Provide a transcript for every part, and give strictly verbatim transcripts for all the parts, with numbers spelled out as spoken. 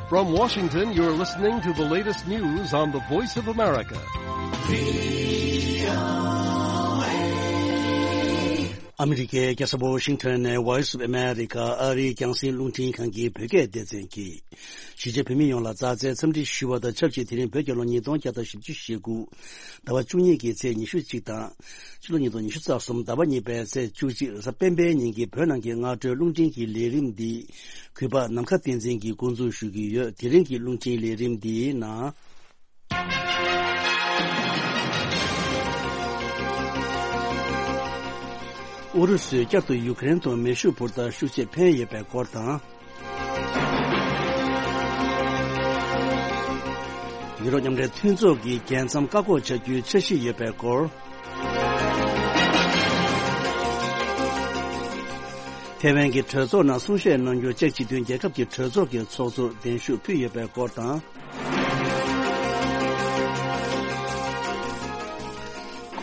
From Washington, you're listening to the latest news on the Voice of America. ཨ་མི་རི་ཀའི་རྒྱལ་ས་ཝ་ཤིང་ཊོན་ནས་Voice of America ཨ་རིའི་རྒྱང་སྲིང་རླུང་འཕྲིན་ཁང་གི་བོད་སྐད་སྡེ་ཚན་གྱིས། གཞིས་བྱེས་བོད་མི་ཡོངས་ལ་མཛའ་བརྩེའི་འཚམས་འདྲི་ཞུ་བ་དང་ཆབས་ཅིག་དེ་རིང་བོད་རྒྱལ་ལོ་ཉིས་སྟོང་བརྒྱ་དང་བཞི་བཅུ་ཞེ་དགུ། ཟླ་བ་བཅུ་གཉིས་ཀྱི་ཚེས་ཉི་ཤུ་གཅིག་དང་། ཕྱི་ལོ་ཉིས་སྟོང་ཉི་ཤུ་རྩ་གསུམ་ཟླ་བ་གཉིས་པའི་ཚེས་བཅུ་གཅིག་རེས་གཟའ་སྤེན་པའི་ཉིན་གྱི་བོད་ནང་གི་སྔ་དྲོའི་རླུང་འཕྲིན་གྱི་ལས་རིམ་འདི། གུས་པ་ནམ་མཁའ་བསྟན་འཛིན་གྱིས་འགོ་འཛུགས་ཞུ་གི་ཡོད། དེ་རིང་གི་རླུང་འཕྲིན་ལས་རིམ་འདིའི་ནང་། ཨུ་རུ་སུས་བསྐྱར་དུ་ཡུ་ཀེ་རེན་དུ་མེ་ཤུགས་འཕུར་མདའ་ཤུགས་ཆེ་འཕེན་ཡོད་པའི་སྐོར་དང་། ཡུ་རོབ་མཉམ་འབྲེལ་མཐུན་ཚོགས་ཀྱིས་རྒྱལ་མཚམས་བཀག་འགོག་བྱ་རྒྱུའི་འཆར་གཞི་ཡོད་པའི་སྐོར། ཐེ་ཝན་གྱི་གྲོས་ཚོགས་ནང་གསུང་བཤད་གནང་རྒྱུ་ཅེཀ་སྤྱི་མཐུན་རྒྱལ་ཁབ་ཀྱི་གྲོས་ཚོགས་ཀྱི་ཚོགས་གཙོར་གདན་ཞུ་ཕུལ་ཡོད་པའི་སྐོར་དང་།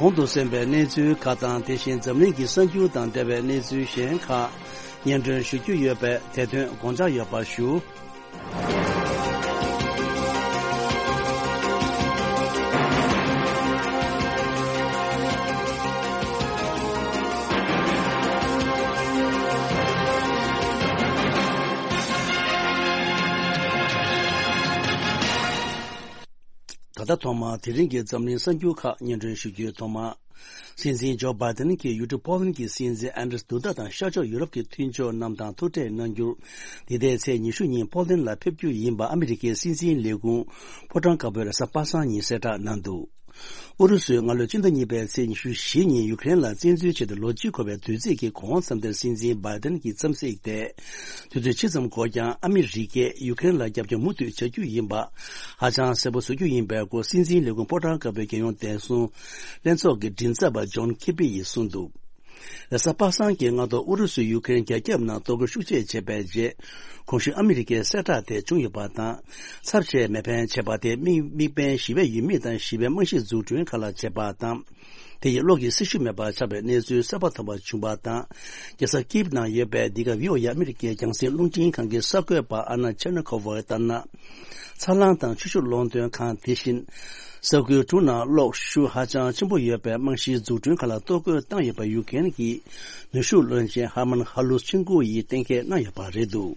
གོང་དུ་གསན་པའི་གནས་ཚུལ་ཁག་དང་། དེ་བཞིན་འཛམ་གླིང་གི་གསར་འགྱུར་དང་འབྲེལ་བའི་གནས་ཚུལ་གཞན་ཁག་སྙན་སྒྲོན་ཞུ་རྒྱུ་ཡོད་པས། དེ་དོན་དགོངས་འཇགས་ཡོད་པ་ཞུ། ད་ལྟ་ཐོག་མར་དེ་རིང་གི་འཛམ་གླིང་གསར་འགྱུར་ཁག་སྙན་སྒྲོན་ཞུ་རྒྱུའི་ཐོག་མར། སྲིད་འཛིན་ཇོ་བྷའི་ཏན་གྱིས་ཡུལ་གྲུ་པོ་ལན་གྱི་སྲིད་འཛིན་ཨན་ཌྲེས་དུ་ད་དང་ཤར་ཕྱོགས་ཡུ་རོབ་ཀྱི་མཐུན་ཕྱོགས་རྣམས་དང་ཐུག་འཕྲད་གནང་རྒྱུར། འདི་ཟླའི་ཚེས་ཉི་ཤུ་ཉིན་པོ་ལན་ལ་ཕེབས་རྒྱུ་ཡིན་པ་ཨ་མི་རི་ཀའི་སྲིད་འཛིན་ལས་ཁུངས་ཕོ་བྲང་དཀར་པོས་རེས་གཟའ་པ་སངས་ཉིན་གསལ་བསྒྲགས་གནང་འདུག་ཨུ་རུ་སུས་སྔ་ལོའི་སྤྱི་ཟླ་གཉིས་པའི་ཚེས་ཉི་ཤུ་བཞི་ཉིན་ཡུ་ཀེ་རེན་ལ་བཙན་འཛུལ་བྱས་ཏེ་ལོ་གཅིག་འཁོར་བའི་དུས་ཚིགས་ཀྱི་གོང་མཚམས་དེར་སྲིད་འཛིན་བྷའི་ཏན་གྱིས་འཚམས་གཟིགས་ཏེ། དུས་ཚོད་ཇི་ཙམ་འགོར་ཀྱང་ཨ་མི་རི་ཀས་ཡུ་ཀེ་རེན་ལ་རྒྱབ་སྐྱོར་མུ་མཐུད་བྱ་རྒྱུ་ཡིན་པ་ཧ་ཅང་གསལ་པོ་བཟོ་རྒྱུ་ཡིན་པའི་སྐོར་སྲིད་འཛིན་ལས་ཁུངས་ཕོ་བྲང་དཀར་པོའི་རྒྱལ་ཡོངས་བདེ་སྲུང་ལྷན་ཚོགས་ཀྱི་མགྲིན་ཚབ་པ་ཇོན་ཁིར་པི་ཡིས་གསུངས་འདུག་རེས་གཟའ་པ་སངས་ཀྱི་སྔ་དྲོ་ཨུ་རུ་སུས་ཡུ་ཀེ་རེན་རྒྱ་ཁྱབ་ནང་གཏོར་རྒོལ་ཤུགས་ཆེ་བྱས་པའི་རྗེས། གོང་ཞུས་ཨ་མི་རི་ཀའི་གསལ་བསྒྲགས་དེ་བྱུང་ཡོད་པ་དང་། ཚབས་ཆེའི་མེ་འཕེན་བྱས་པ་དེ་དམིགས་དམིགས་འབེན་ཞི་བའི་ཡུལ་མི་དང་ཞི་བའི་རྨང་གཞི་འཛུགས་སྐྲུན་ཁག་ལ་བྱས་པ་དང་། དེ་ཡིས་གློག་གི་སྲི་ཞུ་མེད་པར་ཆགས་པའི་གནས་ཚུལ་གསལ་པོ་ཐོན་པ་བྱུང་བ་དང་། རྒྱལ་ས་ཀིབ་ནང་ཡོད་པའི་འདི་ག་བྷི་ཨོ་ཨེ་ཨ་མི་རི་ཀའི་རྒྱང་སྲིང་རླུང་འཕྲིན་ཁང་གི་གསར་འགོད་པ་ཨ་ན་ཆེར་ནི་ཁོ་ཝར་ལྟར་ན། འཚར་ལོངས་དང་ཆུ་ཤུགས་སློང་འདོན་ཁང་དེ་བཞིན། ས་ཁུལ་དྲུག་ནང་གློག་ཤུགས་ཧ་ཅང་ཆེན་པོ་ཡོད་པའི་རྨང་གཞིའི་འཛུགས་སྐྲུན་ཁག་ལ་གཏོར་རྒོལ་བཏང་ཡོད་པ་ཡུ་ཀེ་རེན་གྱི་ནུས་ཤུགས་བློན་ཆེན་ཧར་མན་ཧ་ལུས་ཆིན་ཀུའུ་ཡིས་གཏན་འཁེལ་གནང་ཡོད་པ་རེད་འདུག་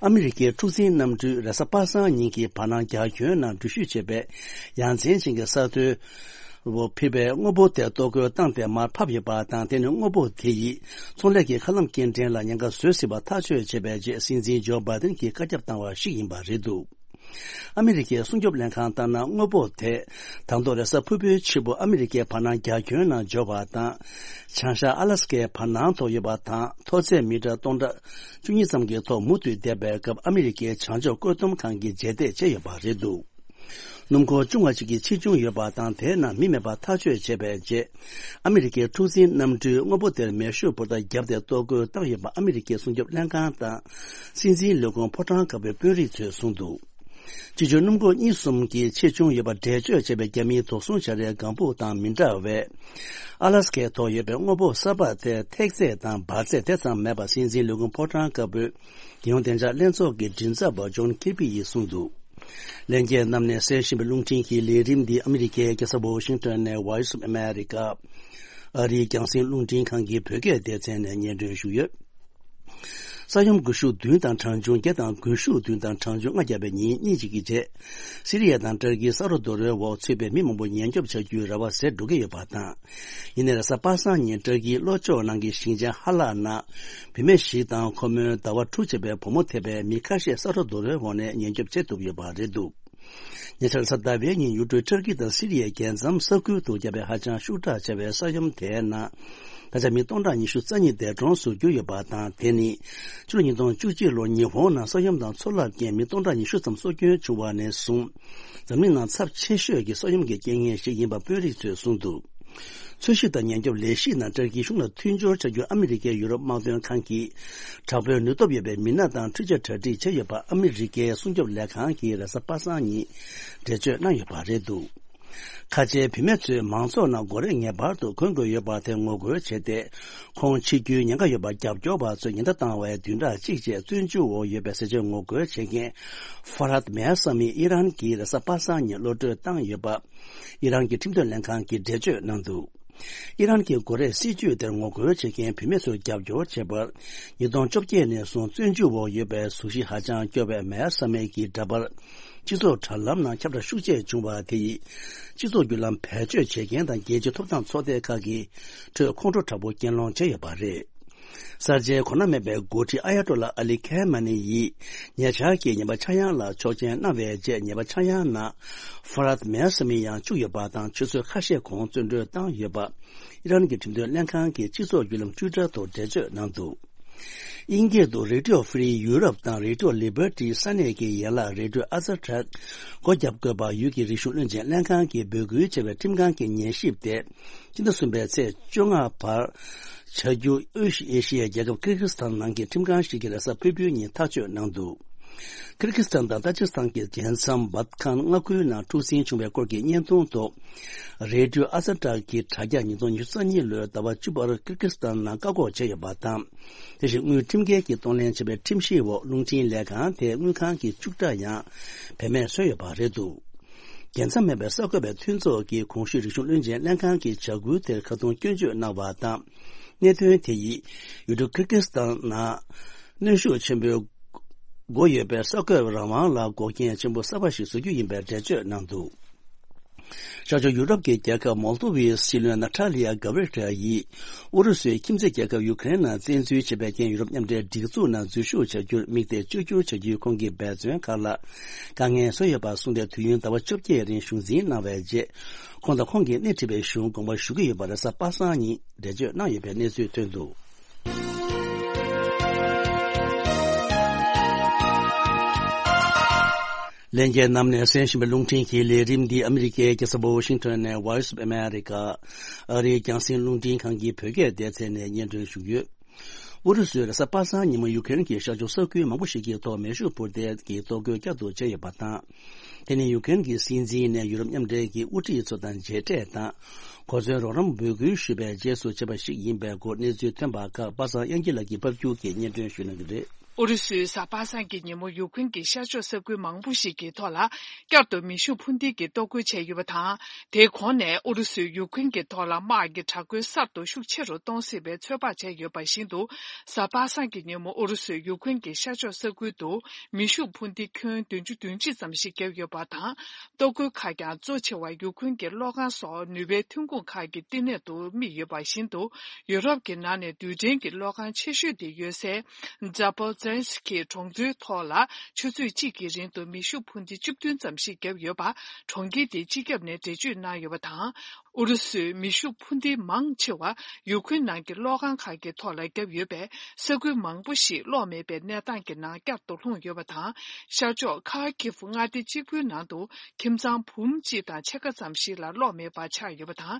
ཨ་མི་རི་ཀའི་འཁྲུག་འཛིང་གནམ་གྲུས་རེས་གཟའ་པ་སངས་ཉིན་གྱི་བར་སྣང་རྒྱ་ཁྱོན་ནང་འགྲུལ་བཞུད་བྱས་པའི་ཡ་མཚན་ཅན་གྱི་ས་མཐོའི་འོག་ཕུད་པའི་དངོས་པོ་དེ་གཏོར་རྒོལ་བཏང་སྟེ་མར་ཕབ་ཡོད་པ་དང་། དེ་ནི་དངོས་པོ་དེ་ཡིས་ཚོང་ལས་ཀྱི་མཁའ་ལམ་སྐྱེལ་འདྲེན་ལ་ཉེན་ཁ་བཟོ་སྲིད་པ་ཐག་གཅོད་བྱས་པའི་རྗེས་སྲིད་འཛིན་ཇོ་བྷའི་ཏན་གྱིས་བཀའ་ཁྱབ་བཏང་བ་ཞིག་ཡིན་པ་རེད་འདུག་ཨ་མི་རི་ཀའི་སྲུང་སྐྱོབ་ལྷན་ཁང་ལྟར་ན། དངོས་པོ་དེ་དང་ཐོག་རེས་གཟའ་ཕུར་བུའི་ཕྱི་པོ་ཨ་མི་རི་ཀའི་བར་སྣང་རྒྱ་ཁྱོན་ནང་འབྱོར་བ་དང་། བྱང་ཤར་ཨ་ལ་སི་ཀའི་བར་སྣང་ཐོག་ཡོད་པ་དང་། མཐོ་ཚད་མི་ཊར་སྟོང་ཕྲག་བཅུ་གཉིས་ཙམ་གྱི་ཐོག་མུ་མཐུད་བསྡད་པའི་སྐབས་ཨ་མི་རི་ཀའི་བྱང་ཕྱོགས་བཀོད་འདོམས་ཁང་གིས་རྗེས་འདེད་བྱས་ཡོད་པ་རེད་འདུག་སྣུམ་འཁོར་ཆུང་བ་ཞིག་གི་ཆེ་ཆུང་ཡོད་པ་དང་། དེའི་ནང་མི་མེད་པ་ཐག་གཅོད་བྱས་པའི་རྗེས། ཨ་མི་རི་ཀའི་འཁྲུག་འཛིང་གནམ་གྲུས་དངོས་པོ་དེར་མེ་ཤུགས་འཕུར་མདའ་བརྒྱབ་སྟེ་གཏོར་རྒོལ་བཏང་ཡོད་པ་ཨ་མི་རི་ཀའི་སྲུང་སྐྱོབ་ལྷན་ཁང་དང་། སྲིད་འཛིན་ལས་ཁུངས་ཕོ་བྲང་དཀར་པོའི་དཔོན་རིགས་ཚོས་གསུངས་འདུག་སྤྱི་ཆུ་སྣུམ་འཁོར་གཉིས་གསུམ་གྱི་ཆེ་ཆུང་ཡོད་པ་འགྲེལ་བརྗོད་བྱས་པའི་རྒྱ་མིའི་དོགས་ཟོན་བྱ་རའི་ལྒང་ཕུག་དང་མི་འདྲ་བས། ཨ་ལ་སི་ཀའི་ཐོག་ཡོད་པའི་དངོས་པོ་གསར་པ་དེ་ཐེག་ཚད་དང་འབར་ཚད་དེ་ཙམ་མེད་པ་སྲིད་འཛིན་ལས་ཁུངས་ཕོ་བྲང་དཀར་པོའི་རྒྱལ་ཡོངས་བདེ་འཇགས་ལྷན་ཚོགས་ཀྱི་མགྲིན་ཚབ་པ་ཇོན་ཁིར་པི་ཡིས་གསུངས་འདུག་ལྷན་རྒྱས་རྣམས་ནས་གསན་བཞིན་པའི་རླུང་འཕྲིན་གྱི་ལས་རིམ་འདི་ཨ་མི་རི་ཀའི་རྒྱལ་ས་ཝོ་ཤིང་ཊོན་ནས་Voice of America ཨ་རིའི་རྒྱང་སྲིང་རླུང་འཕྲིན་ཁང་གི་བོད་སྐད་སྡེ་ཚན་ནས་སྙན་སྒྲོན་ཞུས་ཡོད། ས་ཡོམ་འགུལ་ཤུགས་བདུན་དང་གྲངས་ཆུང་བརྒྱ་དང་འགུལ་ཤུགས་བདུན་དང་གྲངས་ཆུང་ལྔ་བརྒྱབ་པའི་ཉིན་གཉིས་ཤིག་གི་རྗེས། སི་རི་ཡ་དང་ཏུར་ཀིའི་ས་རོ་རྡོ་རོལ་འོག་ཚུད་པའི་མི་མང་པོ་ཉེན་སྐྱོབ་བྱ་རྒྱུའི་རེ་བ་ཟད་འགྲོ་གི་ཡོད་པ་དང་། ཡིན་ནའི་རེས་གཟའ་པ་སངས་ཉིན་ཏུར་ཀིའི་ལྷོ་ཕྱོགས་ནང་གི་ཞིང་ཆེན་ཧ་ལག་ནང་བུད་མེད་ཞིག་དང་ཁོ་མོའི་ཟླ་བ་དྲུག་ཅེས་པའི་བུ་མོ་ཐེ་བའི་མི་ཁ་ཤས་ས་རོ་རྡོ་རོལ་འོག་ནས་ཉེན་སྐྱོབ་བྱེད་ཐུབ་ཡོད་པ་རེད་འདུག་ཉེ་ཆར་གཟའ་ཟླ་བའི་ཉིན་ཡུལ་གྲུ་ཏུར་ཀི་དང་སི་རི་ཡའི་རྒྱལ་མཚམས་ས་ཁུལ་དུ་བརྒྱབ་པའི་ཧ་ཅང་ཤུགས་དྲག་ཆེ་བའི་ས་ཡོམ་དེའི་ནང་། ད་ཆ་མི་སྟོང་ཕྲག་ཉི་ཤུ་རྩ་གཉིས་འདས་གྲོངས་སུ་གྱུར་ཡོད་པ་དང་། དེ་ནི་ཕྱི་ལོ་ཉིས་སྟོང་བཅུ་གཅིག་ལོར་ཉི་ཧོང་ནང་ས་ཡོམ་དང་མཚོ་རླབས་ཀྱིས་མི་སྟོང་ཕྲག་ཉི་ཤུ་ཙམ་སྲོག་སྐྱོན་བྱུང་བ་ནས་བཟུང་། འཛམ་གླིང་ནང་ཚབས་ཆེ་ཤོས་ཀྱི་ས་ཡོམ་གྱི་རྐྱེན་ངན་ཞིག་ཡིན་པ་དཔོན་རིགས་ཚོས་གསུངས་འདུག་འཚོལ་ཞིབ་དང་ཉེན་སྐྱོབ་ལས་གཞིའི་ནང་ཏུར་ཀིའི་གཞུང་ལ་མཐུན་སྦྱོར་བྱ་རྒྱུར་ཨ་མི་རི་ཀའི་ཡུ་རོབ་དམག་དོན་ཁང་གིས་དྲག་པོའི་ནུས་སྟོབས་ཡོད་པའི་མི་སྣ་དང་འཕྲུལ་ཆས་གྲ་སྒྲིག་བྱས་ཡོད་པ་ཨ་མི་རི་ཀའི་སྲུང་སྐྱོབ་ལས་ཁང་གིས་རེས་གཟའ་པ་སངས་ཉིན་འགྲེལ་བརྗོད་གནང་ཡོད་པ་རེད་འདུག་ཁ་ཆེའི་བུད་མེད་ཚོས་མང་ཚོགས་ནང་སྒོ་རས་ངེས་པར་དུ་གོན་དགོས་ཡོད་པ་དེ་ངོ་རྒོལ་བྱས་ཏེ། ཁོང་འཆི་རྒྱུའི་ཉེན་ཁ་ཡོད་པར་རྒྱབ་སྐྱོར་བ་ཚོས་ཉེན་བརྡ་བཏང་བའི་བདུན་ཕྲག་གཅིག་རྗེས་བཙོན་འཇུག་འོག་ཡོད་པའི་ཟས་བཅད་ངོ་རྒོལ་བྱེད་མཁན་ཧྥ་རཱད་མེ་ཧ་ས་མི་ཨི་རན་གྱིས་རེས་གཟའ་པ་སངས་ཉིན་གློད་བཀྲོལ་བཏང་ཡོད་པ། ཨི་རན་གྱི་ཁྲིམས་དོན་ལྷན་ཁང་གིས་འགྲེལ་བརྗོད་གནང་འདུག་ཨི་རན་གྱི་སྒོ་རས་སྲིད་ཇུས་དེར་ངོ་རྒོལ་བྱེད་མཁན་བུད་མེད་ཚོར་རྒྱབ་སྐྱོར་བྱས་པར། ཉིས་སྟོང་བཅོ་བརྒྱད་ནས་བཟུང་བཙོན་འཇུག་འོག་ཡོད་པའི་གཟུགས་གཞི་ཧ་ཅང་སྐྱོ་བའི་མེ་ཧ་ས་མི་གི་འདྲ་པར། སྤྱི་ཚོགས་དྲ་ལམ་ནང་ཁྱབ་བསྒྲགས་ཤུགས་ཆེ་བྱུང་བ་དེ་ཡིས། སྤྱི་ཚོགས་བརྒྱུད་ལམ་བེད་སྤྱོད་བྱེད་མཁན་དང་རྒྱལ་སྤྱིའི་ཐོབ་ཐང་ཚོགས་སྡེ་ཁག་གི་ཁྲོད་ཁོང་ཁྲོ་དྲག་པོ་གྱེན་ལངས་བྱས་ཡོད་པ་རེད། གསར་བརྗེའི་གོ་ན་མེད་པའི་འགོ་ཁྲིད་ཨ་ཡ་ཏོ་ལ་ཨ་ལི་ཁེ་མ་ནི་ཡིས། ཉེ་ཆར་གྱི་ཉེས་པ་ཆག་ཡང་ལ་ཆོག་མཆན་གནང་བའི་རྗེས། ཉེས་པ་ཆག་ཡང་ནང་ཧྥ་རཱད་མེ་ཧ་ས་མི་ཡང་བཅུག་ཡོད་པ་དང་། ཆུ་ཚོད་ཁ་ཤས་གོང་བཙོན་གྲོལ་བཏང་ཡོད་པ། ཨི་རན་གྱི་ཁྲིམས་དོན་ལྷན་ཁང་གིས་སྤྱི་ཚོགས་བརྒྱུད་ལམ་ཊུའི་ཊར་ཐོག་འགྲེལ་བརྗོད་གནང་འདུག་དབྱིན་སྐད་དུ་Radio Free Europe དང་Radio Liberty ས་གནས་ཀྱི་ཡན་ལག་Radio Azertag སྒོ་བརྒྱབ་དགོས་པ། ཡུལ་གྱི་རིག་གཞུང་བློན་ཆེན་ལྷན་ཁང་གིས་འབོད་སྐུལ་བྱས་པའི་ཁྲིམས་ཁང་གི་ཉན་ཞིབ་དེ། སྤྱི་ཟླ་གསུམ་པའི་ཚེས་བཅོ་ལྔ་བར་བྱ་རྒྱུ་དབུས་ཨེ་ཤི་ཡའི་རྒྱལ་ཁབ་ཀིར་ཀིར་སི་ཐན་ནང་གི་ཁྲིམས་ཁང་ཞིག་གིས་རེས་གཟའ་ཕུར་བུའི་ཉིན་ཐག་གཅོད་གནང་འདུག་ཀིར་ཀིར་སི་ཐན་དང་ཏ་ཇིག་སི་ཐན་གྱི་རྒྱལ་མཚམས་བཱད་ཁན་མངའ་ཁུལ་ནང་འཁྲུག་ཟིང་བྱུང་བའི་སྐོར་གྱི་བརྙན་ཐུང་ཐོག་རེ་ཌི་ཡོ་ཨ་ཛ་ཏྲ་གི་དྲ་རྒྱ་ཉིས་སྟོང་ཉི་ཤུ་རྩ་གཉིས་ལོའི་ཟླ་བ་བཅུ་པར་ཀིར་ཀིར་སི་ཐན་ནང་བཀག་འགོག་བྱས་ཡོད་པ་དང་། དེ་བཞིན་དངུལ་ཁྲིམས་འགལ་གྱིས་གཏོང་ལེན་བྱས་པའི་ཁྲིམས་གཞིའི་འོག་རླུང་འཕྲིན་ལས་ཁང་དེའི་དངུལ་ཁང་གི་བཅུག་ཁྲ་ཡང་བེད་མེད་བཟོས་ཡོད་པ་རེད་འདུག་རྒྱལ་མཚམས་མེད་པའི་གསར་འགོད་པའི་མཐུན་ཚོགས་ཀྱིས་གོང་ཞུས་རིག་གཞུང་བློན་ཆེན་ལྷན་ཁང་གི་བྱ་འགུལ་དེར་ཁ་རྡུང་སྐྱོན་བརྗོད་གནང་བ་དང་། གནད་དོན་དེ་ཡིས་ཡུལ་གྲུ་ཀིར་ཀིར་སི་ཐན་ནང་གནོན་ཤུགས་ཆེན་པོའི་སྒོ་ཡོད་པའི་གསར་འགོད་རང་དབང་ལ་འགོག་རྐྱེན་ཆེན་པོ་གསར་པ་ཞིག་བཟོ་རྒྱུ་ཡིན་པའི་འགྲེལ་བརྗོད་གནང་འདུག་ཤར་ཕྱོགས་ཡུ་རོབ་ཀྱི་རྒྱལ་ཁབ་མོལ་དོ་ཝའི་སྲིད་བློན་ནཱ་ཐ་ལི་ཡ་གྷ་བི་རི་ཡལ་ཡིས། ཨུ་རུ་སུས་ཁྱིམ་མཚེས་རྒྱལ་ཁབ་ཡུ་ཀེ་རེན་ནང་བཙན་འཛུལ་བྱས་པའི་རྐྱེན། ཡུ་རོབ་མཉམ་འབྲེལ་སྒྲིག་འཛུགས་ནང་འཛུལ་ཞུགས་བྱ་རྒྱུར་དམིགས་གཏད་བཅོས་བསྒྱུར་བྱ་རྒྱུའི་ཁོང་གི་འབད་བརྩོན་ཁག་ལ་དཀའ་ངལ་བཟོས་ཡོད་པ་གསུངས་ཏེ། དུས་ཡུན་ཟླ་བ་བཅོ་བརྒྱད་རིང་གཞུང་འཛིན་གནང་བའི་རྗེས། ཁོང་དང་ཁོང་གིས་སྣེ་ཁྲིད་པའི་གཞུང་དགོངས་པ་ཞུ་གི་ཡོད་པ་རེས་གཟའ་པ་སངས་ཉིན་འགྲེལ་བརྗོད་གནང་ཡོད་པའི་གནས་ཚུལ་ཐོན་འདུག་ལྷན་རྒྱས་རྣམས་ནས་གསན་བཞིན་པའི་རླུང་འཕྲིན་གྱི་ལས་རིམ་འདི་ཨ་མི་རི་ཀའི་རྒྱལ་ས་ཝ་ཤིང་ཊོན་ནས་Voice of America ཨ་རིའི་རྒྱང་སྲིང་རླུང་འཕྲིན་ཁང་གི་བོད་སྐད་སྡེ་ཚན་ནས་སྙན་སྒྲོན་ཞུས་ཡོད། ཨུ་རུ་སུས་རེས་གཟའ་པ་སངས་ཉིན་མོ་ཡུ་ཀེ་རེན་གྱི་ཤར་ཕྱོགས་ས་ཁུལ་མང་པོ་ཞིག་གི་ཐོག་མེ་ཤུགས་འཕུར་མདེལ་གྱི་གཏོར་རྒོལ་བསྐྱར་དུ་བྱས་ཡོད་པ་དང་། དེ་ནི་ཡུ་ཀེ་རེན་གྱི་སྲིད་འཛིན་ནས་ཡུ་རོབ་མཉམ་འབྲེལ་གྱི་དབུ་ཁྲིད་ཚོ་དང་མཇལ་འཕྲད་དང་། གོ་མཚོན་རོགས་རམ་འབོད་སྐུལ་ཞུས་པའི་རྗེས་སུ་བྱས་པ་ཞིག་ཡིན་པའི་སྐོར་གནས་ཚུལ་ཐོན་པ་ཁག་པ་སངས་དབྱངས་སྐྱིད་ལགས་ཀྱིས་ཕབ་སྒྱུར་གྱིས་སྙན་སྒྲོན་ཞུ་གནང་གི་རེད། ཨུ་རུ་སུས་གཟའ་པ་སངས་ཀྱི་ཉིན་མོ་ཡུ་ཀེ་རེན་གྱི་ཤར་ཕྱོགས་ས་ཁུལ་མང་པོ་ཞིག་གི་ཐོག་ལ་བསྐྱར་དུ་མེ་ཤུགས་འཕུར་མདེལ་གྱིས་གཏོར་རྒོལ་བྱས་ཡོད་པ་དང་། དེའི་གོང་ནས་ཨུ་རུ་སུས་ཡུ་ཀེ་རེན་གྱི་ཐོག་ལ་དམག་གི་དྲག་རྒོལ་གསར་དུ་ཤུགས་ཆེ་རུ་གཏོང་སྲིད་པའི་ཚོད་དཔག་བྱས་ཡོད་པ་བཞིན་དུ། གཟའ་པ་སངས་ཀྱི་ཉིན་མོ་ཨུ་རུ་སུས་ཡུ་ཀེ་རེན་གྱི་ཤར་ཕྱོགས་ས་ཁུལ་དུ་མེ་ཤུགས་འཕུར་མདེལ་ཁྱོན་བདུན་ཅུ་དོན་གཅིག་ཙམ་ཞིག་བརྒྱབ་ཡོད་པ་དང་། གཏོར་རྒོལ་ཁག་ཀྱང་གཙོ་ཆེ་བ་ཡུ་ཀེ་རེན་གྱི་གློག་ཁང་སོགས་ནུས་པའི་ཐོན་ཁུངས་ཁག་གི་བསྟི་གནས་དུ་དམིགས་ཡོད་པ་བཞིན་དུ། ཡུ་རོབ་ཀྱི་ནང་ནས་རྡུལ་ཕྲན་གྱི་གློག་ཁང་ཆེ་ཤོས་དེ་ཡོད་སའི་ཛ་པོ་ཛེན་སི་ཁི་གྲོང་ཚོའི་ཐོག་ལ་ཆུ་ཚོད་གཅིག་གི་རིང་དུ་མེ་ཤུགས་འཕུར་མདེལ་བཅུ་བདུན་ཙམ་ཞིག་བརྒྱབ་ཡོད་པ་གྲོང་ཁྱེར་དེའི་སྤྱི་ཁྱབ་ནས་འགྲེལ་བརྗོད་གནང་ཡོད་པ་དང་། ཨུ་རུ་སུས་མེ་ཤུགས་འཕུར་མདེལ་མང་ཆེ་བ་ཡུ་ཁུན་ནང་གི་གློག་ཁང་ཁག་གི་ཐོག་ལ་བརྒྱབ་ཡོད་པས། ས་ཁུལ་མང་པོ་ཞིག་གློག་མེད་པའི་གནས་སྟངས་ཀྱི་ནང་བསྐྱར་དུ་ལྷུང་ཡོད་པ་དང་། ཤར་ཕྱོགས་ཁ་ཁི་ཧྥུ་མངའ་སྡེ་གཅིག་པུའི་ནང་དུ་ཁྱིམ་ཚང་འབུམ་གཅིག་དང་ཕྱེད་ཀ་ཙམ་ཞིག་ལ་གློག་མེད་པ་ཆགས་ཡོད་པ་དང་།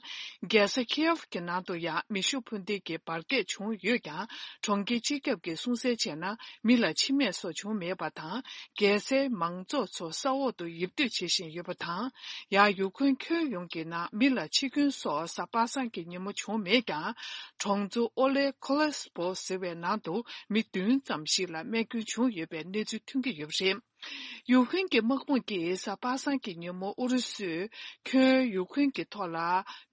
རྒྱལ་ས་ཁི་ཡེབ་ཀྱི་ནང་དུ་ཡང་མེ་ཤུགས་འཕུར་མདེལ་གྱི་འབར་གས་བྱུང་ཡོད་ཀྱང་། གྲོང་ཁྱེར་སྤྱི་ཁྱབ་ཀྱིས་གསུང་གསལ་བྱས་ན། མི་ལ་འཆི་རྨས་སོགས་བྱུང་མེད་པ་དང་། རྒྱལ་སའི་མང་ཚོགས་ཚོ་ས་འོག་ཏུ་ཡིབ་སྡོད་བྱེད་བཞིན་ཡོད་པ་དང་། ཡང་ཡུ་ཁུན་ཁྱོན་ཡོངས་ཀྱི་ནང་མི་ལ་འཆི་སྐྱོན་སོགས་གཟའ་པ་སངས་ཀྱི་ཉིན་མོ་བྱུང་མེད་ཀྱང་། གྲོང་ཚོ་ཨོ་ལེ་ཁོ་ལེ་སི་པོ་ཟེར་བའི་ནང་དུ་མི་བདུན་ཙམ་ཞིག་ལ་རྨས་སྐྱོན་བྱུང་ཡོད་པའི་གནས་ཚུལ་ཐོན་གྱི་ཡོད་པ་རེད། ཡུ་ཁུན་གྱི་དམག་དཔུང་གིས་གཟའ་པ་སངས་ཀྱི་ཉིན་མོ་ཨུ་རུ་སུས་ཁྱོན་ཡུ་ཁུན་གྱི་ཐོག་ལ་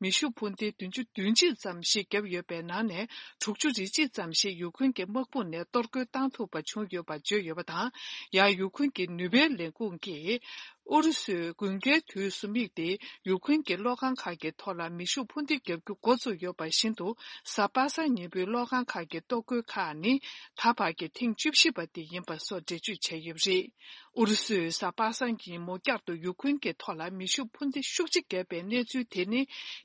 མེ་ཤུགས་འཕུར་མདེལ་བདུན་ཅུ་དོན་གཅིག་ཙམ་ཞིག་བརྒྱབ་ཡོད་པའི་ནང་ནས་དྲུག་ཅུ་རེ་གཅིག་ཙམ་ཞིག་ཡུ་ཁུན་གྱི་དམག་དཔུང་ནས་གཏོར་རྒོལ་བཏང་ཐུབ་པ་བྱུང་ཡོད་པ་བརྗོད་ཡོད་པ་དང་། ཡང་ཡུ་ཁུན་གྱི་ནུས་པའི་ལས་ཁུངས་ཀྱིས་ཨུ་རུ་སུས་དགུན་ཁའི་དུས་སུ་དམིགས་ཏེ་ཡུ་ཁུན་གྱི་གློག་ཁང་ཁག་གི་ཐོག་ལ་མེ་ཤུགས་འཕུར་མདེལ་བརྒྱབ་རྒྱུ་འགོ་བཙུགས་ཡོད་པ་བཞིན་དུ། གཟའ་པ་སངས་ཉིན་མོའི་གློག་ཁང་ཁག་གི་གཏོར་རྒོལ་ཁག་ནི་ད་བར་གྱི་ཐེངས་བཅུ་བཞི་པ་དེ་ཡིན་པ་སོགས་འགྲེལ་བརྗོད་བྱས་ཡོད་པ་རེད། ཨུ་རུ་སུས་གཟའ་པ་སངས་ཀྱི་ཉིན་མོ་བསྐྱར་དུ་ཡུ་ཁུན་གྱི་ཐོག་ལ་མེ་ཤུགས་འཕུར་མདེལ་ཤུགས་ཆེ་བརྒྱབ་པའི་གནས་ཚུལ་དེ་ནི།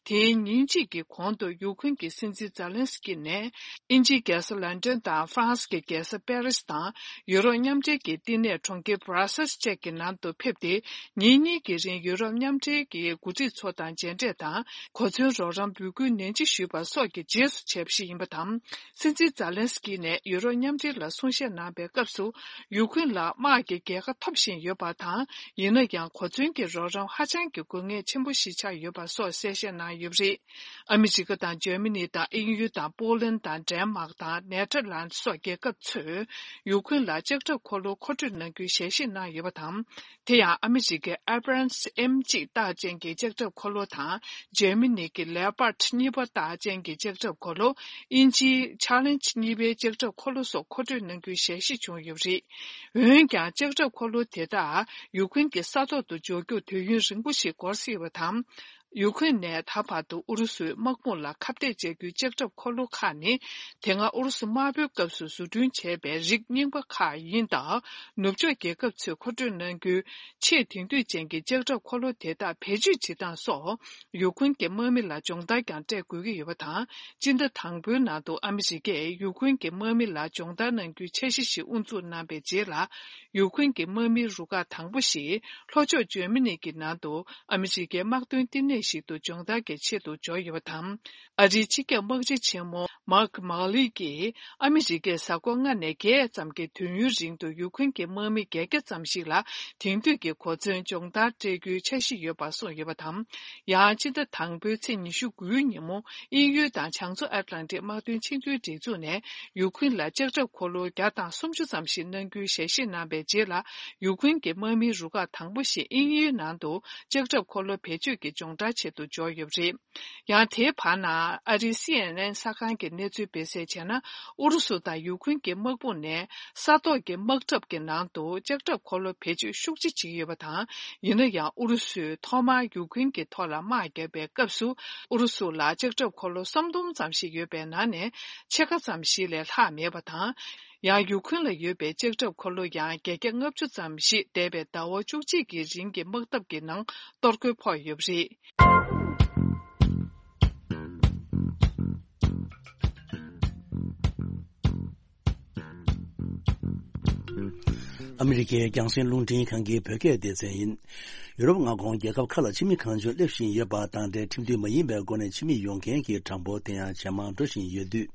དེའི་ཉིན་གཅིག་གི་གོང་དུ་ཡུ་ཁུན་གྱི་སྲིད་འཛིན་ཛེ་ལན་སི་ཀི་ནས། དབྱིན་ཇིའི་རྒྱལ་ས་ལན་ཀྲན་དང་ཧྥ་རན་སི་གི་རྒྱལ་ས་པེ་རི་སི་དང་། ཡུ་རོབ་མཉམ་འབྲེལ་གྱི་བསྟི་གནས་གྲོང་ཁྱེར་བྷ་ར་སེལ་སི་བཅས་ཀྱི་ནང་དུ་ཕེབས་ཏེ། ཉིན་གཉིས་ཀྱི་རིང་ཡུ་རོབ་མཉམ་འབྲེལ་གྱི་འགོ་ཁྲིད་ཚོ་དང་མཇལ་འཕྲད་དང་། གོ་མཚོན་རོགས་རམ་འབོད་སྐུལ་ནན་ཆེ་ཞུས་པ་སོགས་ཀྱི་རྗེས་སུ་བྱས་པ་ཞིག་ཡིན་པ་དང་། སྲིད་འཛིན་ཛེ་ལན་སི་ཀི་ནས་ཡུ་རོབ་མཉམ་འབྲེལ་ལ་གསུང་བཤད་གནང་པའི་སྐབས་སུ། ཡུ་ཁུན་ལ་དམག་གི་རྒྱལ་ཁ་ ཐོབ་བཞིན་ཡོད་པ་དང་། ཡིན་ན་ཡང་གོ་མཚོན་གྱི་རོགས་རམ་ཧ་ཅང་གི་དགོས་ངེས་ཆེན་པོ་ཞིག་ཆགས་ཡོད་པ་སོགས་གསལ་བཤད་གནང་ཡོད་པ་རེད། ཨ་མི་རི་ཀ་དང་འཇར་མ་ནི་དང་དབྱིན་ཡུལ་དང་པོ་ལན་དང་ཌེན་མཱག་དང་ནེ་ཐར་ལན་སོགས་རྒྱལ་ཁབ་ཚོས་ཡུཀ་རེན་ལ་ལྕགས་ཁྲབ་འཁོར་ལོ་མཁོ་སྤྲོད་གནང་རྒྱུའི་ཞལ་བཞེས་གནང་ཡོད་པ་དང་། དེ་ཡང་ཨ་མི་རི་ཀའི་Abrams M གཅིག་རྟགས་ཅན་གྱི་ལྕགས་ཁྲབ་འཁོར་ལོ་དང་། འཇར་མ་ནི་གི་Leopard གཉིས་པ་རྟགས་ཅན་གྱི་ལྕགས་ཁྲབ་འཁོར་ལོ། དབྱིན་ཇིའི་Challenge གཉིས་པའི་ལྕགས་ཁྲབ་འཁོར་ལོ་སོགས་མཁོ་སྤྲོད་གནང་རྒྱུའི་ཞལ་བཞེས་བྱུང་ཡོད་པ་རེད། འོན་ཀྱང་ལྕགས་ཁྲབ་འཁོར་ལོ་དེ་དག་ཡུཀ་རེན་གྱི་ས་ཐོག་ཏུ་འབྱོར་རྒྱུར་དུས་ཡུན་རིང་པོ་ཞིག་འགོར་སྲིད་པ་དང་། ཡུཀ་རེན་ནས་ད་བར་དུ་ཨུ་རུ་སུའི་དམག་དཔུང་ལ་ཁ་གཏད་བཅག་རྒྱུའི་ལྕགས་ཁྲབ་འཁོར་ལོ་ཁག་ནི། དེ་སྔ་ཨུ་རུ་སུ་དམར་པོའི་སྐབས་སུ་བཟོ་སྐྲུན་བྱས་པའི་རིགས་རྙིང་པ་ཁག་ཡིན་སྟབས། ནུབ་ཕྱོགས་རྒྱལ་ཁབ་ཚོས་མཁོ་སྤྲོད་གནང་རྒྱུའི་ཆེས་དེང་དུས་ཅན་གྱི་ལྕགས་ཁྲབ་འཁོར་ལོ་དེ་དག་བེད་སྤྱོད་བྱེད་སྟངས་སོགས་ཡུཀ་རེན་གྱི་དམག་མི་ལ་སྦྱོང་བརྡར་ཀྱང་སྤྲད་དགོས་ཀྱི་ཡོད་པ་དང་། སྤྱི་ཟླ་དང་པོའི་ནང་དུ་ཨ་མི་རི་ཀས་ཡུཀ་རེན་གྱི་དམག་མི་ལ་སྦྱོང་བརྡར་གནང་རྒྱུའི་འཆར་གཞི་ཞིག་དབུ་འཛུགས་གནང་པའི་རྗེས་ལ། ཡུཀ་རེན་གྱི་དམག་མིའི་རུ་ཁག་དང་པོ་ཞིག་ལྷོ་ཕྱོགས་འཇར་མ་ནི་གི་ནང་དུ་ཨ་མི་རི་ཀའི་དམག་དོན་བསྟི་གནས་ཤིག་ཏུ་སྦྱོང་བརྡར་གྱི་ཆེད་དུ་འབྱོར་ཡོད་པ་དང་། ཨ་རིའི་སྤྱི་ཁྱབ་དམག་སྤྱི་ཆེན་མོ་མཱག་མཱ་ལི་ཀིས་ཨ་མི་རི་ཀས་གཟའ་འཁོར་ལྔ་ནས་བརྒྱད་ཙམ་གྱི་དུས་ཡུན་རིང་དུ་ཡུཀ་རེན་གྱི་དམག་མི་བརྒྱད་བརྒྱ་ཙམ་ཞིག་ལ་དེང་དུས་ཀྱི་གོ་མཚོན་སྦྱོང་བརྡར་སྤྲད་རྒྱུའི་འཆར་གཞི་ཡོད་པ་གསུངས་ཡོད་པ་དང་། ཡང་སྤྱི་ཟླ་དང་པོའི་ཚེས་ཉི་ཤུ་དགུའི་ཉིན་མོ། དབྱིན་ཡུལ་དང་བྱང་མཚོ་ཨེཊ་ལན་ཊིག་དམག་དོན་ཆིངས་འཛུགས་སྒྲིག་འཛུགས་ནས་ཡུཀ་རེན་ལ་ལྕགས་ཁྲབ་འཁོར་ལོ་བརྒྱ་དང་སུམ་ཅུ་ཙམ་ཞིག་གནང་རྒྱུའི་ཞལ་བཞེས་གནང་བའི་རྗེས་ལ། ཡུཀ་རེན་གྱི་དམག་མིའི་རུ་ཁག་དང་པོ་ཞིག་དབྱིན་ཡུལ་ནང་དུ་ལྕགས་ཁྲབ་འཁོར་ལོ་བེད་སྤྱོད་ཀྱི་སྦྱོང་བརྡར་ཆེད་དུ་འབྱོར་ཡོད་པ་རེད། ཡང་དེའི་བར་ན། ཨ་རིའི་སི་ཨེན་ཨེན་གསར་ཁང་གི་གནས་ཚུལ་སྤེལ་གསལ་བྱས་ན། ཨུ་རུ་སུ་དང་ཡུཀ་རེན་གྱི་དམག་དཔུང་ནས་ས་ཐོག་གི་དམག་འཁྲབ་ཀྱི་ནང་དུ་ལྕགས་ཁྲབ་འཁོར་ལོ་བེད་སྤྱོད་ཤུགས་ཆེ་བྱེད་ཀྱི་ཡོད་པ་དང་། ཡིན་ན་ཡང་ཨུ་རུ་སུས་ཐོག་མར་ཡུཀ་རེན་གྱི་ཐོག་ལ་དམག་བརྒྱབ་པའི་སྐབས་སུ། ཨུ་རུ་སུ་ལ་ལྕགས་ཁྲབ་འཁོར་ལོ་སུམ་སྟོང་ཙམ་ཞིག་ཡོད་པའི་ནང་ནས་ཕྱེད་ཀ་ཙམ་ཞིག་ལས་ལྷག་མེད་པ་དང་། ཡང་ཡུཀ་རེན་ལ་ཡོད་པའི་ལྕགས་ཁྲབ་འཁོར་ལོ་ཡང་བརྒྱད་བརྒྱ་ལྔ་བཅུ་ཙམ་ཞིག་འདས་པའི་ཟླ་བ་བཅུ་གཅིག་གི་རིང་གི་དམག་འཐབ་ཀྱི་ནང་གཏོར་རྒོལ་ཕོག་ཡོད་པ་རེད། ཨ་མི་རི་ཀའི་རྒྱང་སྲིང་རླུང་འཕྲིན་ཁང་གི་བོད་སྐད་སྡེ་ཚན་ཡིན། ཡུ་རོབ་མངའ་ཁོངས་རྒྱལ་ཁབ་ཁག་ལ་ཕྱི་མི་གང་བྱུང་སླེབས་བཞིན་ཡོད་པ་དང་འབྲེལ། ཁྲིམས་མཐུན་མ་ཡིན་པའི་སྒོ་ནས་ཕྱི་མི་ཡོང་མཁན་གྱི་གྲངས་འབོར་དེ་ཡང་ཇེ་མང་འགྲོ་བཞིན་ཡོད་དུས།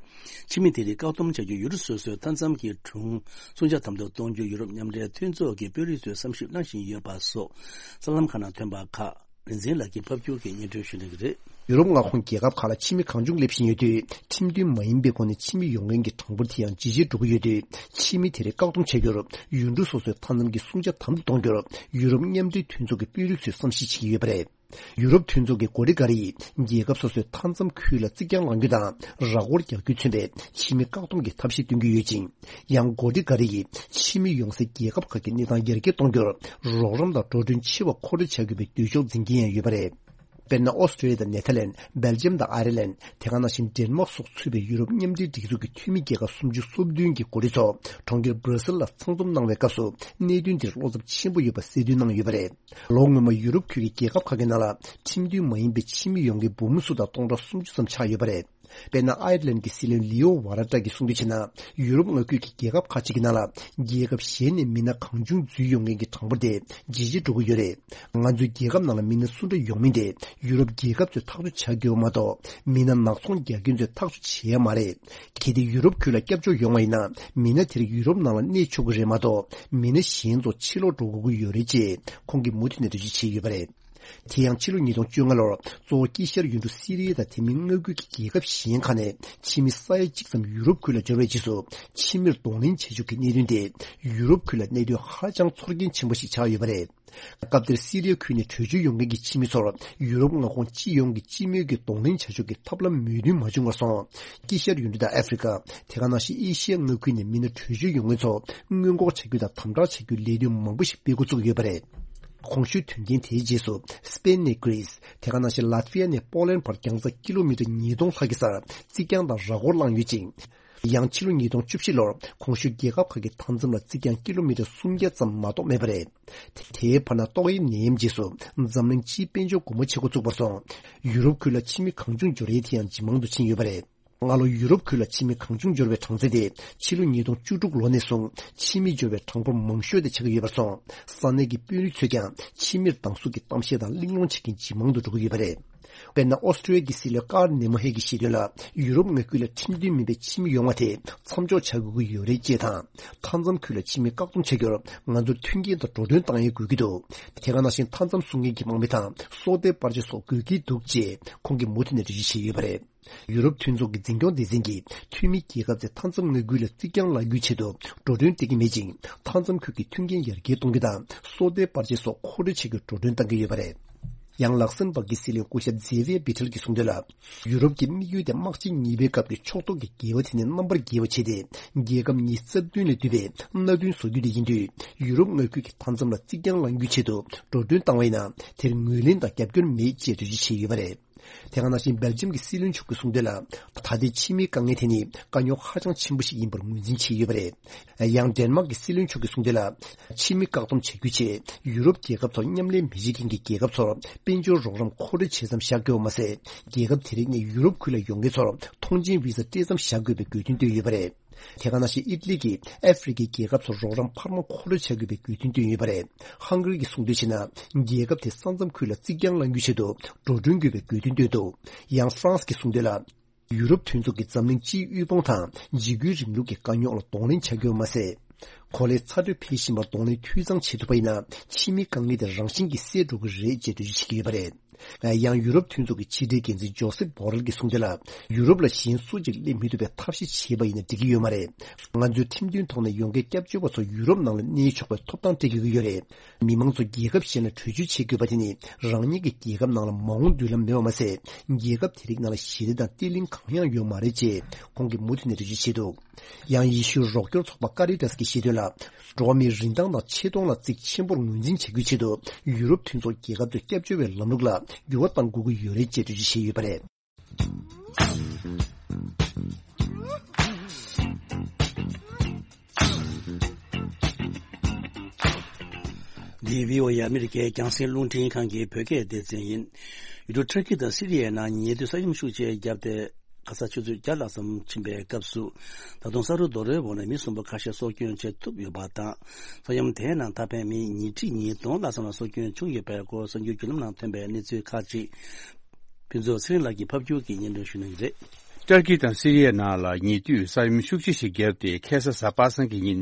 ཕྱི་མི་དེ་རིགས་བཀག་སྡོམ་བྱ་རྒྱུ། ཡུལ་གྲུ་སོ་སོའི་མཐའ་མཚམས་ཀྱི་སྒྲུང་སྲུང་བྱ་དམ་དུ་གཏོང་རྒྱུ། ཡུ་རོབ་མཉམ་འབྲེལ་མཐུན་ཚོགས་ཀྱི་དཔོན་རིགས་ཚོས་བསམ་ཞིབ་གནང་བཞིན་ཡོད་པ་སོགས། གསར་ལམ་ཁག་ནང་ཐོན་པ་ཁག་རིག་འཛིན་ལགས་ཀྱིས་ཕབ་སྒྱུར་གྱིས་སྙན་སྒྲོན་ཞུ་གནང་གི་རེད། ཡུ་རོབ་མངའ་ཁོངས་རྒྱལ་ཁབ་ཁག་ལ་ཕྱི་མི་གང་བྱུང་སླེབས་བཞིན་ཡོད་དུས། ཁྲིམས་མཐུན་མ་ཡིན་པའི་སྒོ་ནས་ཕྱི་མི་ཡོང་མཁན་གྱི་གྲངས་འབོར་དེ་ཡང་ཇེ་ཆེར་འགྲོ་གི་ཡོད་དུས། ཕྱི་མི་དེ་རིགས་བཀག་སྡོམ་བྱ་རྒྱུར། ཡུལ་གྲུ་སོ་སོའི་མཐའ་མཚམས་ཀྱི་སྲུང་བྱ་དམ་དུ་གཏོང་རྒྱུར། ཡུ་རོབ་མཉམ་འབྲེལ་མཐུན་ཚོགས་ཀྱི་དཔོན་རིགས་ཚོས་བསམ་གཞིག་བྱེད་ཀྱི་ཡོད་པ་རེད། ཡུ་རོབ་མཐུན་ཚོགས་ཀྱི་འགོ་ཁྲིད་འགའ་རེ་ཡིས། རྒྱལ་ཁབ་སོ་སོའི་མཐའ་མཚམས་ཁུལ་ལ་རྩིག་གྱང་བསླང་རྒྱུ་དང་། ར་སྐོར་རྒྱག་རྒྱུས་མཚོན་པའི་ཕྱི་མི་བཀག་སྡོམ་གྱི་ཐབས་ཤེས་སྟོན་གྱི་ཡོད་ཅིང་། ཡང་འགོ་ཁྲིད་འགའ་རེ་ཡིས། ཕྱི་མི་ཡོང་སའི་རྒྱལ་ཁབ་ཁག་གི་གནས་སྟངས་ཡར་རྒྱས་གཏོང་རྒྱུར། རོགས་རམ་དང་འགྲོ་གྲོན་ཆེ་བ་མཁོ་སྤྲོད་བྱ་དགོས་པའི་འདོད་ཕྱོགས་འཛིན་གྱིན་ཡང་ཡོད་པ་རེད། དཔེར་ན། ཨོ་སི་ཀྲི་ཡ་དང་ནེ་ཐར་ལན། སྦེལ་ཇམ་དང་ཨའི་ར་ལན། དེ་ག་ནང་བཞིན་ཌེན་མཱག་སོགས་ཚུད་པའི་ཡུ་རོབ་མཉམ་འབྲེལ་སྒྲིག་འཛུགས་ཀྱི་འཐུས་མི་རྒྱལ་ཁབ་སུམ་ཅུ་སོ་བདུན་གྱི་འགོ་ཁྲིད་ཚོ། གྲོང་ཁྱེར་སྦྲ་སེལ་ལ་ཚང་འཛོམས་གནང་བའི་སྐབས་སུ། གནད་དོན་འདིར་བློ་འཚབ་ཆེན་པོ་ཡོད་པ་གསལ་སྟོན་གནང་ཡོད་པ་རེད། ལོ་སྔོན་མ་ཡུ་རོབ་ཁུལ་གྱི་རྒྱལ་ཁབ་ཁག་གི་ནང་ལ། ཁྲིམས་མཐུན་མ་ཡིན་པའི་ཕྱི་མི་ཡོང་མཁན་འབུམ་སུམ་སྟོང་དང་སྟོང་ཕྲག་སུམ་ཅུ་ཙམ་ཆགས་ཡོད་པ་རེད། དཔེར་ན། ཨའི་ར་ལན་གྱི་སྲིད་བློན་ལི་ཨོ་ཝ་ར་ཏྲ་གིས་གསུང་དོན་བྱས་ན། ཡུ་རོབ་མངའ་ཁུལ་གྱི་རྒྱལ་ཁབ་ཁག་ཅིག་གི་ནང་ལ། རྒྱལ་ཁབ་གཞན་ནས་མི་སྣ་གང་བྱུང་འཛུལ་ཡོང་མཁན་གྱི་གྲངས་འབོར་དེ་ཇེ་ཆེར་འགྲོ་གི་ཡོད་རེད། ང་ཚོའི་རྒྱལ་ཁབ་ནང་ལ་མི་སྣ་སུ་འདྲ་ཡོང་མིན་དེ། ཡུ་རོབ་རྒྱལ་ཁབ་ཚོས་ཐག་གཅོད་བྱ་དགོས་པ་མ་གཏོགས། མི་སྣ་ནག་ཚོང་རྒྱག་མཁན་ཚོས་ཐག་གཅོད་བྱེད་ཡ་མ་རེད། གལ་ཏེ་ཡུ་རོབ་ཁུལ་ལ་སྐྱབས་བཅོལ་ཡོང་བ་ཡིན་ན། མི་སྣ་དེ་རིགས་ཡུ་རོབ་ནང་ལ་གནས་ཆོག་གི་རེད་མ་གཏོགས། མི་སྣ་གཞན་ཚོ་ཕྱིར་ལོག་འགྲོ་དགོས་ཀྱི་ཡོད་རེད་ཅེས་ཁོང་གིས་མུ་མཐུད་ནས་འགྲེལ་བརྗོད་བྱས་ཡོད་པ་རེད། དེ་ཡང་ཕྱི་ལོ་ཉིས་སྟོང་བཅོ་ལྔ་ལོར་གཙོ་བོ་དཀྱིལ་ཤར་ཡུལ་གྲུ་སི་རི་ཡ་དང་དེ་མིན་མངའ་ཁུལ་གྱི་རྒྱལ་ཁབ་གཞན་ཁག་ནས་ཕྱི་མི་ས་ཡ་གཅིག་ཙམ་ཡུ་རོབ་ཁུལ་ལ་འབྱོར་བའི་རྗེས་སུ། ཕྱི་མིར་གདོང་ལེན་བྱེད་ཕྱོགས་ཀྱི་གནད་དོན་དེ་ཡུ་རོབ་ཁུལ་ལ་གནད་དོན་ཧ་ཅང་ཚོར་སྐྱེན་ཆེན་པོ་ཞིག་ཆགས་ཡོད་པ་རེད། སྐབས་དེར་སི་རི་ཡ་ཁུལ་ནས་བྲོས་བྱོལ་ཡོང་མཁན་གྱི་ཕྱི་མི་ཚོར་ཡུ་རོབ་མངའ་ཁོངས་སྤྱི་ཡོངས་ཀྱི་སྤྱི་མོས་ཀྱི་གདོང་ལེན་བྱ་ཕྱོགས་ཀྱི་ཐབས་ལམ་མོས་མཐུན་མ་བྱུང་བར་སོང་། དཀྱིལ་ཤར་ཡུལ་གྲུ་དང་ཨ་ཧྥེ་རི་ཀ། དེ་ག་ནང་བཞིན་ཨེ་ཤི་ཡ་མངའ་ཁུལ་ནས་མི་སྣ་བྲོས་བྱོལ་ཡོང་མཁན་ཚོ་སྔོན་འགོག་བྱ་རྒྱུ་དང་དམ་དྲག་བྱ་རྒྱུའི་ལས་དོན་མང་པོ་ཞིག་སྤེལ་འགོ་བཙུགས་ཡོད་པ་རེད། གོང་ཞུས་དོན་རྐྱེན་དེའི་རྗེས་སུ། སི་པེན་ནས་གྷི་རིས། དེ་ག་ནང་བཞིན་ལ་ཏི་ཝི་ཡ་ནས་པོ་ལན་བར་རྒྱང་ཚད་ཀི་ལོ་མི་ཊར་ཉིས་སྟོང་ལྷག་གི་སར་རྩིག་གྱང་དང་ར་སྐོར་བསླངས་ཡོད་ཅིང་། ཡང་ཕྱི་ལོ་ཉིས་སྟོང་བཅུ་བཞི་ལོར་གོང་ཞུས་རྒྱལ་ཁབ་ཁག་གི་མཐའ་མཚམས་ལ་རྩིག་གྱང་ཀི་ལོ་མི་ཊར་སུམ་བརྒྱ་ཙམ་མ་གཏོགས་མེད་པ་རེད། དེའི་བར་ན་ཏོག་དབྱིབས་ནད་ཡམས་རྗེས་སུ་འཛམ་གླིང་སྤྱིའི་དཔལ་འབྱོར་སྒོ་མོ་ཕྱེ་འགོ་བཙུགས་པར་སོང་། ཡུ་རོབ་ཁུལ་ལ་ཕྱི་མི་གང་བྱུང་འབྱོར་ཡས་དེ་ཡང་ཇེ་མང་དུ་ཕྱིན་ཡོད་པ་རེད། སྔ་ལོ་ཡུ་རོབ་ཁུལ་ལ་ཕྱི་མི་གང་བྱུང་འབྱོར་བའི་གྲངས་ཚད་དེ་ཕྱི་ལོ་ཉིས་སྟོང་བཅུ་དྲུག་ལོ་ནས་བཟུང་ཕྱི་མི་འབྱོར་བའི་གྲངས་འབོར་མང་ཤོས་དེ་ཆགས་ཀྱི་ཡོད་པར་སོང་། ས་གནས་ཀྱི་དཔོན་རིགས་ཚོས་ཀྱང་ཕྱི་མིར་སྡང་ཟུག་གི་གཏམ་བཤད་དང་གླེང་སློང་བྱེད་མཁན་ཇེ་མང་དུ་འགྲོ་གི་ཡོད་པ་རེད། དཔེར་ན། ཨོ་སི་ཀྲི་ཡ་གི་སྲིད་བློན་ཀར་ནེ་མོ་ཧེ་གིས་བཤད་དོན་ལ། ཡུ་རོབ་མངའ་ཁུལ་ལ་ཁྲིམས་མཐུན་མིན་པའི་ཁྱིམ་ཡོང་བ་དེ་མཚམས་འཇོག་བྱ་དགོས་ཀྱི་ཡོད་རེད་ཅེས་དང་། མཐའ་མཚམས་ཁུལ་ལ་ཕྱི་མི་བཀག་སྡོམ་བྱ་རྒྱུར་ང་ཚོར་མཐུན་རྐྱེན་དང་འགྲོ་གྲོན་གཏང་ཡས་དགོས་ཀྱི་འདུག་དེ་ག་ནང་བཞིན་མཐའ་མཚམས་སྲུང་མཁན་གྱི་དམག་མི་དང་སྲོག་ཐོག་པར་ཆས་སོགས་དགོས་ཀྱི་འདུག་ཅེས་ཁོང་གིས་མུ་མཐུད་ནས་འགྲེལ་བརྗོད་བྱས་ཡོད་པ་རེད། ཡུ་རོབ་མཐུན་ཚོགས་ཀྱི་འཛིན་སྐྱོང་སྡེ་ཚན་གྱིས་འཐུས་མི་རྒྱལ་ཁབ་ཚོས་མཐའ་མཚམས་མངའ་ཁུལ་ལ་རྩིག་གྱང་བསླང་རྒྱུའི་ཆེད་དུ་འགྲོ་གྲོན་སྤྲད་ཀྱི་མེད་ཅིང་། མཐའ་མཚམས་ཁུལ་གྱི་མཐུན་རྐྱེན་ཡར་རྒྱས་གཏོང་རྒྱུ་དང་སྲོག་ཐོག་པར་ཆས་སོགས་མཁོ་སྤྲོད་བྱེད་རྒྱུར་འགྲོ་གྲོན་གཏང་གི་ཡོད་པ་རེད། ཡང་ལག་སེམ་བྷག་གི་སྲིད་བློན་སྐུ་ཞབས་ཛེ་ཝི་ཡ་བི་ཐལ་གྱིས་གསུངས་དོན་ལ། ཡུ་རོབ་ཀྱི་དམིགས་ཡུལ་དེ་དམག་ཆེན་གཉིས་པའི་སྐབས་ཀྱི་ཕྱོགས་གཏོགས་ཀྱི་འགལ་བ་དེ་ནས་རྣམ་པར་རྒྱལ་བ་བྱས་ཏེ། རྒྱལ་ཁབ་ཉི་ཤུ་རྩ་བདུན་ལས་བསྡུས་པའི་མནའ་མཐུན་བཟོ་རྒྱུ་དེ་ཡིན་དུས། ཡུ་རོབ་མངའ་ཁུལ་གྱི་མཐའ་མཚམས་ལ་རྩིག་གྱང་བསླང་རྒྱུའི་ཆེད་དུ་འགྲོ་གྲོན་བཏང་བ་ཡིན་ན། དེར་ངོས་ལེན་དང་རྒྱབ་སྐྱོར་མེད་ཅེས་འགྲེལ་བརྗོད་བྱས་ཡོད་པ་རེད། དེ་ག་ནང་བཞིན་སྦེལ་ཇམ་གྱི་སྲིད་བློན་མཆོག་གིས་གསུངས་དོན་ལ། ད་ལྟའི་ཕྱི་མིའི་དཀའ་ངལ་དེ་ནི་དཀའ་རྙོག་ཧ་ཅང་ཆེན་པོ་ཞིག་ཡིན་པར་ངོས་འཛིན་བྱས་ཡོད་པ་རེད། ཡང་ཌེན་མཱག་གི་སྲིད་བློན་མཆོག་གིས་གསུངས་དོན་ལ། ཕྱི་མི་བཀག་སྡོམ་བྱ་རྒྱུའི་ཆེད་ཡུ་རོབ་རྒྱལ་ཁབ་ཚོར་མཉམ་ལས་མི་བྱེད་མཁན་གྱི་རྒྱལ་ཁབ་ཚོར་དཔལ་འབྱོར་རོགས་རམ་མཁོ་སྤྲོད་བྱེད་མཚམས་བཞག་དགོས་པ་མ་ཟད། རྒྱལ་ཁབ་དེ་རིགས་ནས་ཡུ་རོབ་ཁུལ་ལ་ཡོང་མཁན་ཚོར་ཐོངས་མཆན་བི་ཟ་སྤྲད་མཚམས་བཞག་དགོས་པའི་དགོས་འདུན་བཏོན་ཡོད་པ་རེད། དེ་ག་ནང་བཞིན་ཨི་ཊ་ལི་གིས་ཨ་ཧྥེ་རི་ཁའི་རྒྱལ་ཁབ་ཚོར་རོགས་རམ་འཕར་མ་མཁོ་སྤྲོད་བྱ་དགོས་པའི་དགོས་འདུན་བཏོན་ཡོད་པ་རེད། ཧང་ག་རི་གིས་གསུངས་དོན་བྱས་ན། རྒྱལ་ཁབ་དེ་ས་མཚམས་ཁུལ་ལ་རྩིག་གྱང་བསླང་རྒྱུའི་ཆེད་དུ་འགྲོ་གྲོན་དགོས་པའི་དགོས་འདུན་བཏོན་འདུག་ཡང་ཧྥ་རན་སི་གིས་གསུངས་དོན་ལ། ཡུ་རོབ་མཐུན་ཚོགས་ཀྱི་འཛམ་གླིང་སྤྱིའི་དབུལ་ཕོངས་དང་འཇིགས་སྐུལ་རིང་ལུགས་ཀྱི་དཀའ་རྙོག་ལ་གདོང་ལེན་བྱ་རྒྱུ་མ་ཟད། གོ་ལའི་ཚ་དྲོད་འཕེལ་བཞིན་པར་གདོང་ལེན་འཐུས་ཚང་བྱེད་ཐུབ་པ་ཡིན་ན། ཕྱི་མིའི་དཀའ་ངལ་དེ་རང་བཞིན་གྱིས་སེལ་འགྲོ་གི་རེད་ཅེས་འགྲེལ་བརྗོད་བྱེད་ཀྱི་ཡོད་པ་རེད། ཡང་ཡུ་རོབ་མཐུན་ཚོགས་ཀྱི་ཕྱི་དྲིལ་འགན་འཛིན་ཇོ་སེབ་བྷོ་རེལ་གྱིས་གསུངས་དོན་ལ། ཡུ་རོབ་ལ་གཞན་སུ་གཅིག་སླེབས་མི་ཐུབ་པའི་ཐབས་ཤེས་བྱས་པ་ཡིན་ན་འགྲིག་གི་ཡོད་མ་རེད། ང་ཚོས་ཁྲིམས་མཐུན་ཐོག་ནས་ཡོང་མཁན་སྐྱབས་བཅོལ་བ་ཚོ་ཡུ་རོབ་ནང་ལ་གནས་ཆོག་པའི་ཐོབ་ཐང་སྤྲད་དགོས་ཀྱི་ཡོད་རེད། མི་མང་ཚོ་རྒྱལ་ཁབ་གཞན་ལ་བྲོས་བྱོལ་བྱེད་དགོས་པ་དེ་ནི། རང་ཉིད་ཀྱི་རྒྱལ་ཁབ་ནང་ལ་མ་འོངས་མདུན་ལམ་མེད་པ་མ་ཟད། རྒྱལ་ཁབ་དེ་རིགས་ནང་ལ་ཞི་བདེ་དང་བརྟན་ལྷིང་གང་ཡང་ཡོད་མ་རེད་ཅེས་ཁོང་གིས་མུ་མཐུད་ནས་འགྲེལ་བརྗོད་བྱས་འདུག་ཡང་ཡེ་ཤུའི་རོགས་སྐྱོར་ཚོགས་པ་ཀ་རི་ཏཱས་ཀྱིས་བཤད་དོན་ལ། འགྲོ་བ་མིའི་རིན་ཐང་དང་ཆེ་མཐོང་ལ་གཙིགས་ཆེན་པོར་ངོས་འཛིན་བྱ་རྒྱུའི་ཆེད་དུ། ཡུ་རོབ་མཐུན་ཚོགས་རྒྱལ་ཁབ་ཚོས་སྐྱབས་བཅོལ་བའི་ལམ་ལུགས་ལ་འགྱུར་བ་གཏང་དགོས་ཀྱི་ཡོད་རེད་ཅེས་འགྲེལ་བརྗོད་བྱས་ཡོད་པ་རེད། འདི་བྷི་ཨོ་ཨེ་ཨ་མི་རི་ཀའི་རྒྱང་སྲིང་རླུང་འཕྲིན་ཁང་གི་བོད་སྐད་སྡེ་ཚན་ཡིན། ཡུལ་གྲུ་ཏུར་ཀི་དང་སི་རི་ཡའི་ནང་ཉེ་དུས་ས་ཡོམ་ཤུགས་ཆེ་བརྒྱབ་སྟེ། ཁ་ས་ཆུ་ཚོད་བརྒྱ་ལྷག་ཙམ་ཕྱིན་པའི་སྐབས་སུ། ད་དུང་ས་རུབ་རྡོ་རོལ་འོག་ནས་མི་གསུམ་པོ་ཁ་ཤས་སྲོག་སྐྱོན་བྱེད་ཐུབ་ཡོད་པ་དང་། ས་ཡོམ་དེའི་ནང་ཐར་པའི་མི་ཉིས་ཁྲི་ཉིས་སྟོང་ལྷག་ཙམ་ལ་སྲོག་སྐྱོན་བྱུང་ཡོད་པའི་སྐོར་གསར་འགྱུར་བརྒྱུད་ལམ་ནང་ཐོན་པའི་གནས་ཚུལ་ཁག་ཅིག་ཕུན་ཚོགས་ཚེ་རིང་ལགས་ཀྱིས་ཕབ་སྒྱུར་གྱིས་སྙན་སྒྲོན་ཞུ་གནང་གི་རེད། ཏུར་ཀི་དང་སི་རི་ཡའི་ནང་ལ་ཉེ་དུས་ས་ཡོམ་ཤུགས་ཆེ་ཞིག་བརྒྱབ་སྟེ། ཁ་སང་གཟའ་པ་སངས་ཀྱི་ཉིན་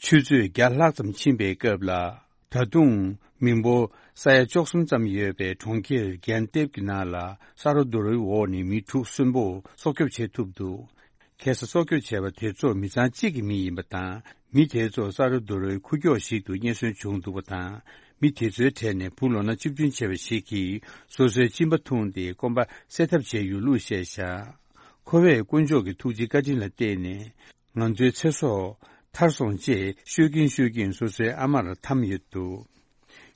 ཆུ་ཚོད་བརྒྱ་ལྷག་ཙམ་ཕྱིན་པའི་སྐབས་ལ། ད་དུང་མི་འབོར་ས་ཡ་བཅུ་གསུམ་ཙམ་ཡོད་པའི་གྲོང་ཁྱེར་གན་ཏེབ་ཀྱི་ནང་ལ་ས་རུབ་རྡོ་རོལ་འོག་ནས་མི་དྲུག་གསོན་པོ་སྲོག་སྐྱོབ་བྱེད་ཐུབ་འདུག་ཁ་སང་སྲོག་སྐྱོབ་བྱས་པ་དེ་ཚོ་མི་ཚང་གཅིག་གི་མི་ཡིན་པ་དང་། མི་དེ་ཚོ་ས་རུབ་རྡོ་རོལ་ཁུག་ཀྱོག་ཞིག་ཏུ་རྙེད་སོན་བྱུང་འདུག་པ་དང་། མི་དེ་ཚོའི་གྲས་ནས་བུ་ལོ་ན་བཅུ་བདུན་བྱས་པ་ཞིག་གིས་སོ་སོའི་གཅིན་པ་འཐུང་སྟེ་སྐོམ་པ་སེལ་ཐབས་བྱས་ཡོད་ལུགས་བཤད་བཞག་ཁོ་བས་དཀོན་མཆོག་གི་ཐུགས་རྗེ་བཀའ་དྲིན་ལ་བརྟེན་ནས། ང་ཚོའི་ཚེ་སྲོག་ཐར་སོང་ཅེས་ཤོད་ཀྱིན་ཤོད་ཀྱིན་སོ་སོའི་ཨ་མར་འཐམས་ཡོད་འདུག་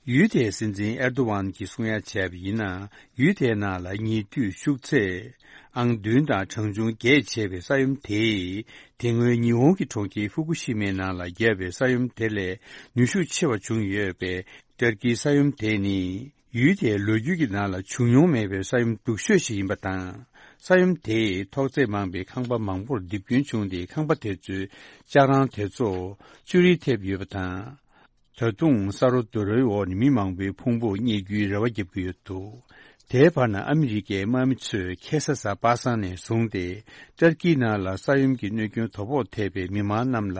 ཡུལ་དེའི་སྲིད་འཛིན་ཨེར་དོ་ཝན་གྱིས་གསུང་ཡ་བྱས་པ་ཡིན་ན། ཡུལ་དེའི་ནང་ལ་ཉེ་དུས་ཤུགས་ཚད་ཨང་བདུན་དང་གྲངས་ཆུང་བརྒྱད་བྱས་པའི་ས་ཡོམ་དེས། དེ་སྔོན་ཉི་ཧོང་གི་གྲོང་ཁྱེར་ཧྥུ་ཀུ་ཤི་མའི་ནང་ལ་བརྒྱབ་པའི་ས་ཡོམ་དེ་ལས་ནུས་ཤུགས་ཆེ་བ་བྱུང་ཡོད་པའི་ཏུར་ཀིའི་ས་ཡོམ་དེ་ནི། ཡུལ་དེའི་ལོ་རྒྱུས་ཀྱི་ནང་ལ་བྱུང་མྱོང་མེད་པའི་ས་ཡོམ་སྡུག་ཤོས་ཤིག་ཡིན་པ་དང་། ས་ཡོམ་དེས་ཐོག་བརྩེགས་མང་པའི་ཁང་པ་མང་པོར་རྡིབ་སྐྱོན་བྱུང་སྟེ། ཁང་པ་དེ་ཚོའི་ལྕགས་རང་དེ་ཚོ་ཅུ་རིས་ཐེབས་ཡོད་པ་དང་། ད་དུང་ས་རུབ་རྡོ་རོལ་འོག་ནས་མི་མང་པོའི་ཕུང་པོ་རྙེད་རྒྱུའི་རེ་བ་བརྒྱབ་ཀྱི་ཡོད་འདུག་དེའི་བར་ན་ཨ་མི་རི་ཀའི་དམག་མི་ཚོས་ཁ་སང་གཟའ་པ་སངས་ནས་བཟུང་སྟེ། ཏུར་ཀིའི་ནང་ལ་ས་ཡོམ་གྱི་གནོད་སྐྱོན་དོ་ཕོག་ཐེབས་པའི་མི་མང་རྣམས་ལ་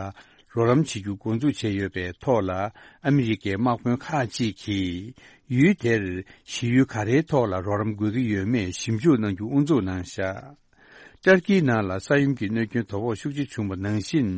རོགས་རམ་བྱེད་རྒྱུ་འགོ་འཛུགས་བྱས་ཡོད་པའི་ཐོག་ལ། ཨ་མི་རི་ཀའི་དམག་དཔོན་ཁག་ཅིག་གིས་ཡུལ་དེར་གཞི་ཡུལ་ག་རེའི་ཐོག་ལ་རོགས་རམ་དགོས་ཀྱི་ཡོད་མེད་ཞིབ་འཇུག་གནང་རྒྱུ་དབུ་འཛུགས་གནང་བཞག་ཏུར་ཀིའི་ནང་ལ་ས་ཡོམ་གྱི་གནོད་སྐྱོན་དོ་ཕོག་ཤུགས་ཆེ་བྱུང་བ་ནང་བཞིན།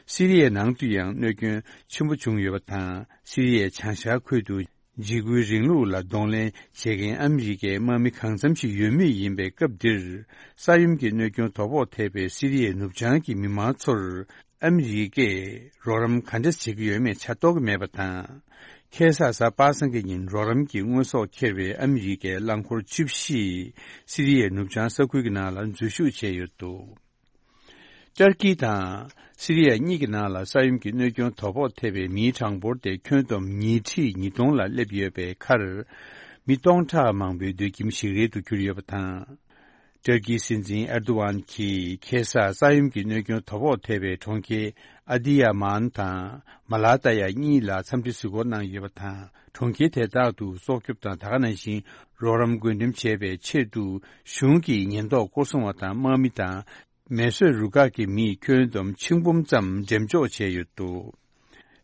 སི་རི་ཡའི་ནང་དུ་ཡང་གནོད་སྐྱོན་ཆེན་པོ་བྱུང་ཡོད་པ་དང་། སི་རི་ཡའི་བྱང་ཤར་ཁུལ་དུ་འཇིགས་སྐུལ་རིང་ལུགས་ལ་གདོང་ལེན་བྱེད་མཁན་ཨ་མི་རི་ཀའི་དམག་མི་གང་འཚམ་ཞིག་ཡོད་མུས་ཡིན་པའི་སྐབས་འདིར། ས་ཡོམ་གྱི་གནོད་སྐྱོན་དོ་ཕོག་ཐེབས་པའི་སི་རི་ཡའི་ནུབ་བྱང་གི་མི་མང་ཚོར། ཨ་མི་རི་ཀས་རོགས་རམ་ག་འདྲ་བྱེད་ཀྱི་ཡོད་མེད་ཆ་རྟོགས་ཀྱི་མེད་པ་དང་། ཁ་སང་གཟའ་པ་སངས་ཀྱི་ཉིན་རོགས་རམ་གྱི་དངོས་ཟོག་འཁྱེར་བའི་ཨ་མི་རི་ཀའི་རླངས་འཁོར་བཅུ་བཞི། སི་རི་ཡའི་ནུབ་བྱང་ས་ཁུལ་གྱི་ནང་ལ་འཛུལ་ཞུགས་བྱས་ཡོད་འདུག་ཏུར་ཀི་དང་སི་རི་ཡ་གཉིས་ཀྱི་ནང་ལ་ས་ཡོམ་གྱི་གནོད་སྐྱོན་དོ་ཕོག་ཐེབས་པའི་མིའི་གྲངས་འབོར་དེ་ཁྱོན་བསྡོམས་ཉིས་ཁྲི་ཉིས་སྟོང་ལ་སླེབས་ཡོད་པའི་ཁར། མི་སྟོང་ཕྲག་མང་པོའི་སྡོད་ཁྱིམ་ཞིག་རལ་དུ་གྱུར་ཡོད་པ་དང་། ཏུར་ཀིའི་སྲིད་འཛིན་ཨེར་དོ་ཝན་གྱིས་ཁ་སང་ས་ཡོམ་གྱི་གནོད་སྐྱོན་དོ་ཕོག་ཐེབས་པའི་གྲོང་ཁྱེར་ཨ་དི་ཡ་མཱན་དང་མ་ལ་ཏ་ཡ་གཉིས་ལ་འཚམས་འདྲི་གཟིགས་སྐོར་གནང་ཡོད་པ་དང་། གྲོང་ཁྱེར་དེ་དག་ཏུ་སྲོག་སྐྱོབ་དང་ད་ག་ནང་བཞིན་རོགས་རམ་བགོ་འགྲེམས་བྱེད་པའི་ཆེད་དུ་གཞུང་གི་ཉེན་རྟོག་སྐོར་སྲུང་བ་དང་དམག་མི་དང་། མེ་གསོད་རུ་ཁག་གི་མིས་ཁྱོན་བསྡོམས་ཆིག་འབུམ་ཙམ་འགྲེམས་འཇོག་བྱས་ཡོད་འདུག་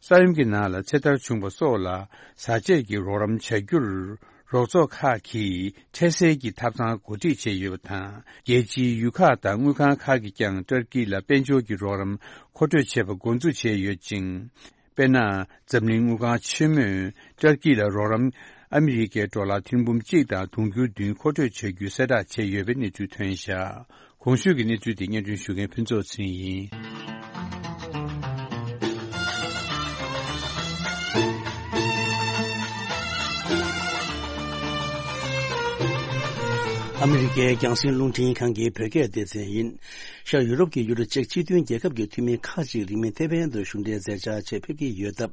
ས་ཡོམ་གྱི་ནང་ལ་ཚེ་ཐར་བྱུང་བ་སོགས་ལ་བཟའ་ཆས་ཀྱི་རོགས་རམ་བྱ་རྒྱུར་རོགས་ཚོགས་ཁག་གིས་འཕྲལ་སེལ་གྱི་ཐབ་ཚང་གོ་སྒྲིག་བྱས་ཡོད་པ་དང་། རྒྱལ་སྤྱིའི་ཡུལ་ཁག་དང་དངུལ་ཁང་ཁག་གིས་ཀྱང་ཏུར་ཀི་ལ་དཔལ་འབྱོར་གྱི་རོགས་རམ་མཁོ་སྤྲོད་བྱེད་པ་འགོ་འཛུགས་བྱས་ཡོད་ཅིང་། དཔེར་ན། འཛམ་གླིང་དངུལ་ཁང་ཆེན་མོས་ཏུར་ཀི་ལ་རོགས་རམ་ཨ་མི་རི་ཀའི་ཌོ་ལར་ཐེར་འབུམ་གཅིག་དང་དུང་ཕྱུར་བདུན་མཁོ་སྤྲོད་བྱ་རྒྱུའི་གསལ་བསྒྲགས་བྱས་ཡོད་པའི་གནས་ཚུལ་ཐོན་བཞག་གོང་ཞུས་ཀྱི་གནས་ཚུལ་དེ་སྙན་སྒྲོན་ཞུ་མཁན་ཕུན་ཚོགས་ཚེ་རིང་ཡིན། ཨ་མི་རི་ཀའི་རྒྱང་སྲིང་རླུང་འཕྲིན་ཁང་གི་བོད་སྐད་སྡེ་ཚན་ཡིན། ཤར་ཡུ་རོབ་ཀྱི་ཡུལ་གྲུ་ཅེཀ་སྤྱི་མཐུན་རྒྱལ་ཁབ་ཀྱི་འཐུས་མི་ཁག་ཅིག་རིང་མིན་ཐེ་ཝན་དུ་གཞུང་འབྲེལ་མཛད་འཆར་ཆེད་ཕེབས་ཀྱི་ཡོད་སྟབས།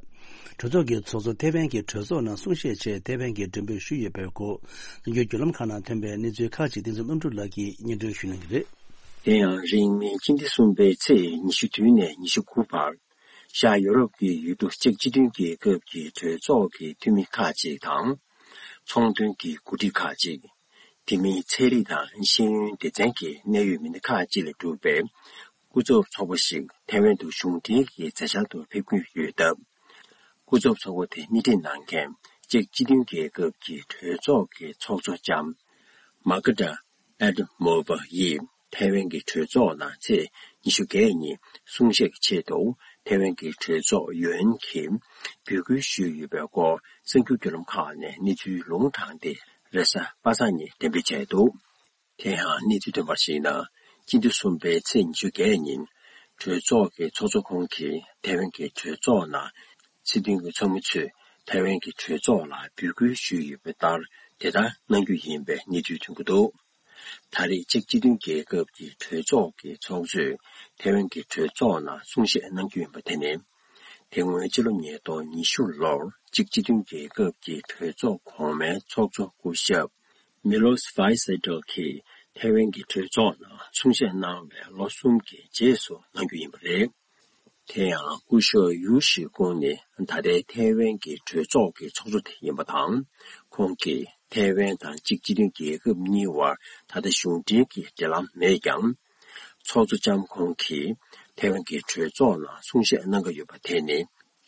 གྲོས་ཚོགས་ཀྱི་ཚོགས་གཙོ་ཐེ་ཝན་གྱི་གྲོས་ཚོགས་ནང་གསུང་བཤད་ཆེད་ཐེ་ཝན་གྱིས་མགྲོན་འབོད་ཞུས་ཡོད་པའི་སྐོར། ནམ་རྒྱུན་བརྒྱུད་ལམ་ཁག་ནང་ཐོན་པའི་གནས་ཚུལ་ཁག་ཅིག་བསྟན་འཛིན་ལྷུན་གྲུབ་ལགས་ཀྱིས་སྙན་སྒྲོན་ཞུ་གནང་གི་རེད། དེ་ཡང་རིང་མིན་སྤྱི་ཟླ་གསུམ་པའི་ཚེས་ཉི་ཤུ་བདུན་ནས་ཉི་ཤུ་དགུ་བར། ཤར་ཡོ་རོབ་ཀྱི་ཡུལ་གྲུ་ཅེཀ་སྤྱི་མཐུན་རྒྱལ་ཁབ་ཀྱི་གྲོས་ཚོགས་ཀྱི་འཐུས་མི་ཁག་ཅིག་དང་། ཚོང་དོན་གྱི་འགོ་ཁྲིད་ཁག་ཅིག་དེ་མིན་ཚན་རིག་དང་ཤེས་ཡོན་སྡེ་ཚན་གྱི་གནད་ཡོད་མི་སྣ་ཁག་ཅིག་ལས་གྲུབ་པའི་སྐུ་ཚབ་ཚོགས་པ་ཞིག་ཐེ་ཝན་དུ་གཞུང་འབྲེལ་གྱི་མཛད་འཆར་དུ་ཕེབས་ཀྱི་ཡོད་སྟབས། སྐུ་ཚབ་ཚོགས་པ་དེ་སྣེ་ཁྲིད་གནང་མཁན་ཅེཀ་སྤྱི་མཐུན་རྒྱལ་ཁབ་ཀྱི་གྲོས་ཚོགས་ཀྱི་ཚོགས་གཙོ་ལྕམ་མཱ་ཀ་ཏ་ཨེ་ཏི་མོ་བྷ་ཡིས་ཐའེ་ཝན་གྱི་གྲོས་ཚོགས་ནང་ཚེས་ཉི་ཤུ་བརྒྱད་ཉིན་གསུང་བཤད་ཀྱི་ཆེད་དུ་ཐའེ་ཝན་གྱི་གྲོས་ཚོགས་ཡུ་ཨེན་གྱིས་འབོད་སྐུལ་ཞུས་ཡོད་པའི་སྐོར་གསར་འགྱུར་བརྒྱུད་ལམ་ཁག་ནས་གནས་ཚུལ་ལུང་དྲངས་ཏེ་རེས་གཟའ་པ་སངས་ཉིན་འགྲེམས་སྤེལ་བྱས་འདུག་དེ་ཡང་གནས་ཚུལ་ཐོན་པར་གཞིགས་ན། སྤྱི་ཟླ་གསུམ་པའི་ཚེས་ཉི་ཤུ་བརྒྱད་ཉིན་གྲོས་ཚོགས་ཀྱི་ཚོགས་གཙོ་ཁོང་གིས་ཐའེ་ཝན་གྱི་གྲོས་ཚོགས་ནང་སྲིད་དོན་གྱི་ཚོགས་མི་ཚོས་ཐའེ་ཝན་གྱི་གྲོས་ཚོགས་ལ་འབོད་སྐུལ་ཞུས་ཡོད་པ་ལྟར་དེ་ལྟར་གནང་རྒྱུ་ཡིན་པའི་གནས་ཚུལ་ཐོན་གྱི་འདུག་ད་རེས་ཅེཀ་སྤྱི་མཐུན་རྒྱལ་ཁབ་ཀྱི་གྲོས་ཚོགས་ཀྱི་ཚོགས་གཙོས་ཐའེ་ཝན་གྱི་གྲོས་ཚོགས་ནང་གསུང་བཤད་གནང་རྒྱུ་ཡིན་པ་དེ་ནི། དེ་སྔོན་ཕྱི་ལོ་ཉིས་སྟོང་ཉི་ཤུ་ལོར་ཅེཀ་སྤྱི་མཐུན་རྒྱལ་ཁབ་ཀྱི་གྲོས་ཚོགས་གོང་མའི་ཚོགས་གཙོ་སྐུ་ཞབས་མི་ལོ་སི་ཝའི་སེ་ཏོ་གིས་ཐའེ་ཝན་གྱི་གྲོས་ཚོགས་ནང་གསུང་བཤད་གནང་བའི་ལོ་གསུམ་གྱི་རྗེས་སུ་གནང་རྒྱུ་ཡིན་པ་རེད། དེ་ཡང་སྐུ་ཞབས་ཡུའུ་ཞི་ཀུང་ནི་ད་ལྟའི་ཐའེ་ཝན་གྱི་གྲོས་ཚོགས་ཀྱི་ཚོགས་གཙོ་དེ་ཡིན་པ་དང་། ཁོང་གིས་ཐའེ་ཝན་དང་ཅེཀ་སྤྱི་མཐུན་རྒྱལ་ཁབ་གཉིས་བར་ད་ལྟ་གཞུང་འབྲེལ་གྱི་འབྲེལ་ལམ་མེད་ཀྱང་། ཚོགས་གཙོ་ལྕམ་ཁོང་གིས་ཐའེ་ཝན་གྱི་གྲོས་ཚོགས་ནང་གསུང་བཤད་གནང་གི་ཡོད་པ་དེ་ནི།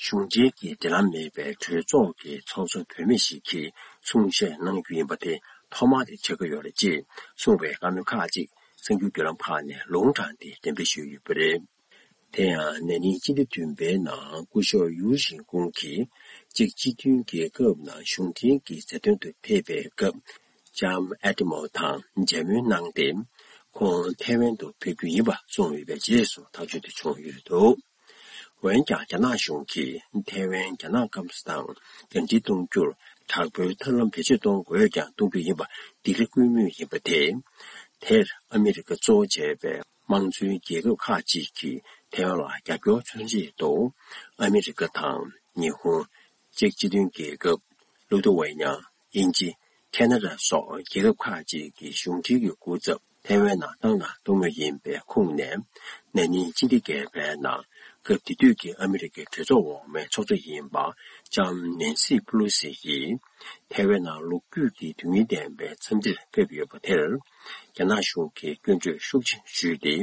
གཞུང་འབྲེལ་གྱི་འབྲེལ་ལམ་མེད་པའི་གྲོས་ཚོགས་ཀྱི་ཚོགས་གཙོ་བུད་མེད་ཞིག་གིས་གསུང་བཤད་གནང་རྒྱུ་ཡིན་པ་དེ་ཐོག་མ་དེ་ཆགས་ཀྱི་ཡོད་རེད་ཅེས་གསུངས་པའི་བཀའ་མོལ་ཁག་ཅིག་གསར་འགྱུར་བརྒྱུད་ལམ་ཁག་ནས་ལུང་དྲངས་ཏེ་འགྲེམས་སྤེལ་ཞུས་ཡོད་པ་རེད། དེ་ཡང་ན་ནིང་སྤྱི་ཟླ་བདུན་པའི་ནང་སྐུ་ཞབས་ཡུའུ་ཞིན་ཀུང་གིས་ཅེཀ་སྤྱི་མཐུན་རྒྱལ་ཁབ་ནང་གཞུང་འབྲེལ་གྱི་མཛད་དོན་དུ་ཕེབས་པའི་སྐབས་ལྕམ་ཨེ་ཏི་མོ་དང་མཇལ་མོལ་གནང་སྟེ། ཁོང་ཐའེ་ཝན་དུ་ཕེབས་རྒྱུ་ཡིན་པ་གསུངས་ཡོད་པའི་རྗེས་སུ་ཐག་གཅོད་དེ་བྱུང་ཡོད་འདུག་འོན་ཀྱང་རྒྱ་ནག་གཞུང་གིས་ཐའེ་ཝན་རྒྱ་ནག་སྐམ་ས་དང་ཟླ་སྒྲིལ་གཏོང་རྒྱུར་དྲག་པོའི་ཐབས་ལམ་བེད་སྤྱོད་གཏོང་དགོས་ཀྱང་གཏོང་རྒྱུ་ཡིན་པ་ལྡི་ལི་སྐུལ་མུས་ཡིན་པ་དེ། དེར་ཨ་མི་རི་ཀ་གཙོ་བོ་བྱས་པའི་དམངས་གཙོའི་རྒྱལ་ཁབ་ཁག་ཅིག་གིས་ཐའེ་ཝན་ལ་རྒྱབ་སྐྱོར་མཚོན་ཆེད་དུ་ཨ་མི་རི་ཀ་དང་ཉི་ཧོང་། ཅེཀ་སྤྱི་མཐུན་རྒྱལ་ཁབ། ལུ་ཐུ་ཝེ་ཉ། དབྱིན་ཇི། ཁེ་ན་ཌ་སོགས་རྒྱལ་ཁབ་ཁག་ཅིག་གི་གཞུང་འབྲེལ་གྱི་སྐུ་ཚབ་ཐའེ་ཝན་ནང་བཏང་དང་གཏོང་མུས་ཡིན་པའི་ཁོངས་ནས། ན་ནིང་སྤྱི་ཟླ་བརྒྱད་པའི་ནང་སྐབས་དེ་དུས་ཀྱི་ཨ་མི་རི་ཀའི་གྲོས་ཚོགས་འོག་མའི་ཚོགས་གཙོ་ཡིན་པ་ལྕམ་ནན་སི་པེ་ལོ་སི་ཡིས་ཐའེ་ཝན་ནང་ལོ་རྒྱུས་ཀྱི་དོན་སྙིང་ལྡན་པའི་འཚམས་འདྲིར་ཕེབས་ཡོད་པ་དེར། རྒྱ་ནག་གཞུང་གིས་སྐྱོན་བརྗོད་ཤུགས་ཆེ་ཞུས་ཏེ།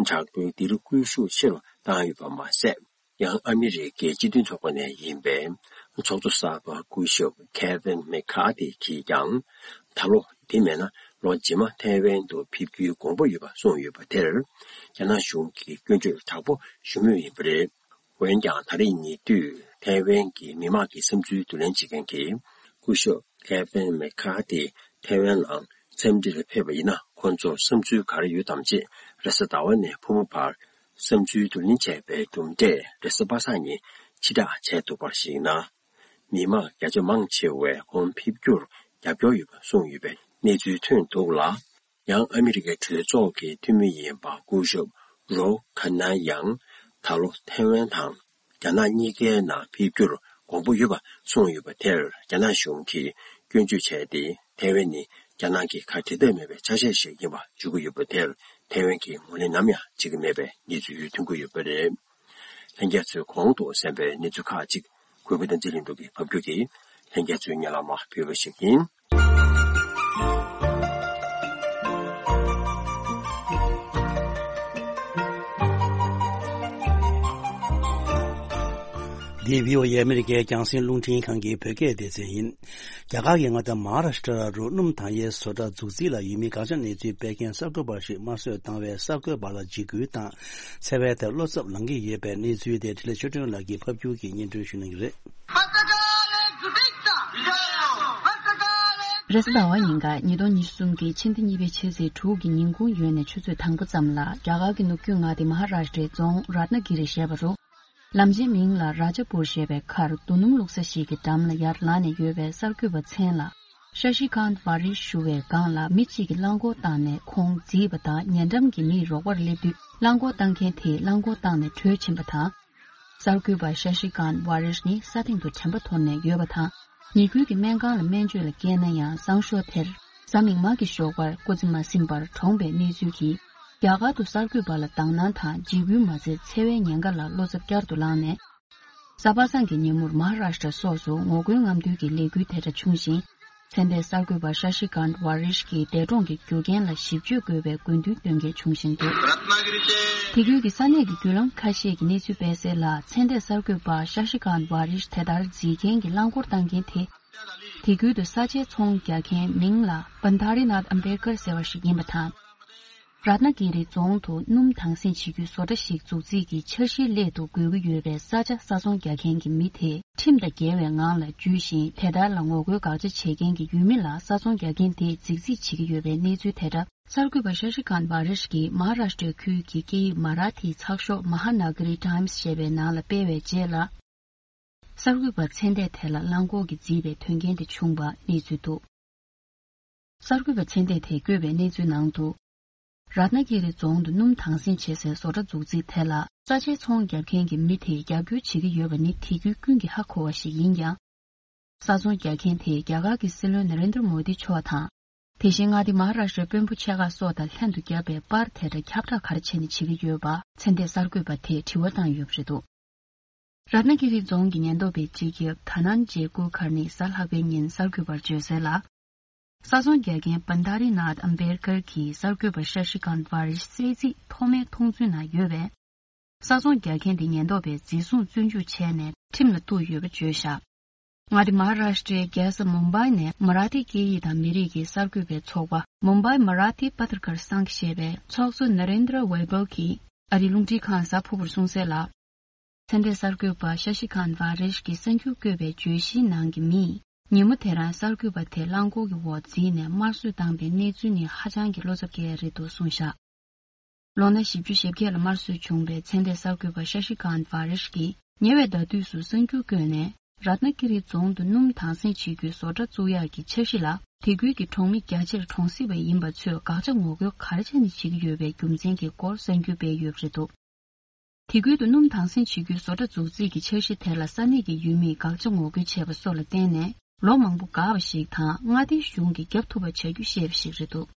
དྲག་པོའི་ལྡི་ལི་སྐུལ་ཤུགས་ཆེ་རུ་བཏང་ཡོད་པ་མ་ཟད། ཡང་ཨ་མི་རི་ཀའི་སྤྱི་མཐུན་ཚོགས་པ་ནས་ཡིན་པའི་ཚོགས་གཙོ་གསར་པ་སྐུ་ཞབས་ཁེ་ཝིན་མེ་ཁ་ཐི་གིས་ཀྱང་། ད་ལོ་དེ་མིན་ན་ལོ་རྗེས་མ་ཐའེ་ཝན་དུ་ཕེབས་རྒྱུའི་དགོངས་པ་ཡོད་པ་གསུངས་ཡོད་པ་དེར། རྒྱ་ནག་གཞུང་གིས་སྐྱོན་བརྗོད་དྲག་པོ་ཞུ་མུས་ཡིན་པ་རེད། འོན་ཀྱང་ད་རེས་ཉེ་དུས་ཐའེ་ཝན་གྱི་མི་མང་གི་བསམ་ཚུལ་བསྡུ་ལེན་བྱེད་མཁན་གྱི་སྐུ་ཞབས་ཁེ་ཝིན་མེ་ཁ་ཐི་ཐའེ་ཝན་ནང་འཚམས་འདྲིར་ཕེབས་པ་ཡིན་ན་ཁོང་ཚོར་བསམ་ཚུལ་ག་རེ་ཡོད་དམ་ཅེས་རེས་གཟའ་ཟླ་བ་ནས་ཕུར་བུ་བར། བསམ་ཚུལ་བསྡུ་ལེན་བྱས་པའི་གྲུབ་འབྲས་རེས་གཟའ་པ་སངས་ཉིན་ཕྱིར་བསྒྲགས་བྱས་འདུག་པར་གཞིགས་ན། མི་མང་བརྒྱ་ཆ་མང་ཆེ་བས་ཁོང་ཕེབས་རྒྱུར་རྒྱབ་སྐྱོར་ཡོད་པ་གསུངས་ཡོད་པའི་གནས་ཚུལ་ཐོན་འདུག་ལ། ཡང་ཨ་མི་རི་ཀའི་གྲོས་ཚོགས་ཀྱི་འཐུས་མི་ཡིན་པ་སྐུ་ཞབས་རོ་ཁ་ན་ཡང་ད་ལོ་ཐའེ་ཝན་དང་རྒྱ་ནག་གཉིས་ཀའི་ནང་ཕེབས་རྒྱུར་དགོངས་པ་ཡོད་པ་གསུངས་ཡོད་པ་དེར་རྒྱ་ནག་གཞུང་གིས་སྐྱོན་བརྗོད་བྱས་ཏེ། ཐའེ་ཝན་ནི་ རྒྱ་ནག་གིས་ཁ་བྲལ་འདོད་མེད་པའི་ཆ་ཤས་ཤིག་ཡིན་པ་བརྗོད་ཀྱི་ཡོད་པ་དེར་ཐའེ་ཝན་གྱིས་ངོས་ལེན་ནམ་ཡང་བྱེད་ཀྱི་མེད་པའི་གནས་ཚུལ་ཐོན་གྱི་ཡོད་པ་རེད། ལྷན་རྒྱས་ཚོས་གོང་དུ་གསན་པའི་གནས་ཚུལ་ཁག་ཅིག་གུས་པ་བསྟན་འཛིན་ལྷུན་གྲུབ་ཀྱིས་ཕབ་སྒྱུར་གྱིས་ལྷན་རྒྱས་ཚོའི་སྙན་ལམ་ཕུལ་བ་ཞིག་ཡིན། འདི་བྷི་ཨོ་ཨེ་ཨ་མི་རི་ཀའི་རྒྱང་སྲིང་རླུང་འཕྲིན་ཁང་གི་བོད་སྐད་སྡེ་ཚན་ཡིན། རྒྱ་གར་གྱི་མངའ་སྡེ་མ་ཧཱ་རཱ་ཤི་ཏྲ་རུ་སྣུམ་འདང་ཡས་བཟོ་གྲྭ་འཛུགས་རྩིས་ལ་ཡུལ་མིའི་དགག་བྱ་གནས་ཚུལ་སྤེལ་མཁན་གསར་འགོད་པ་ཞིག་དམར་གསོད་བཏང་བས་གསར་འགོད་པ་ལ་འཇིགས་སྐུལ་དང་། འཚེ་བའི་ཐད་བློ་འཚབ་ལངས་ཀྱི་ཡོད་པའི་གནས་ཚུལ་དེ་འཕྲིན་ལས་ཆོས་སྒྲོན་ལགས་ཀྱིས་ཕབ་སྒྱུར་གྱིས་སྙན་སྒྲོན་ཞུ་གནང་གི་རེད། རེས་གཟའ་ཟླ་བ་ཉིན་ག་ཉིས་སྟོང་ཉི་ཤུ་རྩ་གསུམ་གྱི་ཕྱི་ཟླ་གཉིས་པའི་ཕྱི་ཚེས་དྲུག་གི་ཉིན་གུང་ཡོལ་ནས་ཆུ་ཚོད་དང་པོ་ཙམ་ལ་རྒྱ་གར་གྱི་ནུབ་རྒྱུད་མངའ་སྡེ་མ་ཧཱ་རཱ་ཤི་ཏྲའི་རྫོང་རཏྣ་ཀི་རི་ཞེས་པ་རུ། ལམ་ཆེན་མིང་ལ་རཱ་ཇ་པུར་ཞེས་པའི་ཁར་རྡོ་སྣུམ་བླུགས་ས་ཞིག་གི་འགྲམ་ལ་ཡར་ལངས་ནས་ཡོད་པའི་གསར་འགོད་པ་མཚན་ལ་ཤ་ཤི་ཀཱནྟ་ཝཱ་རིཤ་ཞུ་བའི་སྒང་ལ་མི་གཅིག་གིས་རླངས་འཁོར་བཏང་ནས་ཁོང་བརྫིས་པ་དང་ཉེ་འགྲམ་གྱི་མིས་རོགས་པར་སླེབས་དུས་རླངས་འཁོར་བཏང་མཁན་དེས་རླངས་འཁོར་བཏང་ནས་བྲོས་ཕྱིན་པ་དང་། གསར་འགོད་པ་ཤ་ཤི་ཀཱནྟ་ཝཱ་རིཤ་ནི་ས་སྟེང་དུ་དྲན་པ་དོར་ནས་ཡོད་པ་དང་། ཉེ་ཁུལ་གྱི་སྨན་ཁང་ལ་སྨན་བཅོས་ལ་བསྐྱལ་ན་ཡང་གསང་ཞོགས་དེར་གཟའ་མིག་དམར་གྱི་ཞོགས་པར་སྐུ་ཚེ་མ་ཟིན་པར་གྲོངས་པའི་གནས་ཚུལ་གྱིས། རྒྱ་གར་དུ་གསར་འགོད་པ་ལ་དང་སྣང་དང་འཇིགས་སྐུལ་མ་ཚད་འཚེ་བའི་ཉེན་ཁ་ལ་བློ་འཚབ་བསྐྱར་དུ་ལངས་ནས། གཟའ་པ་སངས་ཀྱི་ཉིན་མོར་མ་ཧཱ་རཱཤ་ཏྲ་སོགས་སུ་ངོ་རྒོལ་རྔམ་སྟོན་གྱི་ལས་འགུལ་དེ་འདྲ་བྱུང་ཞིང་། ཚན་ཏེ་གསར་འགོད་པ་ཤ་ཤི་ཀཱནྟ་ཝཱ་རིཤ་གི་འདས་གྲོངས་ཀྱི་རྒྱུ་རྐྱེན་ལ་ཞིབ་དཔྱོད་དགོས་པའི་དགོས་འདུན་བཏོན་མཁན་བྱུང་བཞིན་འདུག་དེ་ཁུལ་གྱི་ས་གནས་ཀྱི་བརྒྱུད་ལམ་ཁ་ཤས་ཀྱིས་གནས་ཚུལ་སྤེལ་གསལ་ལ། ཚན་ཏེ་གསར་འགོད་པ་ཤ་ཤི་ཀཱནྟ་ཝཱ་རིཤ་དེ་ལྟར་བརྫིས་མཁན་གྱི་རླངས་འཁོར་བཏང་མཁན་དེ། དེ་ཁུལ་དུ་ས་ཆའི་ཚོང་རྒྱག་མཁན་མིང་ལ་པན་དྷ་རི་ནཱཐ་ཨམ་བེར་ཀར་ཟེར་བ་ཞིག་ཡིན་པ་དང་། རཏྣ་ཀི་རི་རྫོང་དུ་སྣུམ་དྭངས་སེང་བྱེད་རྒྱུའི་བཟོ་གྲྭ་ཞིག་འཛུགས་རྩིས་ཀྱི་འཆར་གཞིའི་སླད་དུ་དགོས་ཀྱི་ཡོད་པའི་ས་ཆ་ས་ཚོང་རྒྱག་མཁན་གྱི་མི་དེས་ཁྲིམས་དང་འགལ་བའི་ངང་ལ་འཇུས་ཤིང་། དེ་ལྟར་ལ་ངོ་རྒོལ་དགག་བྱ་བྱེད་མཁན་གྱི་ཡུལ་མི་ལ་ས་ཚོང་རྒྱག་མཁན་དེས་རྫིག་རྫིག་བྱེད་ཀྱི་ཡོད་པའི་གནས་ཚུལ་དེ་འདྲ་གསར་འགོད་པ་ཤ་ཤི་ཀཱན་ཝཱ་རིཤ་གིས་མ་ཧཱ་རཱཤ་ཏྲའི་ཁུལ་གྱི་སྐད་ཡིག་མ་ར་ཐིའི་ཚགས་ཤོག་མ་ཧཱ་ན་ག་རི་ཊའིམ་སི་ཞེས་པའི་ནང་ལ་སྤེལ་བའི་རྗེས་ལ། གསར་འགོད་པ་མཚན་ལྡན་དེ་ལ་རླངས་འཁོར་གྱིས་བརྫིས་པའི་དོན་རྐྱེན་དེ་བྱུང་བ་གནས་ཚུལ་འདུག་གསར་འགོད་པ་མཚན་ལྡན་དེས་བཀོད་པའི་གནས་ཚུལ་ནང་དུ། རཏྣ་ཀི་རི་རྫོང་དུ་སྣུམ་དྭངས་སེང་བྱེད་སའི་བཟོ་གྲྭ་འཛུགས་རྩིས་དེ་ལ་ས་ཆའི་ཚོང་རྒྱག་མཁན་གྱི་མི་དེས་རྒྱབ་སྐྱོར་བྱེད་ཀྱི་ཡོད་པ་ནི་དེ་ཁུལ་ཀུན་གྱིས་ཧ་གོ་བ་ཞིག་ཡིན་ཀྱང་། ས་ཚོང་རྒྱག་མཁན་དེས་རྒྱ་གར་གྱི་སྲིད་བློན་ན་རེན་དྲ་མོ་དི་མཆོག་དང་། དེ་བཞིན་མངའ་སྡེ་མ་ཧཱ་རཱཤ་ཏྲའི་དཔོན་པོ་ཆེ་ཁག་སོགས་དང་ལྷན་དུ་བརྒྱབ་པའི་པར་དེ་འདྲ་ཁྱབ་བསྒྲགས་ག་རེ་བྱས་ནས་བྱེད་ཀྱི་ཡོད་པ་མཚན་ལྡན་གསར་འགོད་པ་དེས་དྲི་བ་བཏང་ཡོད་པ་རེད་འདུག་རཏྣ་ཀི་རི་རྫོང་གི་ཉེན་རྟོག་པའི་སྤྱི་ཁྱབ་ཐ་ནན་ཇེ་ཀུ་ཁར་ནི་གཟའ་ལྷག་པའི་ཉིན་གསར་འགོད་པར་བརྗོད་གསལ་ལ། ས་ཚོང་རྒྱག་མཁན་པན་དྷ་རི་ནཱཐ་ཨམ་བེར་ཀར་གྱིས་གསར་འགོད་པ་ཤ་ཤི་ཀཱན་ཝཱ་རིཤ་བསད་རྩིས་ཐོག་མའི་མཐོང་ཚུལ་ནང་ཡོད་པས། ས་ཚོང་རྒྱག་མཁན་དེ་ཉེན་རྟོག་པས་འཛིན་བཟུང་བཙོན་འཇུག་བྱས་ནས་ཁྲིམས་ལ་གཏུགས་ཡོད་པ་བརྗོད་བཞག་མངའ་སྡེ་མ་ཧཱ་རཱཤ་ཏྲའི་རྒྱལ་ས་མུམ་བྷའི་ནས་མ་ར་ཐི་སྐད་ཡིག་དང་མི་རིགས་ཀྱི་གསར་འགོད་པའི་ཚོགས་པ་མུམ་བྷའི་མ་ར་ཐི་པ་ཐར་ཀར་སང་ཞེས་པའི་ཚོགས་གཙོ་ན་རེན་དྲ་ཝེ་བྷལ་གྱིས་ཨ་རིའི་རླུང་འཕྲིན་ཁང་གཟའ་ཕུར་བུར་གསུངས་གསལ་ལ། ཚན་ཏེ་གསར་འགོད་པ་ཤ་ཤི་ཀཱན་ཝཱ་རིཤ་གིས་གསར་འགྱུར་བཀོད་པའི་བརྗོད་གཞིའི་ནང་གི་མིས་ཉིན་མོ་དེ་རང་གསར་འགོད་པ་དེ་རླངས་འཁོར་གྱི་འོག་འཛུལ་ནས་དམར་གསོད་བཏང་པའི་གནས་ཚུལ་ནི་ཧ་ཅང་གི་བློ་འཚབ་སྐྱེ་ཡ་རེད་འདུག་གསུངས་བཞག་ལོ་ན་བཞི་བཅུ་ཞེ་བརྒྱད་ལ་དམར་གསོད་བྱུང་བའི་ཚན་ཏེ་གསར་འགོད་པ་ཤ་ཤི་ཀཱན་ཝཱ་རིཤ་གིས་ཉེ་བའི་ཟླ་དུས་སུ་གསར་འགྱུར་བཀོད་ནས། རཏྣ་ཀི་རི་རྫོང་དུ་སྣུམ་དྭངས་སེང་བྱེད་རྒྱུའི་བཟོ་གྲྭ་བཙུགས་ཡག་གི་འཆར་གཞི་ལ་དེ་ཁུལ་གྱི་གྲོང་མི་རྒྱ་ཆེར་གྲོང་གསེབ་པ་ཡིན་པ་ཚོས་དགག་བྱ་ངོ་རྒོལ་ག་རེ་བྱས་ནས་བྱེད་ཀྱི་ཡོད་པའི་རྒྱུ་མཚན་གྱི་སྐོར་གསར་འགྱུར་སྤེལ་ཡོད་པ་རེད་འདུག་དེ་ཁུལ་དུ་སྣུམ་དྭངས་སེང་བྱེད་རྒྱུའི་བཟོ་གྲྭ་འཛུགས་རྩིས་ཀྱི་འཆར་གཞི་དེ་ལ་ས་གནས་ཀྱི་ཡུལ་མིས་དགག་བྱ་ངོ་རྒོལ་བྱས་པ་སོགས་ལ་བརྟེན་ནས་ལོ་མང་པོ་འགག་པ་ཞིག་དང་མངའ་སྡེའི་གཞུང་གིས་རྒྱབ་ཐུབ་པ་བྱ་རྒྱུ་ཞེས་པ་ཞིག་རེད་འདུག་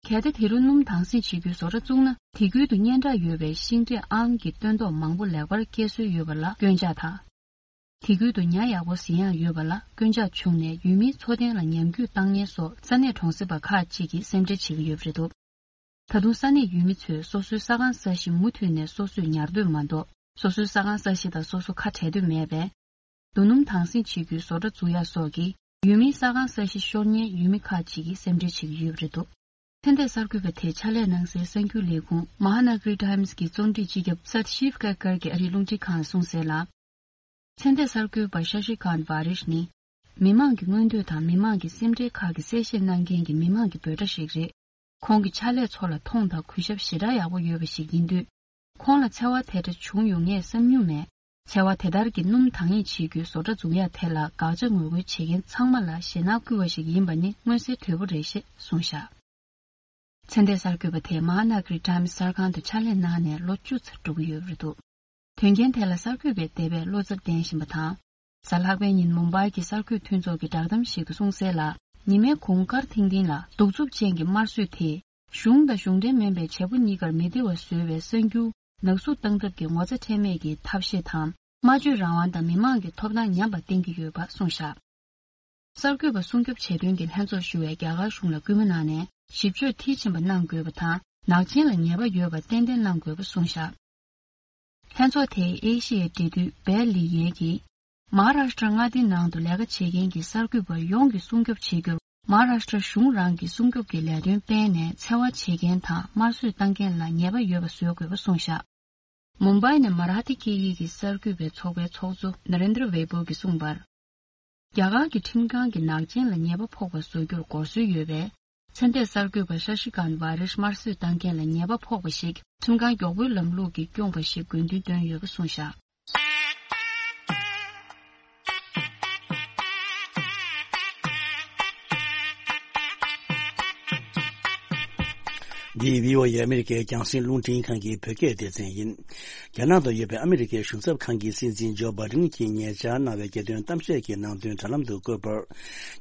གལ་ཏེ་དེ་རུ་སྣུམ་དྭངས་སེང་བྱེད་རྒྱུའི་བཟོ་གྲྭ་བཙུགས་ན་དེ་ཁུལ་དུ་སྙན་གྲགས་ཡོད་པའི་ཤིང་འབྲས་ཨང་གི་སྟོན་ཐོག་མང་པོ་ལེགས་པར་སྐྱེ་སྲོལ་ཡོད་པ་ལ་སྐྱོན་ཆག་དང་། དེ་ཁུལ་དུ་ཉ་ཡག་པོ་ཟིན་ཡག་ཡོད་པ་ལ་སྐྱོན་ཆག་བྱུང་ནས་ཡུལ་མིའི་འཚོ་རྟེན་ལ་ཉམས་རྒུད་བཏང་ཉེན་སོགས་ས་གནས་གྲོང་གསེབ་པ་ཁག་ཅིག་གིས་སེམས་ཁྲལ་བྱེད་ཀྱི་ཡོད་པ་རེད་འདུག་ད་དུང་ས་གནས་ཡུལ་མི་ཚོས་སོ་སོའི་ས་ཁང་ས་གཞི་མུ་མཐུད་ནས་སོ་སོས་ཉར་འདོད་མ་གཏོགས་སོ་སོའི་ས་ཁང་ས་གཞི་དང་སོ་སོ་ཁ་བྲལ་འདོད་མེད་པས། རྡོ་སྣུམ་དྭངས་སེང་བྱེད་རྒྱུའི་བཟོ་གྲྭ་འཛུགས་ཡག་སོགས་ཀྱིས་ཡུལ་མིའི་ས་ཁང་ས་གཞི་ཤོར་ཉེན་ཡུལ་མི་ཁག་ཅིག་གིས་སེམས་ཁྲལ་བྱེད་ཀྱི་ཡོད་པ་རེད་འདུག་ཚན་ཏེ་གསར་འགོད་པ་དེས་ཕྱག་ལས་གནང་སའི་གསར་འགྱུར་ལས་ཁུངས་མ་ཧཱ་ན་ག་རི་ཊའིམ་སི་གི་རྩོམ་སྒྲིག་སྤྱི་ཁྱབ་སད་ཤིབ་ཀ་ཀར་གྱིས་ཨ་རིའི་རླུང་འཕྲིན་ཁང་ལ་གསུངས་གསལ་ལ། ཚན་ཏེ་གསར་འགོད་པ་ཤ་ཤི་ཀཱན་ཝཱ་རིཤ་ནི། མི་མང་གི་མངོན་འདོད་དང་མི་མང་གི་སེམས་ཁྲལ་ཁག་གི་གསལ་བཤད་གནང་མཁན་གྱི་མི་མང་གི་འབོད་སྒྲ་ཞིག་རེད། ཁོང་གི་ཕྱག་ལས་ཚོ་ལ་མཐོང་དང་གུས་ཞབས་ཞེ་དྲག་ཡག་པོ་ཡོད་པ་ཞིག་ཡིན་དུས། ཁོང་ལ་འཚེ་བ་དེ་འདྲ་བྱུང་ཡོང་ངེས་བསམ་མྱོང་མེད། འཚེ་བ་དེ་ལྟར་གྱི་སྣུམ་དྭངས་སེང་བྱེད་རྒྱུའི་བཟོ་གྲྭ་འཛུགས་ཡག་དེ་ལ་དགག་བྱ་ངོ་རྒོལ་བྱེད་མཁན་ཚང་མ་ལ་ཞེད་སྣང་སྐུལ་བ་ཞིག་ཡིན་པ་ནི་མངོན་གསལ་དོད་པོ་རེད་ཞེས་གསུངས་བཞག་ཚན་ཏེ་གསར་འགོད་པ་དེས་མ་ཧཱ་ན་ག་རི་ཊའིམ་སི་གསར་ཁང་དུ་ཕྱག་ལས་གནང་ནས་ལོ་བཅུ་ཙམ་འགྲོ་གི་ཡོད་པ་རེད་འདུག་དོན་རྐྱེན་དེ་ལ་གསར་འགོད་པས་འདས་པའི་བློ་འཚབ་བསྟན་བཞིན་པ་དང་། གཟའ་ལྷག་པའི་ཉིན་མུམ་བྷའི་གྱི་གསར་འགོད་མཐུན་ཚོགས་ཀྱི་བསྒྲགས་གཏམ་ཞིག་ཏུ་གསུངས་གསལ་ལ། ཉི་མའི་གུང་དཀར་ཐིང་ཐིང་ལ་གདུག་རྩུབ་ཅན་གྱི་དམར་གསོད་དེས། གཞུང་དང་གཞུང་འབྲེལ་མིན་པའི་བྱེད་པོ་གཉིས་ཀར་མི་བདེ་བ་བཟོ་བའི་གསར་འགྱུར། ནག་གསུག་བཏང་ཐབས་ཀྱི་ངོ་ཚ་ཁྲེལ་མེད་ཀྱི་ཐབས་ཤེས་དང་། སྨྲ་བརྗོད་རང་དབང་དང་མི་མང་གི་ཐོབ་ཐང་ཉམས་པ་བསྟན་གྱི་ཡོད་པ་གསུངས་བཞག་གསར་འགོད་པ་སྲུང་སྐྱོབ་བྱེད་དོན་གྱི་ལྷན་ཚོགས་ཞུ་བའི་རྒྱ་གར་གཞུང་ལ་སྐུལ་མ་གནང་ནས། ཞིབ་དཔྱོད་མཐིལ་ཕྱིན་པ་གནང་དགོས་པ་དང་། ནག་ཅན་ལ་ཉེས་པ་ཡོད་པ་ཏན་ཏན་གནང་དགོས་པ་གསུངས་བཞག་ལྷན་ཚོགས་དེའི་ཨེ་ཤི་ཡའི་འབྲེལ་མཐུད་བེ་ལི་ཡན་གྱིས། མ་ཧཱ་རཱ་ཤི་ཏྲ་མངའ་སྡེའི་ནང་དུ་ལས་ཀ་བྱེད་མཁན་གྱི་གསར་འགོད་པ་ཡོངས་ཀྱིས་སྲུང་སྐྱོབ་བྱེད་རྒྱུར། མ་ཧཱ་རཱ་ཤི་ཏྲ་གཞུང་རང་གི་སྲུང་སྐྱོབ་ཀྱི་ལས་དོན་སྤེལ་ནས་འཚེ་བ་བྱེད་མཁན་དང་དམར་གསོད་བཏང་མཁན་ལ་ཉེས་པ་ཡོད་པ་བཟོ་དགོས་པ་གསུངས་བཞག་མུམ་བྷའི་ནས་མ་ར་ཐི་སྐད་ཡིག་གི་གསར་འགོད་པའི་ཚོགས་པའི་ཚོགས་གཙོ་ན་རེན་དྲ་ཝེ་པོ་གིས་གསུངས་པར། རྒྱ་གར་གྱི་ཁྲིམས་ཁང་གིས་ནག་ཅན་ལ་ཉེས་པ་ཕོག་པ་བཟོ་རྒྱུར་འགོག་སྲོལ་ཡོད་པས། ཚེ་འདས་གསར་འགོད་པ་ཤ་ཤི་ཀཱན་ཝཱ་རིཤ་དམར་གསོད་བཏང་མཁན་ལ་ཉེས་པ་ཕོག་པ་ཞིག་ཁྲིམས་ཁང་མགྱོགས་པོའི་ལམ་ལུགས་ཀྱིས་བསྐྱོངས་པ་ཞིག་དགོས་འདུན་བཏོན་ཡོད་པ་གསུངས་བཞག་འདི་བྷི་ཨོ་ཨེ་ཨ་མི་རི་ཀའི་རྒྱང་སྲིང་རླུང་འཕྲིན་ཁང་གི་བོད་སྐད་སྡེ་ཚན་ཡིན། རྒྱ་ནག་ཏུ་ཡོད་པའི་ཨ་མི་རི་ཀའི་གཞུང་ཚབ་ཁང་གི་སྲིད་འཛིན་ཇོ་བྷའི་ཌེན་གྱིས་ཉེ་ཆར་གནང་བའི་རྒྱལ་དོན་གཏམ་བཤད་ཀྱི་ནང་དོན་དྲ་ལམ་དུ་བཀོད་པར།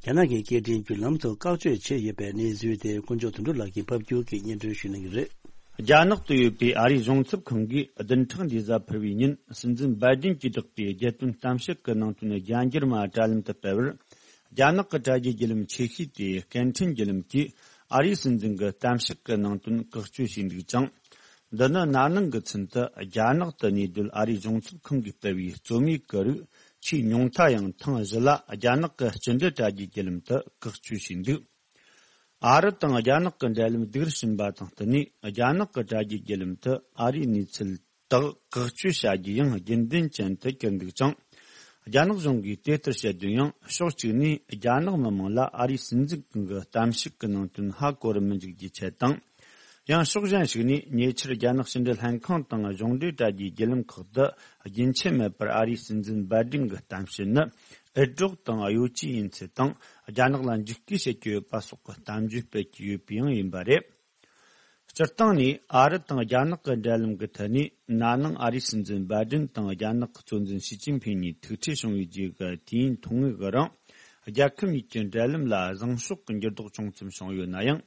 རྒྱ་ནག་གི་སྐད་འཕྲིན་བརྒྱུད་ལམ་དུ་བཀག་སྤྱོད་བྱས་ཡོད་པའི་གནས་ཚུལ་དེ་དཀོན་མཆོག་དོན་གྲུབ་ལགས་ཀྱིས་ཕབ་བསྒྱུར་གྱིས་སྙན་སྒྲོན་ཞུ་གནང་གི་རེད། རྒྱ་ནག་ཏུ་ཡོད་པའི་ཨ་རིའི་གཞུང་ཚབ་ཁང་གིས་བདུན་ཕྲག་འདིའི་གཟའ་ཕུར་བུའི་ཉིན་སྲིད་འཛིན་བྷའི་ཌེན་གྱིས་བསྒྲགས་པའི་རྒྱལ་དོན་གཏམ་བཤད་ཀྱི་ནང་དོན་རྒྱ་འགྱུར་མ་དྲ་ལམ་དུ་སྤེལ་བར། རྒྱ་ནག་གི་དྲ་རྒྱའི་བརྒྱུད་ལམ་ཆེ་ཤོས་དེ་སྐད་འཕྲིན་བརྒྱུད་ལམ་གྱིས་ཨ་རིའི་སྲིད་འཛིན་གྱི་གཏམ་བཤད་ཀྱི་ནང་དོན་བཀག་སྤྱོད་བྱས་འདུག་ཅིང་། འདི་ནི་ན་ནིང་གི་ཚུན་དུ་རྒྱ་ནག་ཏུ་གནས་སྡོད་ཨ་རིའི་གཞུང་ཚབ་ཁང་གིས་སྤེལ་བའི་རྩོམ་ཡིག་གི་རིགས་ཆེས་ཉུང་མཐའ་ཡང་ཐེངས་བཞི་ལ་རྒྱ་ནག་གི་སྤྱི་འབྲེལ་དྲ་རྒྱའི་བརྒྱུད་ལམ་དུ་བཀག་སྤྱོད་བྱས་འདུག་ཨ་རི་དང་རྒྱ་ནག་གི་འབྲེལ་ལམ་སྡུག་རུ་ཕྱིན་པ་དང་བསྟུན་ནས། རྒྱ་ནག་གི་དྲ་རྒྱའི་བརྒྱུད་ལམ་དུ་ཨ་རིའི་གནས་ཚུལ་དག་བཀག་སྤྱོད་བྱ་རྒྱུ་ཡང་རྒྱུན་ལྡན་ཅན་དུ་གྱུར་འདུག་ཅིང་། རྒྱ་ནག་གཞུང་གིས་དེ་ལྟར་བཤད་དོན་ཡང་། ཕྱོགས་གཅིག་ནས་རྒྱ་ནག་མི་དམངས་ལ་ཨ་རིའི་སྲིད་འཛིན་གྱི་གཏམ་བཤད་ཀྱི་ནང་དོན་ཧ་གོ་རུ་མི་འཇུག་རྒྱུའི་ཆེད་དང་། ཡང་ཕྱོགས་གཞན་ཞིག་ནས་ཉེ་ཆར་རྒྱ་ནག་ཕྱི་འབྲེལ་ལྷན་ཁང་དང་གཞུང་འབྲེལ་དྲ་རྒྱའི་བརྒྱུད་ལམ་ཁག་ཏུ་རྒྱུན་ཆད་མེད་པར་ཨ་རིའི་སྲིད་འཛིན་བྷའི་ཌེན་གྱི་གཏམ་བཤད་ནི་འུད་སྒྲོག་དང་གཡོ་ཇུས་ཡིན་ཚུལ་དང་། རྒྱ་ནག་ལ་འཇིགས་སྐུལ་བྱེད་ཀྱི་ཡོད་པ་སོགས་ཀྱི་གཏམ་བརྗོད་སྤེལ་གྱི་ཡོད་པའང་ཡིན་པ་རེད། སྤྱིར་བཏང་ནས་ཨ་རི་དང་རྒྱ་ནག་གི་འབྲེལ་ལམ་གྱི་ཐད་ནས། ན་ནིང་ཨ་རིའི་སྲིད་འཛིན་བྷའི་ཌེན་དང་རྒྱ་ནག་གི་གཙོ་འཛིན་ཞི་ཅིན་ཕིང་གཉིས་ཐུག་འཕྲད་བྱུང་བའི་རྗེས་ཀྱི་དུས་ཡུན་ཐུང་ངུ་གི་རིང་། རྒྱལ་ཁབ་གཉིས་ཀྱི་འབྲེལ་ལམ་ལ་བཟང་ཕྱོགས་ཀྱི་འགྱུར་ལྡོག་བྱུང་ཙམ་བྱུང་ཡོད་ན་ཡང་།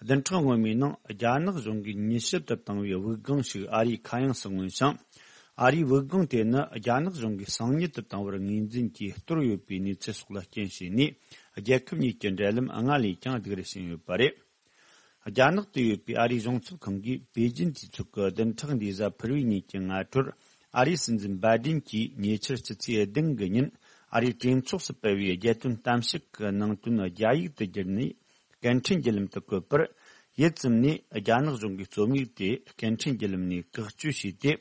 བདུན་ཕྲག་སྔོན་མའི་ནང་རྒྱ་ནག་གཞུང་གིས་མྱུལ་ཞིབ་ཏུ་བཏང་བའི་དབུགས་ལྒང་ཞིག་ཨ་རིའི་ཁ་གཡང་སུ་མངོན་ཞིང་། ཨ་རིའི་དབུགས་ལྒང་དེ་ནི་རྒྱ་ནག་གཞུང་གིས་གསང་ཉུལ་དུ་བཏང་བར་ངོས་འཛིན་གྱིས་གཏོར་ཡོད་པའི་གནས་ཚུལ་སོགས་ལ་རྐྱེན་བྱས་ནས། རྒྱལ་ཁབ་གཉིས་ཀྱི་འབྲེལ་ལམ་སྔར་ལས་ཀྱང་སྡུག་རུ་ཕྱིན་ཡོད་པ་རེད། རྒྱ་ནག་ཏུ་ཡོད་པའི་ཨ་རིའི་གཞུང་ཚབ་ཁང་གིས་པེ་ཅིན་གྱི་ཚོགས་ཀྱི་བདུན་ཕྲག་འདིའི་གཟའ་ཕུར་བུའི་ཉིན་གྱི་སྔ་དྲོར། ཨ་རིའི་སྲིད་འཛིན་བྷའི་ཌེན་གྱིས་ཉེ་ཆར་ཕྱི་ཚེས་བདུན་གྱི་ཉིན་ཨ་རིའི་གྲོས་ཚོགས་སུ་སྤེལ་བའི་རྒྱལ་དོན་གཏམ་བཤད་ཀྱི་ནང་དོན་རྒྱ་ཡིག་ཏུ་བསྒྱུར་ནས་སྐད་འཕྲིན་བརྒྱུད་ལམ་དུ་བཀོད་པར། ཡུད་ཙམ་ནས་རྒྱ་ནག་གཞུང་གིས་རྩོམ་ཡིག་དེ་སྐད་འཕྲིན་བརྒྱུད་ལམ་ནས་བཀག་སྤྱོད་བྱས་ཏེ།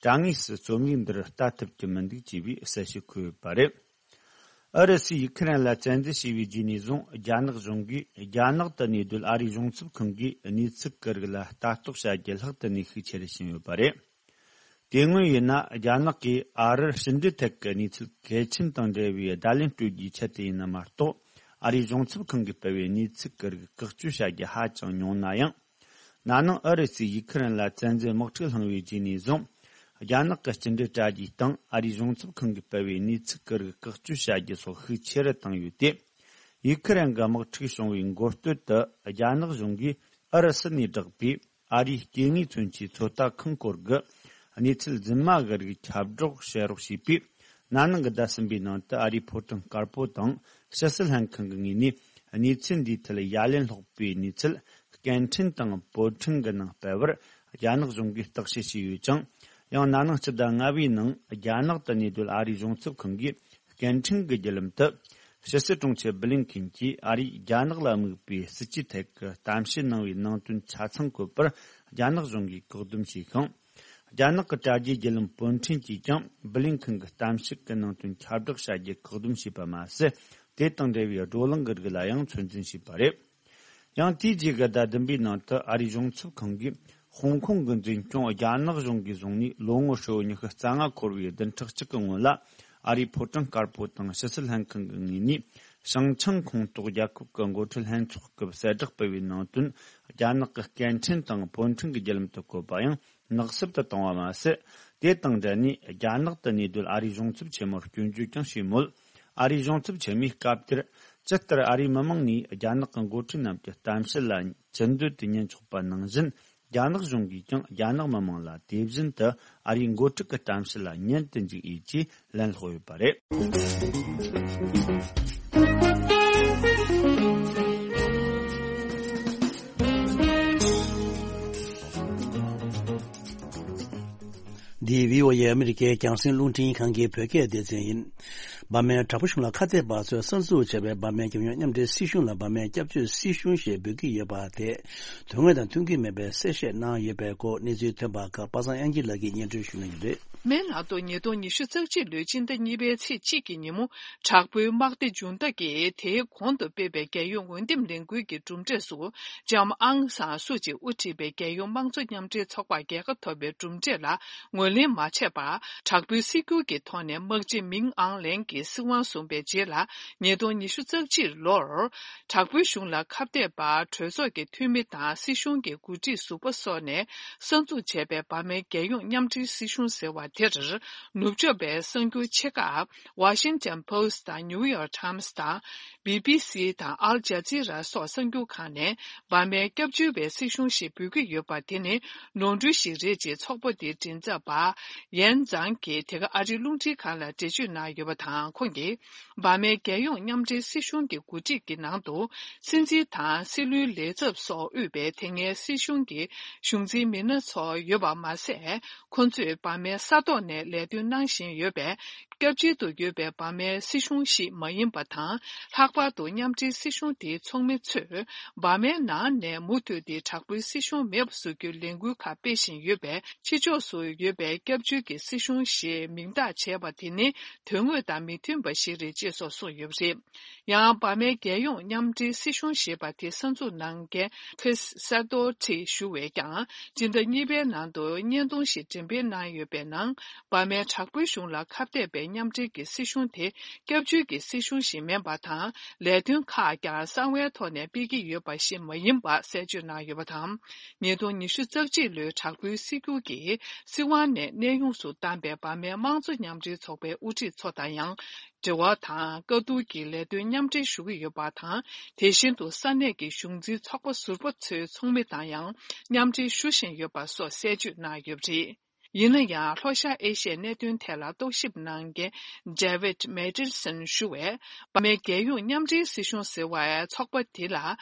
དྲ་ངོས་སུ་རྩོམ་ཡིག་འདིར་ལྟ་ཐུབ་ཀྱི་མི་འདུག་ཅེས་པའི་གསལ་བཤད་འཁོད་ཡོད་པ་རེད། ཨུ་རུ་སུས་ཡུ་ཁུ་རེན་ལ་བཙན་འཛུལ་བྱས་པའི་རྗེས་ནས་བཟུང་། རྒྱ་ནག་གཞུང་གིས་རྒྱ་ནག་ཏུ་གནས་སྡོད་ཨ་རིའི་གཞུང་ཚབ་ཁང་གིས་གནས་ཚུལ་གྱི་རིགས་ལ་ལྟ་རྟོག་བྱ་རྒྱུ་ལྷག་ཏུ་ནས་ཤུགས་ཆེ་རུ་ཕྱིན་ཡོད་པ་རེད། དེ་སྔོན་ཡིན་ན། རྒྱ་ནག་གིས་ཨ་རིར་ཕྱི་འབྲེལ་ཐད་ཀྱི་གནས་ཚུལ་གལ་ཆེན་དང་འབྲེལ་བའི་བརྡ་ལན་སྤྲོད་རྒྱུའི་ཆེད་དུ་ཡིན་ན་མ་གཏོགས། ཨ་རིའི་གཞུང་ཚབ་ཁང་གིས་སྤེལ་བའི་གནས་ཚུལ་གྱི་རིགས་བཀག་སྤྱོད་བྱ་རྒྱུ་ཧ་ཅང་ཉུང་ན་ཡང་། ན་ནིང་ཨུ་རུ་སུས་ཡུ་ཁུ་རེན་ལ་བཙན་འཛུལ་དམག་འཁྲུག་བསླངས་པའི་རྗེས་ནས་བཟུང་། རྒྱ་ནག་གི་སྤྱི་འབྲེལ་དྲ་རྒྱའི་སྟེང་ཨ་རིའི་གཞུང་ཚབ་ཁང་གིས་སྤེལ་བའི་གནས་ཚུལ་གྱི་རིགས་བཀག་སྤྱོད་བྱ་རྒྱུ་སོགས་ཤུགས་ཆེ་རུ་བཏང་ཡོད་དེ། ཡུ་ཁུ་རེན་གྱི་དམག་འཁྲུག་བྱུང་བའི་འགོ་སྟོད་དུ་རྒྱ་ནག་གཞུང་གིས་ཨུ་རུ་སུ་ནས་བསྒྲགས་པའི་ཨ་རིའི་སྐྱེ་དངོས་མཚོན་ཆའི་ཚོད་ལྟ་ཁང་སྐོར་གྱི་གནས་ཚུལ་རྫུན་མ་གི་རིགས་ཁྱབ་བསྒྲགས་བྱེད་རོགས་ཞེས་པས། ན་ནིང་གི་ཟླ་གསུམ་པའི་ནང་དུ་ཨ་རིའི་ཕོ་བྲང་དཀར་པོ་དང་ཕྱི་སྲིད་ལྷན་ཁང་གི་ངོས་ནས་གནས་ཚུལ་འདིའི་ཐད་ཡ་ལན་སློག་པའི་གནས་ཚུལ་སྐད་འཕྲིན་དང་བོད་འཕྲིན་གྱི་ནང་སྤེལ་བར་རྒྱ་ནག་གཞུང་གིས་བརྟག་དཔྱད་བྱས་ཡོད་ཅིང་། ཡང་ན་ནིང་སྤྱི་ཟླ་ལྔ་པའི་ནང་རྒྱ་ནག་ཏུ་གནས་སྡོད་ཨ་རིའི་གཞུང་ཚབ་ཁང་གིས་སྐད་འཕྲིན་གྱི་བརྒྱུད་ལམ་དུ། ཕྱི་སྲིད་དྲུང་ཆེ་བྷི་ལིན་ཁིན་གྱིས་ཨ་རིས་རྒྱ་ནག་ལ་དམིགས་པའི་སྲིད་ཇུས་ཐད་ཀྱི་གཏམ་བཤད་གནང་བའི་ནང་དོན་ཆ་ཚང་བཀོད་པར་རྒྱ་ནག་གཞུང་གིས་བཀག་སྡོམ་བྱས་ཤིང་། རྒྱ་ནག་གི་དྲ་རྒྱའི་བརྒྱུད་ལམ་བོད་འཕྲིན་གྱིས་ཀྱང་བྷི་ལིན་ཁིན་གྱི་གཏམ་བཤད་ཀྱི་ནང་དོན་ཁྱབ་བསྒྲགས་བྱ་རྒྱུ་བཀག་སྡོམ་བྱས་པ་མ་ཟད། དེ་དང་འབྲེལ་བའི་བགྲོ་གླེང་གི་རིགས་ལ་ཡང་ཚོད་འཛིན་བྱས་པ་རེད། ཡང་དེའི་རྗེས་ཀྱི་ཟླ་བདུན་པའི་ནང་དུ་ཨ་རིའི་གཞུང་ཚབ་ཁང་གིས་ཧོང་ཀོང་གི་འཛིན་སྐྱོང་རྒྱ་ནག་གཞུང་གིས་བཟུང་ནས་ལོ་ངོ་ཧྲིལ་བོ་ཉི་ཤུ་རྩ་ལྔ་འཁོར་བའི་བདུན་ཕྲག་གཅིག་གི་སྔོན་ལ། ཨ་རིའི་ཕོ་བྲང་དཀར་པོ་དང་ཕྱི་སྲིད་ལྷན་ཁང་གི་ངོས་ནས་ཞིང་ཆེན་ཁོངས་གཏོགས་རྒྱལ་ཁབ་ཀྱི་འགོ་ཁྲིད་ལྷན་ཚོགས་སྐབས་གསལ་བསྒྲགས་སྤེལ་བའི་ནང་དོན་རྒྱ་ནག་གི་སྐད་འཕྲིན་དང་བོད་འཕྲིན་གྱི་བརྒྱུད་ལམ་དུ་བཀོད་པ་ཡང་ནག་སུབ་ཏུ་བཏང་བ་མ་ཟད། དེ་དང་འབྲེལ་ནས་རྒྱ་ནག་ཏུ་གནས་སྡོད་ཨ་རིའི་གཞུང་ཚབ་ཆེན་མོར་སྐྱོན་བརྗོད་ཀྱང་བྱས་མོད། ཨ་རིའི་གཞུང་ཚབ་ཆེན་མོས་སྐབས་དེར་ ཇི་ལྟར་ཨ་རིའི་མི་མང་ནས་རྒྱ་ནག་གི་འགོ་ཁྲིད་རྣམས་ཀྱི་གཏམ་བཤད་ལ་ཚུར་འདོད་དུ་ཉན་ཆོག་པ་ནང་བཞིན། རྒྱ་ནག་གཞུང་གིས་ཀྱང་རྒྱ་ནག་མི་མང་ལ་དེ་བཞིན་དུ་ཨ་རིའི་འགོ་ཁྲིད་ཀྱི་གཏམ་བཤད་ལ་ཉན་དུ་འཇུག་ཡས་ཀྱི་ལན་སློག་ཡོད་པ་རེད། འདི་བྷི་ཨོ་ཨེ་ཨ་མི་རི་ཀའི་རྒྱང་སྲིང་རླུང་འཕྲིན་ཁང་གི་བོད་སྐད་སྡེ་ཚན་ཡིན། འབར་མའི་དྲག་པོའི་གཞུང་ལ་ཁ་གཏད་པ་ཚོས་གསར་འཛུགས་བྱས་པའི་འབར་མའི་རྒྱལ་ཡོངས་མཉམ་འབྲེལ་སྲིད་གཞུང་ལ་འབར་མའི་སྐྱབས་བཅོལ་སྲིད་གཞུང་ཞེས་འབོད་ཀྱི་ཡོད་པ་དེ་དོན་དངོས་དང་མཐུན་གྱི་མེད་པའི་གསལ་བཤད་གནང་ཡོད་པའི་སྐོར་གནས་ཚུལ་ཐོན་པ་ཁག་པ་སངས་དབྱངས་སྐྱིད་ལགས་ཀྱིས་སྙན་སྒྲོན་ཞུ་གནང་གི་རེད། མའི་ནང་དུ་ཉིས་སྟོང་ཉི་ཤུ་རྩ་གཅིག་ལོའི་སྤྱི་ཟླ་གཉིས་པའི་ཚེས་གཅིག་གི་ཉིན་མོ་དྲག་པོའི་དམག་སྡེ་མཇུག་མཐའ་གིས་དེའི་གོང་དུ་སྤེལ་བའི་རྒྱལ་ཡོངས་འོས་འདེམས་ལས་འགུལ་གྱི་གྲུབ་འབྲས་སུ་ལྕམ་ཨང་སང་སུ་ཅི་དབུ་ཁྲིད་པའི་རྒྱལ་ཡོངས་དམངས་གཙོ་མཉམ་འབྲེལ་ཚོགས་པ་རྒྱལ་ཁ་ཐོབ་པའི་གྲུབ་འབྲས་ལ་ངོས་ལེན་མ་བྱས་པར། དྲག་པོའི་སྲིད་སྒྱུར་གྱི་ཐོག་ནས་དམག་སྤྱི་མིང་ཨང་ལེང་གིས་སྲིད་དབང་བཟུང་བའི་རྗེས་ལ། ཉིས་སྟོང་ཉི་ཤུ་རྩ་གཅིག་ལོར་དྲག་པོའི་གཞུང་ལ་ཁ་གཏད་པ་གྲོས་ཚོགས་ཀྱི་འཐུས་མི་དང་སྲིད་གཞུང་གི་འགོ་ཁྲིད་ཟུར་པ་སོགས་ནས་གསར་འཛུགས་བྱས་པའི་འབར་མའི་རྒྱལ་ཡོངས་མཉམ་འབྲེལ་སྲིད་གཞུང་ཟེར་བ་དེར། ནུབ་ཕྱོགས་པའི་གསར་འགྱུར་ཆེ་ཁག་Washington Post དང་New York Times དང་། བྷི་བྷི་སི་དང་ཨལ་ཇ་ཛི་ར་སོགས་གསར་འགྱུར་ཁག་ནས་འབར་མའི་སྐྱབས་བཅོལ་བའི་སྲིད་གཞུང་ཞེས་འབོད་ཀྱི་ཡོད་པ་དེ་ནི་ནོར་འཁྲུལ་ཞིག་རེད་ཅེས་ཚོགས་པ་དེའི་མགྲིན་ཚབ་པ་ཡན་ཛང་གིས་དེ་ག་ཨ་རིའི་རླུང་འཕྲིན་ཁང་ལ་འགྲེལ་བརྗོད་གནང་ཡོད་པ་དང་། ཁོང་གིས་འབར་མའི་རྒྱལ་ཡོངས་མཉམ་འབྲེལ་སྲིད་གཞུང་གི་འགོ་ཁྲིད་ཀྱི་ནང་དུ་སྲིད་འཛིན་དང་སྲིད་བློན་ལས་ཚབ་སོགས་དབུས་པའི་དེ་སྔའི་སྲིད་གཞུང་གི་གཞུང་འཛིན་མི་སྣ་ཚོ་ཡོད་པ་མ་ཟད། ཁོ་ཚོས་འབར་མའི་ས་ཐོག་ནས་ལས་དོན་གནང་བཞིན་ཡོད་པས། སྐྱབས་བཅོལ་དུ་ཡོད་པའི་འབར་མའི་སྲིད་གཞུང་ཞིག་མ་ཡིན་པ་དང་། ལྷག་པར་དུ་མཉམ་འབྲེལ་སྲིད་གཞུང་དེའི་ཚོགས་མི་ཚོས་འབར་མའི་ནང་ནས་མུ་མཐུད་དེ་དྲག་པོའི་སྲིད་གཞུང་མེད་པ་བཟོ་རྒྱུའི་ལས་འགུལ་ཁག་སྤེལ་བཞིན་ཡོད་པས། ཕྱི་ཕྱོགས་སུ་ཡོད་པའི་སྐྱབས་བཅོལ་གྱི་སྲིད་གཞུང་ཞེས་མིང་བཏགས་བྱས་པ་དེ་ནི་དོན་དངོས་དང་མི་མཐུན་པ་ཞིག་རེད་ཅེས་སོགས་གསུངས་ཡོད་པ་རེད། ཡང་། འབར་མའི་རྒྱལ་ཡོངས་མཉམ་འབྲེལ་སྲིད་གཞུང་ཞེས་པ་དེ་གསར་འཛུགས་གནང་མཁན་Chris Sidoti ཞུ་བས་ཀྱང་། སྤྱི་ཟླ་གཉིས་པའི་ནང་དུ་བརྙན་ཐུང་ཞིག་འགྲེམས་སྤེལ་གནང་ཡོད་པའི་ནང་། འབར་མའི་དྲག་པོའི་གཞུང་ལ་ཁ་གཏད་པའི་མཉམ་འབྲེལ་གྱི་སྲིད་གཞུང་དེ་སྐྱབས་བཅོལ་གྱི་སྲིད་གཞུང་ཞིག་མིན་པ་དང་། ལས་དོན་ཁག་ཀྱང་གསང་བའི་ཐོག་ནས་སྤེལ་གྱི་ཡོད་པ་ཞིག་མ་ཡིན་པ་གསལ་བརྗོད་གནང་ཡོད་པ་དང་། ཉིས་སྟོང་ཉི་ཤུ་རྩ་གཅིག་ལོའི་དྲག་པོའི་སྲིད་སྒྱུར་གྱིས་སྲིད་དབང་ནས་གནས་དབྱུང་སུ་བཏང་པའི་འབར་མའི་དམངས་གཙོ་མཉམ་འབྲེལ་ཚོགས་པའི་དབུ་ཁྲིད་ཚོ་དང་ཡང་། འབྲེལ་བ་དང་བཀའ་བསྡུར་གྱི་ལས་དོན་མཉམ་འབྲེལ་ཞུ་གི་ཡོད་པ་དང་། དེ་བཞིན་དུ་ས་གནས་ཀྱི་གཞུང་འཛིན་ཚོགས་པ་ཟུར་པ་ཚོའི་ཚོགས་མི་དང་ཡང་མཉམ་འབྲེལ་ཞུ་བཞིན་ཡོད་པ་སོགས་གསལ་བརྗོད་གནང་ཡོད་པ་རེད། ཡིན་ན་ཡང་། ལྷོ་ཤར་ཨེ་ཤི་ཡའི་གནད་དོན་ཐད་ལ་རྟོག་ཞིབ་གནང་མཁན་David Mathieson ཞུ་བས། འབར་མའི་རྒྱལ་ཡོངས་མཉམ་འབྲེལ་སྲིད་གཞུང་ཟེར་བའི་ཚོགས་པ་དེ་ལ་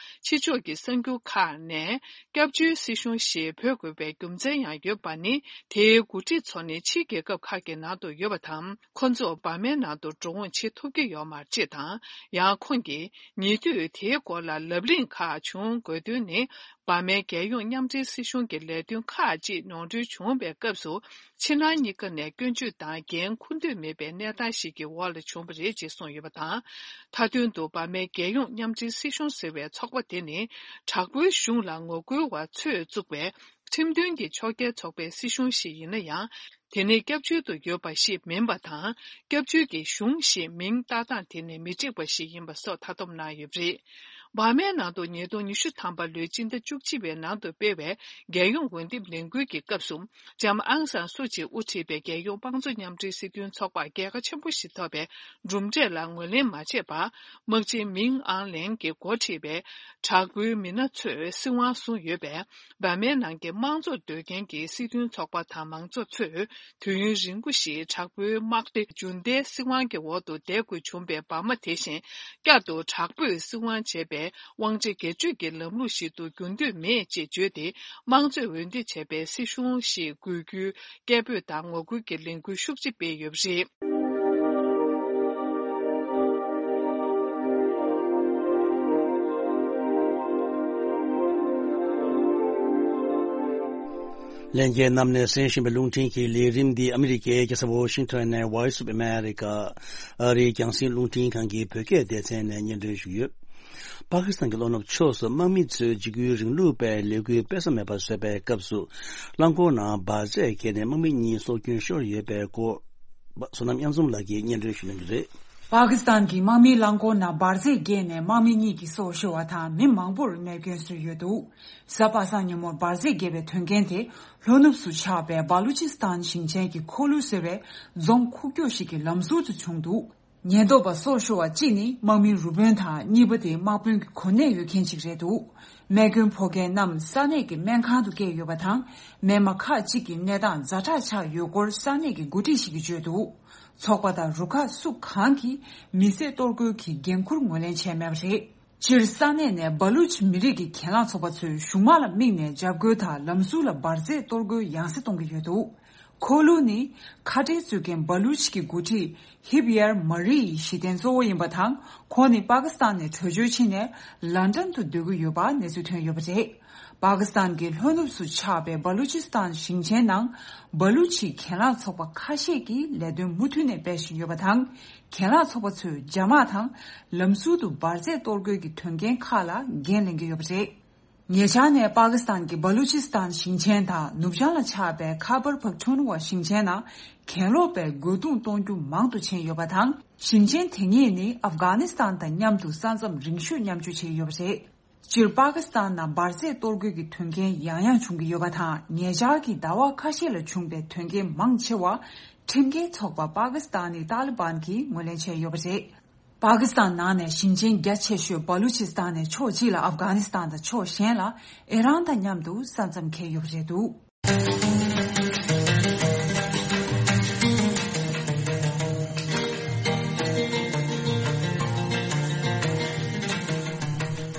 ཕྱི་ཕྱོགས་ཀྱི་གསར་འགྱུར་ཁག་ནས། སྐྱབས་བཅོལ་སྲིད་གཞུང་ཞེས་འབོད་དགོས་པའི་རྒྱུ་མཚན་ཡང་ཡོད་པ་ནི། དེའི་འགོ་ཁྲིད་ཚོ་ནི་ཕྱིའི་རྒྱལ་ཁབ་ཁག་གི་ནང་དུ་ཡོད་པ་དང་། ཁོ་ཚོ་འབར་མའི་ནང་དུ་འགྲོ་འོང་བྱེད་ཐུབ་ཀྱི་ཡོད་མ་རེད་ཅེས་དང་། ཡང་ཁོང་གིས་ཉེ་དུས་དེའི་སྐོར་ལ་ལབ་གླེང་ཁག་བྱུང་དགོས་དོན་ནི། འབར་མའི་རྒྱལ་ཡོངས་མཉམ་འབྲེལ་སྲིད་གཞུང་གི་ལས་དོན་ཁག་ཅིག་ནོར་འཁྲུལ་བྱུང་བའི་སྐབས་སུ། ཕྱི་ནང་གཉིས་ཀ་ནས་སྐྱོན་བརྗོད་དང་འགན་འཁུར་འདོད་མེད་པའི་གནས་སྟངས་ཤིག་གི་འོག་ལ་བྱུང་བ་རེད་ཅེས་གསུངས་ཡོད་པ་དང་། མཐའ་དོན་དུ་འབར་མའི་རྒྱལ་ཡོངས་མཉམ་འབྲེལ་སྲིད་གཞུང་ཟེར་བའི་ཚོགས་པ་དེ་ནི། དྲག་པོའི་གཞུང་ལ་ངོ་རྒོལ་བ་ཚོས་བཙུགས་པའི་ཁྲིམས་མཐུན་གྱི་ཕྱོགས་འགལ་ཚོགས་པའི་སྲིད་གཞུང་ཞིག་ཡིན་ན་ཡང་། དེ་ནི་སྐྱབས་བཅོལ་དུ་ཡོད་པ་ཞིག་མིན་པ་དང་། སྐྱབས་བཅོལ་གྱི་གཞུང་ཞེས་མིང་བཏགས་སྟངས་དེ་ནི་མི་འགྲིག་པ་ཞིག་ཡིན་པ་སོགས་མཐའ་སྡོམ་གནང་ཡོད་པ་རེད། འབར་མའི་ནང་དུ་ཉིས་སྟོང་ཉི་ཤུ་ཐམ་པ་ལོའི་སྤྱི་ཟླ་བཅུ་གཅིག་པའི་ནང་དུ་སྤེལ་བའི་རྒྱལ་ཡོངས་འོས་འདེམས་ལས་འགུལ་གྱི་སྐབས་སུ། ལྕམ་ཨང་སང་སུ་ཅི་དབུ་ཁྲིད་པའི་རྒྱལ་ཡོངས་དམངས་གཙོ་མཉམ་འབྲེལ་སྲིད་དོན་ཚོགས་པར་རྒྱལ་ཁ་ཆེན་པོ་ཞིག་ཐོབ་པའི་གྲུབ་འབྲས་ལ་ངོས་ལེན་མ་བྱས་པར། དམག་སྤྱི་མིང་ཨང་ལེང་གིས་འགོ་ཁྲིད་པའི་དྲག་པོའི་མི་སྣ་ཚོས་སྲིད་དབང་བཟུང་ཡོད་པས། འབར་མའི་ནང་གི་དམངས་གཙོར་འདོད་མཁན་གྱི་སྲིད་དོན་ཚོགས་པ་དང་མང་ཚོགས་ཚོས། དུས་ཡུན་རིང་པོ་ཞིག་དྲག་པོའི་དམག་སྡེ་འཇུ་འདེད་སྲིད་དབང་གི་འོག་ཏུ་བསྡད་དགོས་བྱུང་པའི་འབར་མ་དེ་བཞིན། བསྐྱར་དུ་དྲག་པོས་སྲིད་དབང་བྱས་པའི་དབང་ཆ་སྒེར་གཅོད་ཀྱི་ལམ་ལུགས་ཤིག་ཏུ་འགྱུར་འདོད་མེད་ཅེས་བརྗོད་དེ། དམངས་གཙོས་འོས་འདེམས་བྱས་པའི་སྲིད་གཞུང་ཞིག་དགོས་རྒྱུའི་སྐད་འབོད་དང་ངོ་རྒོལ་གྱི་ལས་འགུལ་ཤུགས་ཆེ་སྤེལ་ཡོད་པ་རེད། ལྷན་རྒྱས་རྣམས་ནས་གསན་བཞིན་པའི་རླུང་འཕྲིན་གྱི་ལས་རིམ་འདི་ཨ་མི་རི་ཀའི་རྒྱལ་ས་ཝོ་ཤིང་ཊོན་ནས་Voice of America ཨ་རིའི་རྒྱང་སྲིང་རླུང་འཕྲིན་ཁང་གི་བོད་སྐད་སྡེ་ཚན་ནས་སྙན་སྒྲོན་ཞུས་ཡོད། པ་ཀི་སི་ཐན་གྱི་ལྷོ་ནུབ་ཕྱོགས་སུ་དམག་མི་ཚོས་འཇིགས་སྐུལ་རིང་ལུགས་པའི་ལས་འགུལ་སྤེལ་ས་མེད་པ་བཟོས་པའི་སྐབས་སུ། རླངས་འཁོར་ནང་འབར་རྫས་བརྒྱབ་ནས་དམག་མི་གཉིས་སྲོག་སྐྱོན་ཤོར་ཡོད་པའི་སྐོར། བསོད་ནམས་དབྱངས་འཛོམས་ལགས་ཀྱིས་སྙན་སྒྲོན་ཞུ་གནང་གི་རེད། པ་ཀི་སི་ཐན་གྱི་དམག་མིའི་རླངས་འཁོར་ནང་འབར་རྫས་བརྒྱབ་ནས་དམག་མི་གཉིས་ཀྱི་སྲོག་ཤོར་བ་དང་མི་མང་པོར་རྨས་སྐྱོན་བཟོས་ཡོད་འདུག་གཟའ་པ་སངས་ཉིན་མོར་འབར་རྫས་བརྒྱབ་པའི་དོན་རྐྱེན་དེ་ལྷོ་ནུབ་སུ་ཆགས་པའི་བ་ལུ་ཅི་སི་ཐན་ཞིང་ཆེན་གྱི་ཁོ་ལུ་ཟེར་བའི་རྫོང་ཁུག་ཀྱོག་ཞིག་གི་ལམ་ཟུར་དུ་བྱུང་འདུག་ཉེན་རྟོག་པ་སྲོག་ཤོར་བ་གཅིག་ནི་དམག་མིའི་རུ་དཔོན་དང་གཉིས་པ་དེ་དམག་དཔོན་གྱི་གོ་གནས་ཡོད་མཁན་ཅིག་རེད་འདུག་རྨས་སྐྱོན་ཕོག་མཁན་རྣམས་ས་གནས་ཀྱི་སྨན་ཁང་དུ་བསྐྱལ་ཡོད་པ་དང་། མི་མང་ཁག་ཅིག་གི་གནས་སྟངས་ཛ་དྲག་ཆགས་ཡོད་སྐོར་ས་གནས་ཀྱི་འགོ་ཁྲིད་ཞིག་གིས་བརྗོད་འདུག་ཚོགས་པ་དང་རུ་ཁག་སུ་གང་གིས་མི་བསད་གཏོར་རྒོལ་གྱི་འགན་འཁུར་ངོས་ལེན་བྱས་མེད་པ་རེད། སྤྱིར་ས་གནས་ནས་སྦ་ལུ་ཆི་མི་རིགས་ཀྱི་གྱེན་ལངས་ཚོགས་པ་ཚོས་གཞུང་དམག་ལ་དམིགས་ནས་འཇབ་རྒོལ་དང་ལམ་ཟུར་ལ་འབར་རྫས་གཏོར་རྒོལ་ཡང་སེ་གཏོང་གི་ཡོད་འདུག་ཁོ་ལུ་ནི་ཁ་བྲལ་རྩོད་མཁན་སྦ་ལུ་ཆི་གི་འགོ་ཁྲིད་ཧིབ་ཡར་མ་རི་ཡི་གཞི་རྟེན་གཙོ་བོ་ཡིན་པ་དང་། ཁོང་ནི་པ་ཀི་སི་ཐན་ནས་བྲོས་བྱོལ་ཕྱིན་ནས་ལན་ཀྲན་དུ་སྡོད་ཀྱི་ཡོད་པ་གནས་ཚུལ་ཐོན་ཡོད་པ་རེད། པ་ཀི་སི་ཐན་གྱི་ལྷོ་ནུབ་སུ་ཆགས་པའི་སྦ་ལུ་ཆི་སི་ཐན་ཞིང་ཆེན་ནང་སྦ་ལུ་ཆི་གྱེན་ལངས་ཚོགས་པ་ཁ་ཤས་ཀྱིས་ལས་དོན་མུ་མཐུད་ནས་སྤེལ་བཞིན་ཡོད་པ་དང་། གྱེན་ལངས་ཚོགས་པ་ཚོས་རྒྱ་དམག་དང་ལམ་ཟུར་དུ་འབར་རྫས་གཏོར་རྒོལ་གྱི་དོན་རྐྱེན་ཁག་ལ་འགན་ལེན་གྱི་ཡོད་པ་རེད། ཉེ་ཆར་ནས་པ་ཀི་སི་ཐན་གྱི་སྦ་ལུ་ཆི་སི་ཐན་ཞིང་ཆེན་དང་ནུབ་བྱང་ལ་ཆགས་པའི་ཁ་བར་པག་ཐུན་ཝ་ཞིང་ཆེན་ནང་གྱེན་ལོག་པའི་རྒོལ་རྡུང་གཏོང་རྒྱུ་མང་དུ་ཕྱིན་ཡོད་པ་དང་། ཞིང་ཆེན་དེ་གཉིས་ནི་ཨབ་གྷ་ནི་སི་ཐན་དང་མཉམ་དུ་ས་མཚམས་རིང་ཤོས་མཉམ་སྤྱོད་བྱེད་ཀྱི་ཡོད་པ་རེད། སྤྱིར་པ་ཀི་སི་ཐན་ནང་འབར་རྫས་གཏོར་རྒོལ་གྱི་དོན་རྐྱེན་ཡང་ཡང་བྱུང་གི་ཡོད་པ་དང་། ཉེ་ཆར་གྱི་ཟླ་བ་ཁ་ཤས་ལ་བྱུང་པའི་དོན་རྐྱེན་མང་ཆེ་བ་ཁྲིམས་འགལ་ཚོགས་པ་པ་ཀི་སི་ཐན་ནི་ཏཱ་ལི་བན་གྱིས་ངོས་ལེན་བྱས་ཡོད་པ་རེད། པ་ཀི་སི་ཐན་ནང་ནས་ཞིང་ཆེན་རྒྱ་ཆེ་ཤོས་སྦ་ལུ་ཆི་སི་ཐན་ནས་ཕྱོགས་གཅིག་ལ་ཨབ་གྷ་ནི་སི་ཐན་དང་ཕྱོགས་གཞན་ལ་ཨི་རན་དང་མཉམ་དུ་ས་མཚམས་འཁེལ་ཡོད་པ་རེད་འདུག་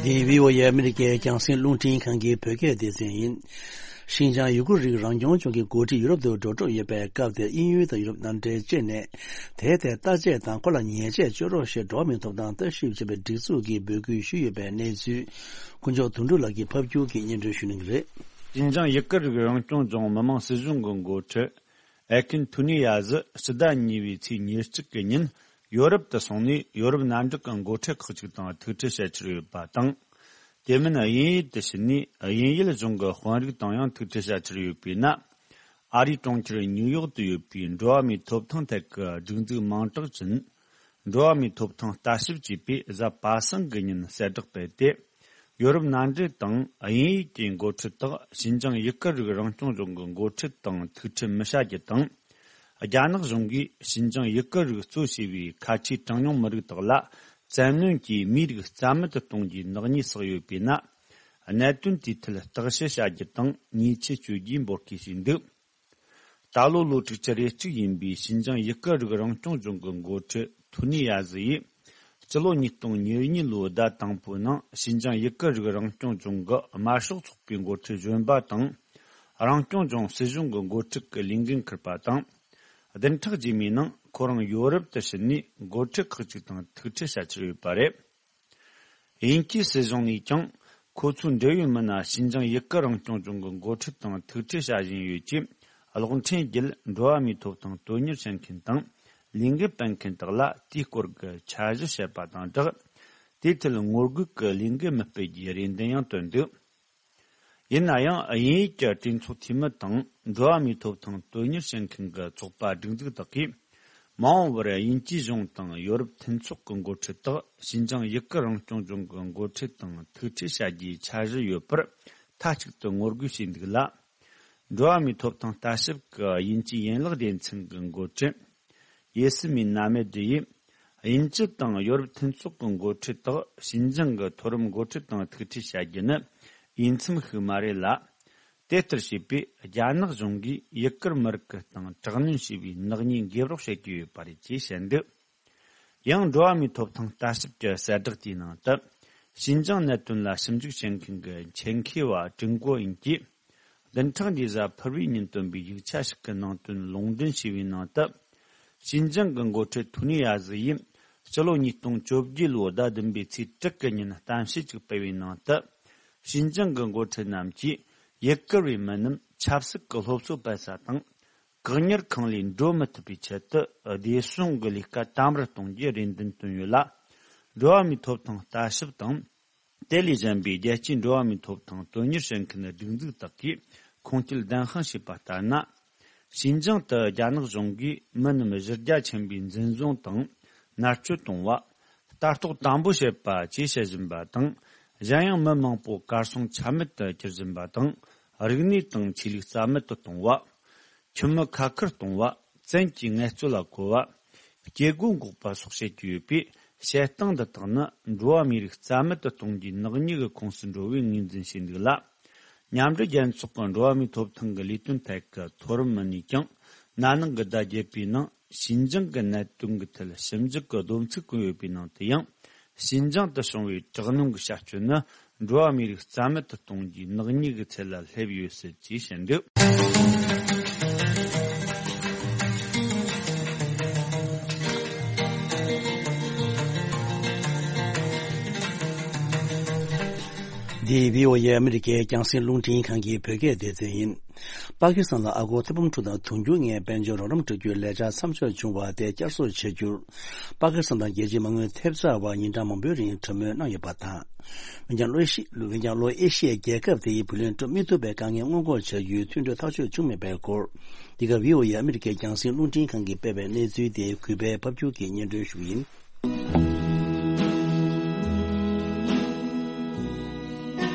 འདི་བྷི་ཨོ་ཨེ་ཨ་མི་རི་ཀའི་རྒྱང་སྲིང་རླུང་འཕྲིན་ཁང་གི་བོད་སྐད་སྡེ་ཚན་ཡིན། ཤིན་ཅང་ཡུ་གུར་རིགས་རང་སྐྱོང་ལྗོངས་ཀྱི་འགོ་ཁྲིད་ཡུ་རོབ་ཏུ་འགྲོ་གྲབས་ཡོད་པའི་སྐབས་དེར་དབྱིན་ཡུལ་དང་ཡུ་རོབ་མནའ་འབྲེལ་བཅས་ནས་དེའི་ཐད་བརྟག་དཔྱད་དང་ཁོ་ལ་ཉེས་ཆད་གཅོད་རོགས་ཞེས་འགྲོ་བ་མིའི་ཐོབ་ཐང་ལྟ་ཞིབ་བྱེད་པའི་སྒྲིག་འཛུགས་ཀྱིས་འབོད་སྐུལ་ཞུས་ཡོད་པའི་གནས་ཚུལ་དཀོན་མཆོག་དོན་གྲུབ་ལགས་ཀྱིས་ཕབ་སྒྱུར་གྱིས་སྙན་སྒྲོན་ཞུ་གནང་གི་རེད། ཤིན་ཅང་ཡུ་གུར་རིགས་རང་སྐྱོང་ལྗོངས་མི་དམངས་སྲིད་གཞུང་གི་འགོ་ཁྲིད་ཨེ་ཁིན་ཐུ་ནི་ཡ་ཟི་ཕྱི་ཟླ་གཉིས་པའི་ཚེས་ཉེར་གཅིག་གི་ཉིན་ཡོ་རོབ་ཏུ་སོང་ནས་ཡོ་རོབ་མནའ་འབྲེལ་གྱི་འགོ་ཁྲིད་ཁག་ཅིག་དང་ཐུག་འཕྲད་བྱ་འཆར་ཡོད་པ་དང་། དེ་མིན་དབྱིན་ཡུལ་དུ་ཕྱིན་ནས་དབྱིན་ཡུལ་གཞུང་གི་དཔོན་རིགས་དང་ཡང་ཐུག་འཕྲད་བྱ་འཆར་ཡོད་པས་ན། ཨ་རིའི་གྲོང་ཁྱེར་ཉིའུ་ཡོག་ཏུ་ཡོད་པའི་འགྲོ་བ་མིའི་ཐོབ་ཐང་ཐད་ཀྱི་སྒྲིག་འཛུགས་མིང་གྲགས་ཅན། འགྲོ་བ་མིའི་ཐོབ་ཐང་ལྟ་ཞིབ་ཅེས་པས་གཟའ་པ་སངས་ཀྱི་ཉིན་གསལ་བསྒྲགས་སྤེལ་ཏེ། ཡོ་རོབ་མནའ་འབྲེལ་དང་དབྱིན་ཡུལ་གྱི་འགོ་ཁྲིད་དག་ཤིན་ཅང་ཡུ་གུར་རིགས་རང་སྐྱོང་ལྗོངས་ཀྱི་འགོ་ཁྲིད་དང་ཐུག་འཕྲད་མི་བྱ་རྒྱུ་དང་། རྒྱ་ནག་གཞུང་གིས་ཤིན་ཅང་ཡུ་གུར་རིགས་གཙོ་བྱས་པའི་ཁ་ཆེའི་གྲངས་ཉུང་མི་རིགས་དག་ལ་བཙན་གནོན་གྱིས་མིའི་རིགས་རྩ་མེད་དུ་གཏོང་རྒྱུའི་ནག་ཉེས་བསགས་ཡོད་པས་ན། གནད་དོན་དེའི་ཐད་བརྟག་དཔྱད་བྱ་རྒྱུ་དང་ཉེས་ཆད་གཅོད་རྒྱུའི་འབོད་སྐུལ་བྱས་འདུག་ད་ལོ་ལོ་དྲུག་ཅུ་རེ་གཅིག་ཡིན་པའི་ཤིན་ཅང་ཡུ་གུར་རིགས་རང་སྐྱོང་ལྗོངས་ཀྱི་འགོ་ཁྲིད་ཐུ་ནི་ཡ་ཟི་ཡིས། སྤྱི་ལོ་ཉིས་སྟོང་ཉེར་གཉིས་ལོའི་ཟླ་དང་པོའི་ནང་ཤིན་ཅང་ཡུ་གུར་རིགས་རང་སྐྱོང་ལྗོངས་ཀྱི་དམར་ཤོག་ཚོགས་པའི་འགོ་ཁྲིད་གཞོན་པ་དང་། རང་སྐྱོང་ལྗོངས་སྲིད་གཞུང་གི་འགོ་ཁྲིད་ཀྱི་ལས་འགན་འཁུར་པ་དང་། བདུན་ཕྲག་རྗེས་མའི་ནང་ཁོ་རང་ཡོ་རོབ་ཏུ་ཕྱིན་ནས་འགོ་ཁྲིད་ཁག་ཅིག་དང་ཐུག་འཕྲད་བྱ་འཆར་ཡོད་པ་རེད། དབྱིན་ཇིའི་སྲིད་གཞུང་ནས་ཀྱང་ཁོ་ཚོའི་འབྲེལ་ཡོད་མི་སྣ་ཤིན་ཅང་ཡུ་གུར་རང་སྐྱོང་ལྗོངས་ཀྱི་འགོ་ཁྲིད་དང་ཐུག་འཕྲད་བྱ་བཞིན་ཡོད་ཅེས་གློག་འཕྲིན་བརྒྱུད་འགྲོ་བ་མིའི་ཐོབ་ཐང་དོན་གཉེར་བྱེད་མཁན་དང་ལས་འགུལ་སྤེལ་མཁན་དག་ལ་དེའི་སྐོར་གྱི་འཆར་གཞི་བཤད་པ་དང་སྦྲགས། དེའི་ཐད་ངོ་རྒོལ་གྱི་ལས་འགུལ་མི་སྤེལ་རྒྱུའི་རེ་འདུན་ཡང་བཏོན་འདུག་ཡིན་ན་ཡང་དབྱིན་ཡུལ་གྱི་གྲོས་ཚོགས་འཐུས་མི་དང་འགྲོ་བ་མིའི་ཐོབ་ཐང་དོན་གཉེར་བྱེད་མཁན་གྱི་ཚོགས་པ་སྒྲིག་འཛུགས་དག་གིས་མ་འོངས་པར་དབྱིན་ཇིའི་གཞུང་དང་ཡོ་རོབ་མཐུན་ཚོགས་ཀྱི་འགོ་ཁྲིད་དག་ཤིན་ཅང་ཡུ་གུར་རང་སྐྱོང་ལྗོངས་ཀྱི་འགོ་ཁྲིད་དང་ཐུག་འཕྲད་བྱ་རྒྱུའི་འཆར་གཞི་ཡོད་པར་མཐའ་གཅིག་ཏུ་ངོ་རྒོལ་བྱས་འདུག་ལ། འགྲོ་བ་མིའི་ཐོབ་ཐང་ལྟ་ཞིབ་ཀྱི་དབྱིན་ཇིའི་ཡན་ལག་སྡེ་ཚན་གྱི་འགོ་ཁྲིད། ཡེ་སི་མིན་ན་མེད་ཡིས། དབྱིན་ཇི་དང་ཡོ་རོབ་མཐུན་ཚོགས་ཀྱི་འགོ་ཁྲིད་དག་ཤིན་ཅང་གི་མཐོ་རིམ་འགོ་ཁྲིད་དང་ཐུག་འཕྲད་བྱ་རྒྱུ་ནི་འོས་འཚམ་ཞིག་མ་རེད་ལ། དེ་ལྟར་བྱས་པས་རྒྱ་ནག་གཞུང་གིས་ཡུ་གུར་མི་རིགས་ཀྱི་སྟེང་དྲག་གནོན་བྱས་པའི་ནག་ཉེས་འགེབས་རོགས་བྱེད་ཀྱི་ཡོད་པ་རེད་ཅེས་བཤད་འདུག་ཡང་འགྲོ་བ་མིའི་ཐོབ་ཐང་ལྟ་ཞིབ་ཀྱི་གསལ་བསྒྲགས་དེའི་ནང་དུ། ཤིན་ཅང་གནད་དོན་ལ་ཞིབ་འཇུག་བྱེད་མཁན་གྱི་ཆེད་མཁས་པ་ཀྲིན་ཀོ་ཨིན་གྱིས། བདུན་ཕྲག་འདིའི་གཟའ་ཕུར་བུའི་ཉིན་བཏོན་པའི་ཡིག་ཆ་ཞིག་གི་ནང་དོན་ལུང་འདྲེན་བྱས་པའི་ནང་དུ། ཤིན་ཅང་གི་འགོ་ཁྲིད་ཐུ་ནི་ཡ་ཟི་ཡིས་སྤྱི་ལོ་ཉིས་སྟོང་བཅོ་བརྒྱད་ལོའི་ཟླ་བདུན་པའི་ཚེས་དྲུག་གི་ཉིན་གཏམ་བཤད་ཅིག་སྤེལ་བའི་ནང་དུ། ཤིན་ཅང་གི་འགོ་ཁྲིད་རྣམས་ཀྱིས་ཡུ་གུར་བའི་མི་རྣམས་ཆབ་སྲིད་ཀྱི་སློབ་གསོ་སྤེལ་ས་དང་། བཀག་ཉར་ཁང་ལས་འགྲོ་མི་ཐུབ་པའི་ཆེད་དུ་བདེ་སྲུང་གི་ལས་ཀ་དམ་པོར་གཏོང་རྒྱུའི་རེ་འདུན་བཏོན་ཡོད་ལ། འགྲོ་བ་མིའི་ཐོབ་ཐང་ལྟ་ཞིབ་དང་། དེ་ལས་གཞན་པའི་རྒྱལ་སྤྱིའི་འགྲོ་བ་མིའི་ཐོབ་ཐང་དོན་གཉེར་བྱེད་མཁན་སྒྲིག་འཛུགས་དག་གིས་ཁུངས་སྐྱེལ་བདེན་དཔང་བྱས་པ་ལྟར་ན། ཤིན་ཅང་དུ་རྒྱ་ནག་གཞུང་གིས་མི་རྣམས་གཞི་རྒྱ་ཆེན་པོས་འཛིན་བཟུང་དང་མནར་གཅོད་གཏོང་བ། ལྟ་རྟོག་དམ་པོ་བྱེད་པ་བཅས་བྱེད་བཞིན་པ་དང་། གཞན་ཡང་མི་མང་པོ་གར་སོང་ཆ་མེད་དུ་གྱུར་བཞིན་པ་དང་། རིག་གནས་དང་ཆོས་ལུགས་རྩ་མེད་དུ་གཏོང་བ། ཁྱིམ་མི་ཁ་ཁུར་གཏོང་བ། བཙན་གྱིས་ངལ་རྩོལ་ལ་བཀོལ་བ། སྐྱེ་སྒོ་འགོག་པ་སོགས་བྱེད་ཀྱི་ཡོད་པས། བྱེད་སྟངས་འདི་དག་ནི་འགྲོ་བ་མིའི་རིགས་རྩ་མེད་དུ་གཏོང་རྒྱུའི་ནག་ཉེས་ཀྱི་ཁོངས་སུ་འགྲོ་བའི་ངོས་འཛིན་བྱས་འདུག་ལ། མཉམ་འབྲེལ་རྒྱལ་ཚོགས་ཀྱི་འགྲོ་བ་མིའི་ཐོབ་ཐང་གི་ལས་དོན་ཐད་ཀྱི་མཐོ་རིམ་མི་སྣས་ཀྱང་ན་ནིང་གི་ཟླ་བརྒྱད་པའི་ནང་ཞིན་ཅང་གི་གནད་དོན་གྱི་ཐད་ཞིབ་འཇུག་གི་བསྡོམས་ཚིག་བཀོད་ཡོད་པའི་ནང་དུ་ཡང་། ཞིན་ཅང་དུ་བྱུང་བའི་དྲག་གནོན་གྱི་བྱ་སྤྱོད་ནི་འགྲོ་བ་མིའི་རིགས་རྩ་མེད་དུ་གཏོང་རྒྱུའི་ནག་ཉེས་ཀྱི་ཚད་ལ་སླེབས་ཡོད་སྲིད་ཅེས་བཤད་འདུག། འདི་བྷི་ཨོ་ཨེ་ཨ་མི་རི་ཀའི་རྒྱང་སྲིང་རླུང་འཕྲིན་ཁང་གི་བོད་སྐད་སྡེ་ཚན་ཡིན། པ་ཀི་སི་ཐན་ལ་ཨ་སྒོར་ཐེར་འབུམ་དྲུག་དང་དུང་ཕྱུར་ལྔའི་དཔལ་འབྱོར་རོགས་རམ་སྤྲོད་རྒྱུའི་ལས་འཆར་མཚམས་འཇོག་བྱུང་བ་དེ་བསྐྱར་གསོ་བྱ་རྒྱུར། པ་ཀི་སི་ཐན་དང་རྒྱལ་སྤྱིའི་མ་དངུལ་ཐེབས་རྩ་བར་ཉིན་གྲངས་མང་པོའི་རིང་གྲོས་མོལ་གནང་ཡོད་པ་དང་། འོན་ཀྱང་ལྷོ་ཨེ་ཤི། འོན་ཀྱང་ལྷོ་ཨེ་ཤི་ཡའི་རྒྱལ་ཁབ་དེ་ཡིས་བུ་ལོན་སྤྲོད་མི་ཐུབ་པའི་དཀའ་ངལ་སྔོན་འགོག་བྱ་རྒྱུའི་མཐུན་གྲོས་ཐག་གཅོད་བྱུང་མེད་པའི་སྐོར། འདི་ག་བྷི་ཨོ་ཨེ་ཨ་མི་རི་ཀའི་རྒྱང་སྲིང་རླུང་འཕྲིན་ཁང་གིས་སྤེལ་བའི་གནས་ཚུལ་དེ་གུས་པས་ཕབ་སྒྱུར་གྱིས་སྙན་སྒྲོན་ཞུ་གི་ཡིན།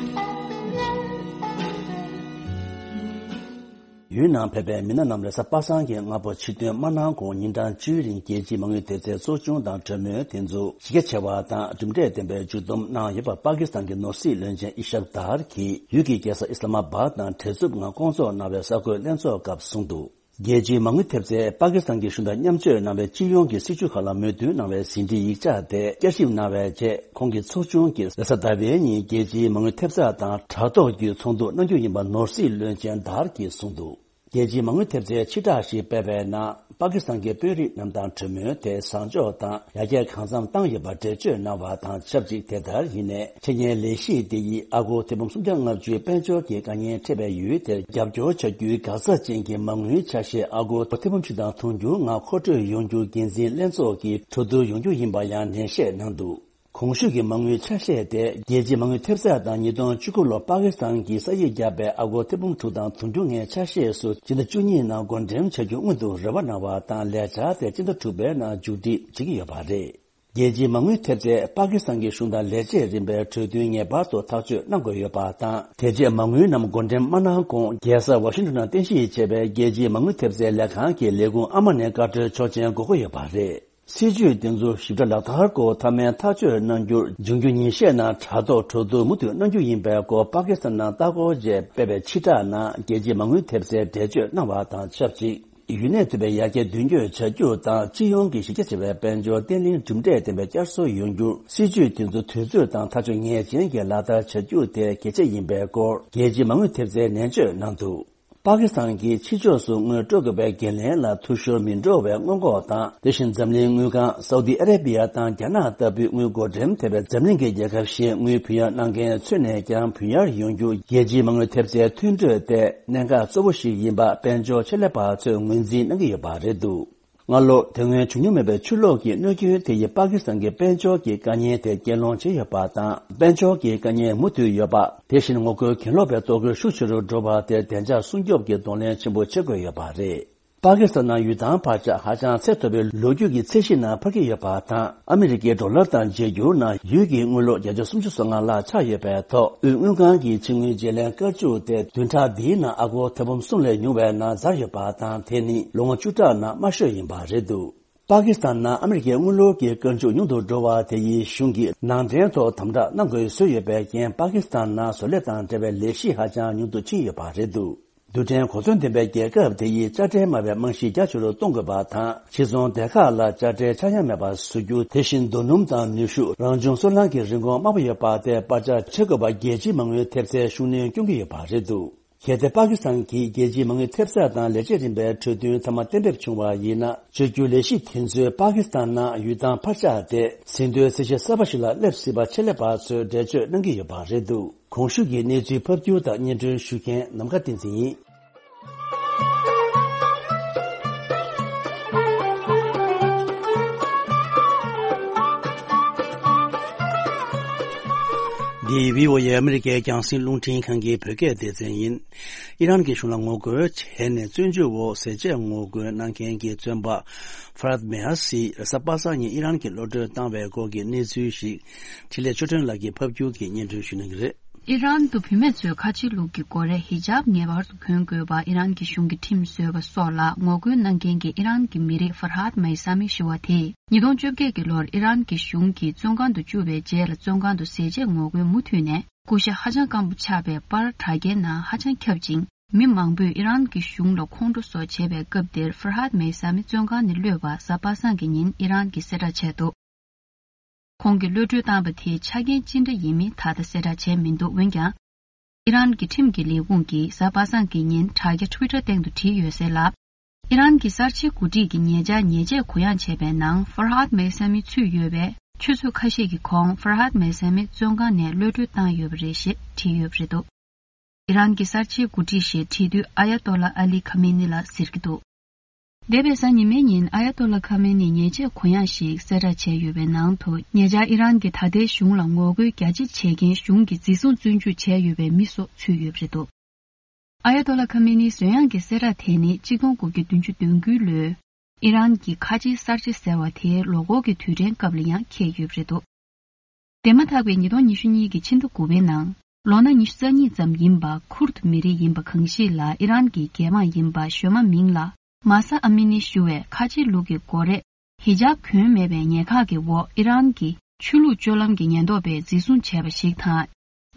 ཡུལ་ནང་ཕེབས་པའི་མི་སྣ་རྣམས་རེས་གཟའ་པ་སངས་ཀྱི་སྔ་པོ་ཕྱིར་ཐོན་མ་གནང་གོང་ཉིན་གྲངས་བཅུའི་རིང་རྒྱལ་སྤྱིའི་མ་དངུལ་དེབ་རྩའི་ཚོགས་ཆུང་དང་གྲོས་མོལ་དེ་ཚོ་གཞི་རྒྱ་ཆེ་བ་དང་གྲུབ་འབྲས་ལྡན་པའི་མཇུག་བསྡོམས་གནང་ཡོད་པ་པ་ཀི་སི་ཐན་གྱི་ནོར་སྲིད་བློན་ཆེན་ཨི་ཤབ་དྷར་གྱིས་ཡུལ་གྱི་རྒྱལ་ས་ཨི་སི་ལ་མ་བཱད་ནང་བྲེལ་འཚུབ་ངང་བསྐོང་ཚོགས་གནང་བའི་གསར་འགོད་ལྷན་ཚོགས་སྐབས་གསུངས་འདུག། རྒྱལ་སྤྱིའི་མ་དངུལ་ཐེབས་རྩས་པ་ཀི་སི་ཐན་གྱི་གཞུང་དང་མཉམ་སྤྱོད་གནང་བའི་སྤྱི་ཡོངས་ཀྱི་སྲིད་བྱུས་ཁག་ལ་མོས་མཐུན་གནང་བའི་ཟིན་བྲིས་ཡིག་ཆ་དེ་བསྐྱར་ཞིབ་གནང་བའི་རྗེས། ཁོང་གི་ཚོགས་ཆུང་གིས་རེས་གཟའ་ཟླ་བའི་ཉིན་རྒྱལ་སྤྱིའི་མ་དངུལ་ཐེབས་རྩ་དང་དྲ་ཐོག་བརྒྱུད་ཚོགས་འདུ་གནང་རྒྱུ་ཡིན་པ་ནོར་སྲིད་བློན་ཆེན་དྷར་གྱིས་གསུངས་འདུག། རྒྱལ་སྤྱིའི་མ་དངུལ་ཐེབས་རྩའི་ཕྱིར་བསྒྲགས་ཤིག་སྤེལ་བའི་ནང་། པ་ཀི་སི་ཐན་གྱི་དཔོན་རིགས་རྣམས་དང་གྲོས་མོལ་དེ་བཟང་ཕྱོགས་དང་ཡར་རྒྱས་གང་འཚམ་བཏང་ཡོད་པར་འགྲེལ་བརྗོད་གནང་བ་དང་ཆབས་ཅིག་དེ་ལྟར་ཡིན་ནའི། འཆར་ཉན་ལས་གཞི་དེ་ཡིས་ཨ་སྒོར་ཐེར་འབུམ་སུམ་བརྒྱ་ལྔ་བཅུའི་དཔལ་འབྱོར་གྱི་དཀའ་ངལ་འཕྲད་པའི་ཡུལ་དེར་རྒྱབ་སྐྱོར་བྱ་རྒྱུའི་འགག་རྩ་ཅན་གྱི་མ་དངུལ་ཆ་ཤས་ཨ་སྒོར་ཐེར་འབུམ་བཞི་དང་དུང་ཕྱུར་ལྔ་མཁོ་སྤྲོད་ཡོང་རྒྱུར་འགན་འཛིན་ལྷན་ཚོགས་ཀྱིས་གྲོས་བསྡུར་ཡོང་རྒྱུ་ཡིན་པ་ཡང་ནན་བཤད་གནང་འདུག། གོང་ཞུས་ཀྱི་མ་དངུལ་ཆ་ཤས་དེ་རྒྱལ་སྤྱིའི་མ་དངུལ་ཐེབས་རྩ་དང་ཉིས་སྟོང་བཅུ་དགུ་ལོར་པ་ཀི་སི་ཐན་གྱིས་ས་ཡིག་བརྒྱབ་པའི་ཨ་སྒོར་ཐེར་འབུམ་དྲུག་དང་དུང་ཕྱུར་ལྔའི་ཆ་ཤས་སུ་སྤྱི་ཟླ་བཅུ་གཉིས་ནང་བགོ་འགྲེམས་བྱ་རྒྱུ་སྔོན་དུ་རེ་བ་གནང་བ་དང་ལས་འཆར་དེ་སྤྱི་ཟླ་དྲུག་པའི་ནང་མཇུག་སྒྲིལ་བྱེད་ཀྱི་ཡོད་པ་རེད། རྒྱལ་སྤྱིའི་མ་དངུལ་ཐེབས་རྩས་པ་ཀི་སི་ཐན་གྱི་གཞུང་དང་ལས་བྱེད་རིམ་པའི་གྲོས་མཐུན་ངེས་པར་དུ་ཐག་གཅོད་གནང་དགོས་ཡོད་པ་དང་། དེ་རྗེས་མ་དངུལ་རྣམས་བགོ་འགྲེམས་མ་གནང་གོང་རྒྱལ་ས་ཝ་ཤིང་ཏོན་ནང་རྟེན་གཞི་བྱས་པའི་རྒྱལ་སྤྱིའི་མ་དངུལ་ཐེབས་རྩའི་ལས་ཁང་གི་ལས་ཁུངས་ཨ་མ་ནས་བཀའ་འཁྲོལ་ཆོག་མཆན་དགོས་ཀྱི་ཡོད་པ་རེད། སྲིད་ཇུས་དེ་ཚོ་ཞིབ་ཕྲ་ལག་བསྟར་སྐོར་མཐའ་མའི་ཐག་གཅོད་གནང་རྒྱུར་འབྱུང་འགྱུར་ཉིན་ཤས་ནང་དྲ་ཐོག་གྲོས་བསྡུར་མུ་མཐུད་གནང་རྒྱུ་ཡིན་པའི་སྐོར་པ་ཀི་སི་ཐན་ནང་ལྟ་སྐོར་བཅས་སྤེལ་བའི་ཕྱིར་བསྒྲགས་ནང་རྒྱལ་སྤྱིའི་མ་དངུལ་ཐེབས་རྩའི་འགྲེལ་བརྗོད་གནང་བ་དང་ཆབས་ཅིག། ཡུལ་ནད་ཐེབས་པའི་ཡར་རྒྱས་མདུན་སྐྱོད་བྱ་རྒྱུ་དང་སྤྱི་ཡོངས་ཀྱི་གཞི་རྒྱ་ཆེ་བའི་དཔལ་འབྱོར་བརྟན་ལྷིང་གྲུབ་འབྲས་ལྡན་པའི་བསྐྱར་གསོ་ཡོང་རྒྱུར་སྲིད་ཇུས་དེ་ཚོ་དུས་ཚོད་དང་ཐག་གཅོད་ངེས་ཅན་གྱིས་ལག་བསྟར་བྱ་རྒྱུ་དེ་གལ་ཆེ་ཡིན་པའི་སྐོར་རྒྱལ་སྤྱིའི་མ་དངུལ་ཐེབས་རྩའི་ནན་བརྗོད་གནང་འདུག། པ་ཀི་སི་ཐན་གྱིས་ཕྱི་ཕྱོགས་སུ་དངུལ་སྤྲོད་དགོས་པའི་འགན་ལེན་ལ་འཐུས་ཤོར་མི་འགྲོ་བའི་སྔོན་འགོག་དང་། དེ་བཞིན་འཛམ་གླིང་དངུལ་ཁང་སའུ་ཏི་ཨ་རེ་བི་ཡ་དང་རྒྱ་ནག་ལྟ་བུའི་དངུལ་བགོ་འགྲེམས་ཐེབས་པའི་འཛམ་གླིང་གི་རྒྱལ་ཁབ་བཞིན་དངུལ་བུན་གཡར་གནང་མཁན་ཚུད་ནས་ཀྱང་བུན་གཡར་ཡོང་རྒྱུ་རྒྱལ་སྤྱིའི་མ་དངུལ་ཐེབས་རྩའི་མཐུན་གྲོས་དེ་གནད་འགག་གཙོ་བོ་ཞིག་ཡིན་པ་དཔལ་འབྱོར་ཆེད་ལས་པ་ཚོས་ངོས་འཛིན་གནང་གི་ཡོད་པ་རེད་འདུག། སྔ་ལོ་དེ་སྔོན་བྱུང་མྱོང་མེད་པའི་ཆུ་ལོག་གི་གནོད་སྐྱོན་དེ་ཡིས་པ་ཀི་སི་ཐན་གྱི་དཔལ་འབྱོར་གྱི་དཀའ་ཉེན་དེ་རྐྱེན་སློང་བྱས་ཡོད་པ་དང་། དཔལ་འབྱོར་གྱི་དཀའ་ཉེན་མུ་མཐུད་ཡོད་པ། དེ་བཞིན་ངོ་རྒོལ་གྱེན་ལོག་པའི་གཏོར་རྒོལ་ཤུགས་ཆེ་རུ་འགྲོ་བ་དེར་བདེ་འཇགས་སྲུང་སྐྱོབ་ཀྱི་གདོང་ལེན་ཆེན་པོ་བྱེད་དགོས་ཡོད་པ་རེད། པ་ཀི་སི་ཐན་ནང་ཡུལ་ཐང་འཕར་ཆག་ཧ་ཅང་ཚད་མཐོ་བའི་ལོ་རྒྱུས་ཀྱི་ཚད་གཞི་ནང་འཕར་གྱི་ཡོད་པ་དང་། ཨ་མི་རི་ཀའི་ཌོ་ལར་དང་བརྗེ་སྒྱུར་ནང་ཡུལ་གྱི་དངུལ་ལོར་བརྒྱ་ཆ་སུམ་ཅུ་སོ་ལྔ་ལྷག་ཆག་ཡོད་པའི་ཐོག་དབུས་དངུལ་ཁང་གི་ཕྱི་དངུལ་བརྗེ་ལེན་བཀའ་བཅུ་དེ་བདུན་ཕྲག་འདིའི་ནང་ཨ་སྒོར་ཐེར་འབུམ་གསུམ་ལས་ཉུང་བའི་ནང་ཚར་ཡོད་པ་དང་། དེ་ནི་ལོ་ངོ་བཅུ་ཕྲག་ནང་དམའ་ཤོས་ཡིན་པ་རེད་འདུག། པ་ཀི་སི་ཐན་ནང་ཨ་མི་རི་ཀའི་དངུལ་ལོར་གྱི་བཀོལ་སྤྱོད་ཉུང་དུ་འགྲོ་བ་དེ་ཡིས་གཞུང་གིས་ནང་འདྲེན་ཐོག་དམ་དྲག་གནང་དགོས་བཟོས་ཡོད་པའི་རྐྱེན། པ་ཀི་སི་ཐན་ནང་བཟོ་ལས་དང་འབྲེལ་བའི་ལས་གཞི་ཧ་ཅང་ཉུང་དུ་ཕྱིན་ཡོད་པ་རེད་འདུག། རྡུལ་ཕྲན་གོ་མཚོན་ལྡན་པའི་རྒྱལ་ཁབ་དེ་ཡིས་དཔྱ་ཁྲལ་དམའ་བའི་རྨང་གཞི་རྒྱ་ཆེ་རུ་གཏོང་དགོས་པ་དང་། ཕྱིར་ཚོང་སྡེ་ཁག་ལ་དཔྱ་ཁྲལ་ཆག་ཡང་མེད་པ་བཟོ་རྒྱུ། དེ་བཞིན་རྡོ་སྣུམ་དང་ནུས་ཤུགས། རང་བྱུང་སོལ་རླངས་ཀྱི་རིན་གོང་དམའ་པོ་ཡོད་པ་དེ་སྤར་ཆག་བྱེད་དགོས་པ་རྒྱལ་སྤྱིའི་མ་དངུལ་ཐེབས་རྩའི་ཤུགས་སྣོན་སྐྱོན་གྱི་ཡོད་པ་རེད་འདུག། གལ་ཏེ་པ་ཀི་སི་ཐན་གྱིས་རྒྱལ་སྤྱིའི་མ་དངུལ་ཐེབས་རྩ་དང་ལས་བྱེད་རིམ་པའི་གྲོས་མཐུན་མཐའ་མ་གཏན་འབེབས་བྱུང་བ་ཡིན་ན། བཅོས་བསྒྱུར་ལས་གཞི་དེ་ཚོས་པ་ཀི་སི་ཐན་ནང་ཡུལ་ཐང་འཕར་ཆག་དེ་ཟིན་ཐོའི་ཚད་གཞི་གསར་པ་ཞིག་ལ་སླེབས་སྲིད་པ་ཆེད་ལས་པ་ཚོས་འགྲེལ་བརྗོད་གནང་གི་ཡོད་པ་རེད་འདུག། གོང་ཞུས་ཀྱི་གནས་ཚུལ་ཕབ་སྒྱུར་དང་སྙན་སྒྲོན་ཞུ་མཁན་ནམ་མཁའ་བསྟན་འཛིན་ཡིན། འདི་བྷི་ཨོ་ཨེ་ཨ་མི་རི་ཀའི་རྒྱང་སྲིང་རླུང་འཕྲིན་ཁང་གི་བོད་སྐད་སྡེ་ཚན་ཡིན། ཨི་རན་གྱི་གཞུང་ལ་ངོ་རྒོལ་བྱས་ནས་བཙོན་འཇུག་འོག་ཟས་བཅད་ངོ་རྒོལ་གནང་མཁན་གྱི་བཙོན་པ་ཧྥ་རད་མེ་ཧ་སི་རེས་གཟའ་པ་སངས་ཉིན་ཨི་རན་གྱི་གློད་གྲོལ་བཏང་བའི་སྐོར་གྱི་གནས་ཚུལ་ཞིག་འཕྲིན་ལས་ཆོས་སྒྲོན་ལགས་ཀྱིས་ཕབ་སྒྱུར་གྱིས་སྙན་སྒྲོན་ཞུ་གནང་གི་རེད། ཨི་རན་དུ་བུད་མེད་ཚོས་ཁ་ཆེའི་ལུགས་ཀྱི་སྒོ་རས་ཧི་ཇབ་ངེས་པར་དུ་གོན་དགོས་པ་ཨི་རན་གྱི་གཞུང་གིས་ཁྲིམས་བཟོས་པ་སོགས་ལ་ངོ་རྒོལ་གནང་མཁན་གྱི་ཨི་རན་གྱི་མི་རིགས་ཧྥར་ཧཱད་མེ་ས་མི་ཞུ་བ་དེས་ཉིས་སྟོང་བཅོ་བརྒྱད་ཀྱི་ལོར་ཨི་རན་གྱི་གཞུང་གིས་བཙོན་ཁང་དུ་བཅུག་པའི་རྗེས་ལ་བཙོན་ཁང་དུ་ཟས་བཅད་ངོ་རྒོལ་མུ་མཐུད་ནས་སྐུ་ཤ་ཧ་ཅང་སྐམ་པོ་ཆགས་པའི་པར་དྲ་རྒྱའི་ནང་ཧ་ཅང་ཁྱབ་ཅིང་། མི་མང་པོས་ཨི་རན་གྱི་གཞུང་ལ་ཁོང་ཁྲོ་སོགས་བྱེད་པའི་སྐབས་དེར་ཧྥར་ཧཱད་མེ་ས་མི་བཙོན་ཁང་ནས་གློད་པ་གཟའ་པ་སངས་ཀྱི་ཉིན་ཨི་རན་གྱིས་གསལ་བསྒྲགས་བྱས་འདུག་ཁོང་གིས་གློད་གྲོལ་བཏང་བ་དེའི་ཆ་རྐྱེན་ཅི་འདྲ་ཡིན་མིན་ད་ལྟ་གསལ་བསྒྲགས་བྱས་མི་འདུག་འོན་ཀྱང་། ཨི་རན་གྱི་ཁྲིམས་ཀྱི་ལས་ཁུངས་ཀྱིས་གཟའ་པ་སངས་ཀྱི་ཉིན་དྲ་རྒྱ་Twitter་སྟེང་དུ་བྲིས་ཡོད་གསལ་ལ། ཨི་རན་གྱི་གསར་བརྗེའི་འགོ་ཁྲིད་ཀྱི་ཉེ་ཆར་ཉེས་ཆད་གུ་ཡངས་བྱས་པའི་ནང་ཧྥར་ཧཱད་མེ་ས་མི་ཚུད་ཡོད་པས་ཆུ་ཚོད་ཁ་ཤས་ཀྱི་གོང་ཧྥར་ཧཱད་མེ་ས་མི་བཙོན་ཁང་ནས་གློད་གྲོལ་བཏང་ཡོད་པ་རེད་ཞེས་བྲིས་ཡོད་པ་རེད་འདུག་ཨི་རན་གྱི་གསར་བརྗེའི་འགོ་ཁྲིད་ཞེས་བྲིས་དུས་ཨ་ཡ་ཏོ་ལ་ཨ་ལི་ཁ་མེ་ནི་ལ་ཟེར་གྱི་འདུག་འདས་པའི་གཟའ་ཉི་མའི་ཉིན་ཨ་ཡ་ཏོ་ལ་ཁ་མེ་ནི་ཉེས་ཆད་གུ་ཡངས་ཤིག་གསལ་བསྒྲགས་བྱས་ཡོད་པའི་ནང་དུ་ཉེ་ཆར་ཨི་རན་གྱི་ད་ལྟའི་གཞུང་ལ་ངོ་རྒོལ་རྒྱ་ཆེ་བྱེད་མཁན་གཞུང་གི་འཛིན་བཟུང་བཙོན་འཇུག་བྱས་ཡོད་པའི་མི་སོགས་ཚུད་ཡོད་པ་རེད་འདུག་ཨ་ཡ་ཏོ་ལ་ཁ་མེ་ནིའི་བཟོས་ཡངས་ཀྱི་གསལ་བསྒྲགས་དེ་ནི་གཅིག་སྟོང་དགུ་བརྒྱ་བདུན་ཅུ་དོན་དགུའི་ལོའི་ཨི་རན་གྱི་ཁ་ཆེའི་གསར་བརྗེ་ཟེར་བ་དེའི་ལོ་འཁོར་གྱི་དུས་དྲན་སྐབས་ལ་ཡང་འཁེལ་ཡོད་པ་རེད་འདུག་དེ་མ་ཐག་པའི་ཉིས་སྟོང་ཉི་ཤུ་གཉིས་ཀྱི་ཕྱི་ཟླ་དགུ་པའི་ནང་ལོ་ན་ཉི་ཤུ་རྩ་གཉིས་ཙམ་ཡིན་པ་ཁུར་ཐུ་མི་རིགས་ཡིན་པ་གང་ཞིག་ལ་ཨི་རན་གྱི་རྒྱལ་འབངས་ཡིན་པ་གཞོན་མ་མིང་ལ་མ་ས་ཨ་མི་ནི་ཞུ་བས་ཁ་ཆེའི་ལུགས་ཀྱི་སྒོ་རས་ཧི་ཇབ་གོན་མེད་པའི་ཉེན་ཁག་གི་འོག་ཨི་རན་གྱི་ཆོས་ལུགས་སྤྱོད་ལམ་གྱི་ཉེན་རྟོག་པས་འཛིན་བཟུང་བྱས་པ་ཞིག་དང་།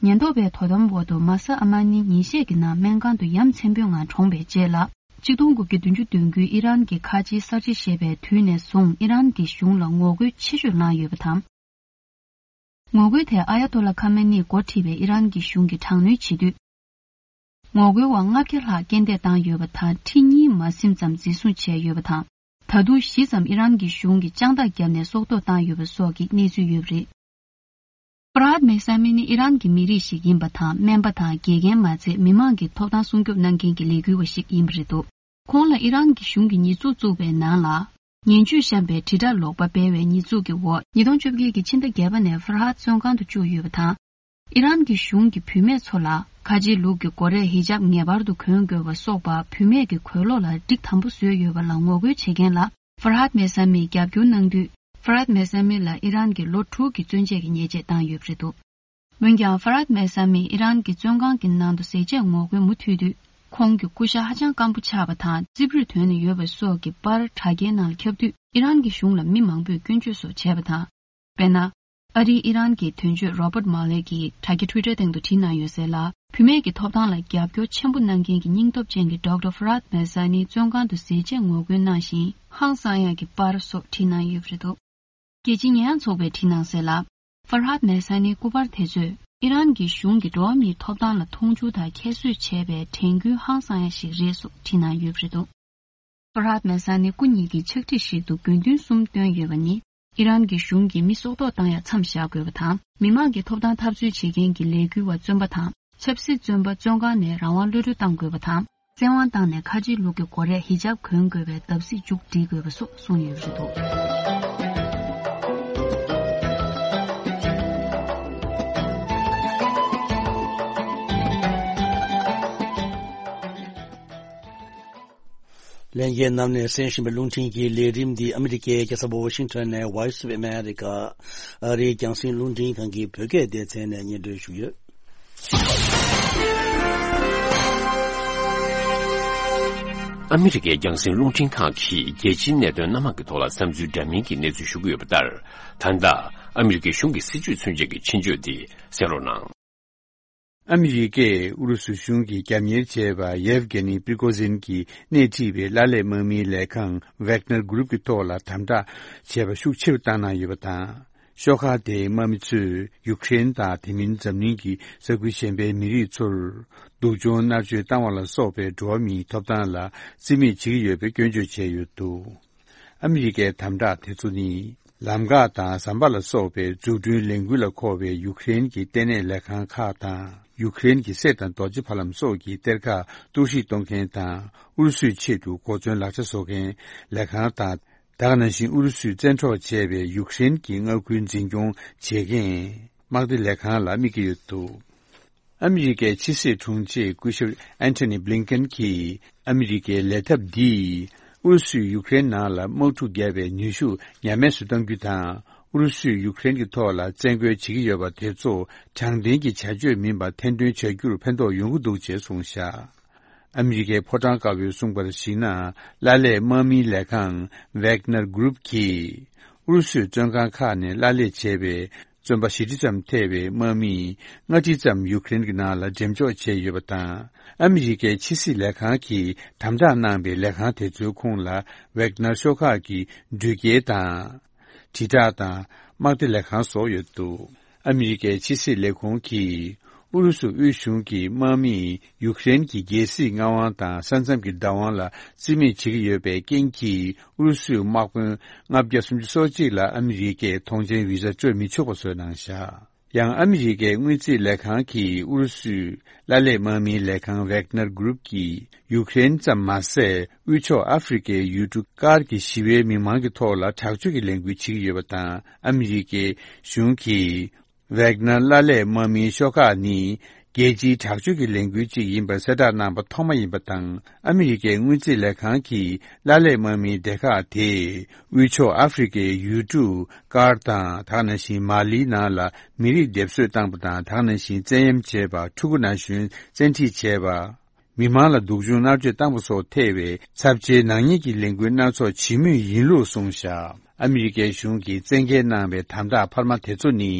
ཉེན་རྟོག་པའི་དོ་དམ་འོག་ཏུ་མ་ས་ཨ་མ་ནི་ཉིན་ཤས་ཀྱི་ནང་སྨན་ཁང་དུ་ཡ་མཚན་པོའི་ངང་གྲོངས་པའི་རྗེས་ལ་གཅིག་སྟོང་དགུ་བརྒྱ་བདུན་ཅུ་དོན་དགུའི་ཨི་རན་གྱི་ཁ་ཆེའི་གསར་བརྗེ་ཞེས་པའི་དུས་ནས་བཟུང་ཨི་རན་གྱི་གཞུང་ལ་ངོ་རྒོལ་ཆེ་ཤོས་གནང་ཡོད་པ་དང་། ངོ་རྒོལ་དེ་ཨ་ཡ་ཏོ་ལ་ཁ་མེ་ནིས་འགོ་ཁྲིད་པའི་ཨི་རན་གྱི་གཞུང་གིས་དྲག་གནོན་བྱེད་དུས། ངོ་རྒོལ་བ་ལྔ་བརྒྱ་ལྷག་རྐྱེན་འདས་བཏང་ཡོད་པ་དང་ཁྲི་གཉིས་མ་ཟིན་ཙམ་འཛིན་བཟུང་བྱས་ཡོད་པ་དང་། ད་དུང་བཞི་ཙམ་ཨི་རན་གྱི་གཞུང་གིས་དཔྱང་ཐག་བརྒྱབ་ནས་སྲོག་ཐོག་བཏང་ཡོད་པ་སོགས་ཀྱི་གནས་ཚུལ་ཡོད་པ་རེད། ཕར་ཧཱད་མེ་ས་མི་ནི་ཨི་རན་གྱི་མི་རིགས་ཤིག་ཡིན་པ་དང་སྨན་པ་དང་དགེ་རྒན་མ་ཚད་མི་མང་གི་ཐོབ་ཐང་སྲུང་སྐྱོབ་གནང་མཁན་གྱི་ལས་འགུལ་བ་ཞིག་ཡིན་པ་རེད་འདུག་ཁོང་ལ་ཨི་རན་གྱི་གཞུང་གིས་ཉེས་འཛུགས་བཙུགས་པའི་ནང་ལ། ངན་ཇུས་བཤམས་པའི་དྲིལ་བསྒྲགས་ལོག་པ་སྤེལ་བའི་ཉེས་འཛུགས་ཀྱི་འོག་ཉིས་སྟོང་བཅོ་བརྒྱད་ཀྱི་ཕྱི་ཟླ་བརྒྱད་པ་ནས་ཕར་ཧཱད་བཙོན་ཁང་དུ་བཅུག་ཡོད་པ་དང་། ཨི་རན་གྱི་གཞུང་གིས་བུད་མེད་ཚོ་ལ་ཁ་ཆེའི་ལུགས་ཀྱི་སྒོ་རས་ཧི་ཇབ་ངེས་པར་དུ་གོན་དགོས་པ་སོགས་པ་བུད་མེད་ཀྱི་གོས་ལོག་ལ་སྒྲིག་དམ་པོ་བཟོས་ཡོད་པ་ལ་ངོ་རྒོལ་བྱེད་མཁན་ལ་ཕར་ཧཱད་མེ་ས་མིས་རྒྱབ་སྐྱོར་གནང་དུས། ཕར་ཧཱད་མེ་ས་མི་ལ་ཨི་རན་གྱིས་ལོ་དྲུག་གི་བཙོན་འཇལ་གྱི་ཉེས་ཆད་བཏང་ཡོད་པ་རེད་འདུག་འོན་ཀྱང་ཕར་ཧཱད་མེ་ས་མིས་ཨི་རན་གྱི་བཙོན་ཁང་གི་ནང་དུ་ཟས་བཅད་ངོ་རྒོལ་མུ་མཐུད་དུས། ཁོང་གི་སྐུ་ཤ་ཧ་ཅང་སྐམ་པོ་ཆགས་པ་དང་རྩིབས་རུས་དོན་ནས་ཡོད་པ་སོགས་ཀྱི་པར་དྲ་རྒྱའི་ནང་ལ་ཁྱབ་དུས་ཨི་རན་གྱི་གཞུང་ལ་མི་མང་པོས་སྐྱོན་བརྗོད་སོགས་བྱས་པ་དང་། དཔེར་ན། ཨ་རིའི་ཨི་རན་གྱི་དོན་གཅོད་Robert Malley གྱིས་དྲ་རྒྱ་Twitter སྟེང་དུ་བྲིས་གནང་ཡོད་གསལ་ལ། བུད་མེད་ཀྱི་ཐོབ་ཐང་ལ་རྒྱབ་སྐྱོར་ཆེན་པོ་གནང་མཁན་གྱི་སྙིང་སྟོབས་ཅན་གྱི་ཌོག་ཊར་ཕར་ཧཱད་མེ་ས་ནི་བཙོན་ཁང་དུ་ཟས་བཅད་ངོ་རྒོལ་གནང་ཞིང་ཧང་སང་ཡག་གི་པར་སོགས་བྲིས་གནང་ཡོད་པ་རེད་འདུག་རྒྱལ་སྤྱིའི་ཉེས་ཡངས་ཚོགས་པས་བྲིས་གནང་གསལ་ལ། ཕར་ཧཱད་མེ་ས་ནིའི་སྐུ་པར་དེ་ཚོས་ཨི་རན་གྱི་གཞུང་གིས་འགྲོ་བ་མིའི་ཐོབ་ཐང་ལ་མཐོང་ཆུང་དང་ཁྱད་གསོད་བྱས་པའི་དྲན་སྐུལ་ཧང་སང་ཡག་ཞིག་རེད་སོགས་བྲིས་གནང་ཡོད་པ་རེད་འདུག་ཕར་ཧཱད་མེ་ས་ནི་སྐུ་ཉིད་ཀྱི་ཕྱག་བྲིས་ཤིག་ཏུ་དགོས་འདུན་གསུམ་བཏོན་ཡོད་པ་ནི། ཨི་རན་གྱི་གཞུང་གིས་མི་སྲོག་ཐོག་བཏང་ཡག་མཚམས་བཞག་དགོས་པ་དང་། མི་མང་གི་ཐོབ་ཐང་འཐབ་རྩོད་བྱེད་མཁན་གྱི་ལས་འགུལ་བ་བཙོན་པ་དང་། ཆབ་སྲིད་བཙོན་པ་བཙོན་ཁང་ནས་རང་དབང་གློད་གྲོལ་གཏང་དགོས་པ་དང་། བཙན་དབང་བཏང་ནས་ཁ་ཆེའི་ལུགས་ཀྱི་སྒོ་རས་ཧི་ཇབ་གོན་དགོས་པའི་བརྡབ་གསིག་མཇུག་སྒྲིལ་དགོས་པ་སོགས་གསུངས་ཡོད་པ་རེད་འདུག་ལྷན་རྒྱས་རྣམས་ནས་གསན་བཞིན་པའི་རླུང་འཕྲིན་གྱི་ལས་རིམ་འདི་ཨ་མི་རི་ཀའི་རྒྱལ་ས་ཝ་ཤིང་ཊོན་ནས་Voice of America ཨ་རིའི་རྒྱང་སྲིང་རླུང་འཕྲིན་ཁང་གི་བོད་སྐད་སྡེ་ཚན་ནས་སྙན་སྒྲོན་ཞུས་ཡོད། ཨ་མི་རི་ཀའི་རྒྱང་སྲིང་རླུང་འཕྲིན་ཁང་གིས་རྒྱལ་སྤྱིའི་གནད་དོན་སྣ་མང་གི་ཐོག་ལ་བསམ་ཚུལ་འདྲ་མིན་གྱི་གནས་ཚུལ་ཞུ་གི་ཡོད་པ་ལྟར། ད་ལྟ་ཨ་མི་རི་ཀའི་གཞུང་གི་སྲིད་བྱུས་མཚོན་བྱེད་ཀྱི་ཆེད་བརྗོད་འདི་གསན་རོགས་གནང་། ཨ་མི་རི་ཀས་ཨུ་རུ་སུ་གཞུང་གིས་རྒྱབ་གཉེར་བྱས་པ་ཡེབ་གྷེ་ནི་པི་རི་གོ་ཟིན་གྱིས་སྣེ་ཁྲིད་པའི་ལ་ལས་དམག་མིའི་ལས་ཁང་Wagner Group གྱི་ཐོག་ལ་དམ་དྲག་བྱས་པ་ཤུགས་ཆེ་རུ་བཏང་གནང་ཡོད་པ་དང་། ཤོག་ཁག་དེའི་དམག་མི་ཚོས་ཡུཀ་རེན་དང་དེ་མིན་འཛམ་གླིང་གི་ས་ཁུལ་གཞན་པའི་མི་རིགས་ཚོར་སྡུག་སྦྱོང་མནར་གཅོད་བཏང་བ་ལ་སོགས་པའི་འགྲོ་བ་མིའི་ཐོབ་ཐང་ལ་བརྩི་མེད་བྱེད་ཀྱི་ཡོད་པའི་སྐྱོན་བརྗོད་བྱས་ཡོད་འདུག་ཨ་མི་རི་ཀའི་དམ་དྲག་དེ་ཚོ་ནི། ལམ་འགག་དང་ཟམ་པ་ལ་སོགས་པའི་འཛུགས་སྐྲུན་ལས་འགུལ་ལ་མཁོ་བའི་ཡུཀ་རེན་གྱི་ལྟེ་གནས་ལས་ཁང་ཁག་དང་། ཡུཀ་རེན་གྱི་གསེར་དང་རྡོ་རྗེ་ཕ་ལམ་སོགས་ཀྱི་གཏེར་ཁ་གཏོར་བཤིག་གཏོང་མཁན་དང་། ཨུ་རུ་སུའི་ཆེད་དུ་གོ་མཚོན་ལག་ཆ་བཟོ་མཁན་ལས་ཁང་དང་། ད་ག་ནང་བཞིན་ཨུ་རུ་སུས་བཙན་འཕྲོག་བྱས་པའི་ཡུཀ་རེན་གྱི་མངའ་ཁུལ་འཛིན་སྐྱོང་བྱེད་མཁན་དམག་སྡེ་ལས་ཁང་ལ་དམིགས་ཀྱི་ཡོད་འདུག་ཨ་མི་རི་ཀའི་ཕྱི་སྲིད་དྲུང་ཆེ་སྐུ་ཞབས་ཨན་ཐོ་ནི་བྷི་ལིན་ཀེན་གྱིས་ཨ་མི་རི་ཀའི་ལས་ཐབས་འདིས་ཨུ་རུ་སུས་ཡུཀ་རེན་ནང་ལ་དམག་འཁྲུག་བརྒྱབ་པའི་ནུས་ཤུགས་ཉམས་དམས་སུ་གཏང་རྒྱུ་དང་། ཨུ་རུ་སུས་ཡུ་ཀེ་རེན་གྱི་ཐོག་ལ་བཙན་རྒོལ་བྱེད་ཀྱི་ཡོད་པ་དེ་ཚོ་དྲང་བདེན་གྱི་བྱ་སྤྱོད་མིན་པ་ཐེར་འདོན་བྱ་རྒྱུར་ཕན་ཐོགས་ཡོང་གི་འདུག་ཅེས་གསུངས་བཞག། ཨ་མི་རི་ཀའི་ཕོ་བྲང་དཀར་པོས་གསུངས་པར་གཞིགས་ན། གླ་ལས་དམག་མིའི་ལས་ཁང་Wagner Group་གིས་ཨུ་རུ་སུའི་བཙོན་ཁང་ཁག་ནས་གླ་ལས་བྱས་པའི་བཙོན་པ་བཞི་ཁྲི་ཙམ་ཐེ་བའི་དམག་མི་ལྔ་ཁྲི་ཙམ་ཡུ་ཀེ་རེན་གྱི་ནང་ལ་འགྲེམས་འཇོག་བྱས་ཡོད་པ་དང་། ཨ་མི་རི་ཀའི་ཕྱི་སྲིད་ལས་ཁང་གིས་དམ་དྲག་གནང་པའི་ལས་ཁང་དེ་ཚོའི་ཁོངས་ལ་Wagner་ཤོག་ཁག་གི་འགྲུལ་སྐྱེལ་དང་། དྲིལ་བསྒྲགས་དང་དམག་སྡེ་ལས་ཁང་སོགས་ཡོད་འདུག། ཨ་མི་རི་ཀའི་ཕྱི་སྲིད་ལས་ཁུངས་ཀྱིས་ཨུ་རུ་སུ་དབུས་གཞུང་གི་དམག་མིས་ཡུཀ་རེན་གྱི་རྒྱལ་སྲིད་མངའ་དབང་དང་ས་མཚམས་ཀྱི་བདག་དབང་ལ་བརྩི་མེད་བྱེད་ཀྱི་ཡོད་པའི་རྐྱེན་གྱིས། ཨུ་རུ་སུའི་དམག་དཔོན་ལྔ་བརྒྱ་སུམ་ཅུ་སོ་གཅིག་ལ་ཨ་མི་རི་ཀས་ཐོངས་མཆན་བི་ཟ་སྤྲོད་མི་ཆོག་པ་བཟོས་གནང་བཞག། ཡང་ཨ་མི་རི་ཀའི་དངུལ་རྩིས་ལས་ཁང་གིས་ཨུ་རུ་སུའི་གླ་ལས་དམག་མིའི་ལས་ཁང་Wagner Group་གིས་ཡུཀ་རེན་ཙམ་མ་ཟད། དབུས་ཕྱོགས་ཨ་ཧྥེ་རི་ཁའི་ཡུལ་གྲུ་ཀར་གྱི་ཞི་བའི་མི་མང་གི་ཐོག་ལ་དྲག་སྤྱོད་ཀྱི་ལས་འགུལ་བྱེད་ཀྱི་ཡོད་པ་དང་། ཨ་མི་རི་ཀའི་གཞུང་གིས་Wagner་གླ་ལས་དམག་མིའི་ཤོག་ཁག་ནི་རྒྱལ་སྤྱིའི་དྲག་སྤྱོད་ཀྱི་ལས་འགུལ་ཅིག་ཡིན་པར་གསལ་བསྒྲགས་གནང་པ་ཐོག་མ་ཡིན་པ་དང་། ཨ་མི་རི་ཀའི་དངུལ་རྩིས་ལས་ཁང་གིས་གླ་ལས་དམག་མིའི་སྡེ་ཁག་དེས་དབུས་ཕྱོགས་ཨ་ཧྥེ་རི་ཁའི་ཡུལ་གྲུ་ཀར་དང་། དེ་ག་ནང་བཞིན་མ་ལིའི་ནང་ལ་མི་རིགས་སྡེབ་གསོད་བཏང་པ་དང་། དེ་ག་ནང་བཞིན་བཙན་གཡེམ་བྱས་པ། ཕྲུ་གུ་ན་གཞོན་བཙན་ཁྲིད་བྱས་པ། མི་མང་ལ་སྡུག་སྦྱོང་མནར་གཅོད་བཏང་པ་སོགས་ཐེ་བའི་ཚབས་ཆེའི་ནག་ཉེས་ཀྱི་ལས་འགུལ་སྣ་ཚོགས་བྱེད་མུས་ཡིན་ལུགས་གསུངས་བཞག། ཨ་མི་རི་ཀའི་གཞུང་གིས་བཙན་འགེལ་གནང་བའི་དམ་དྲག་འཕར་མ་དེ་ཚོ་ནི།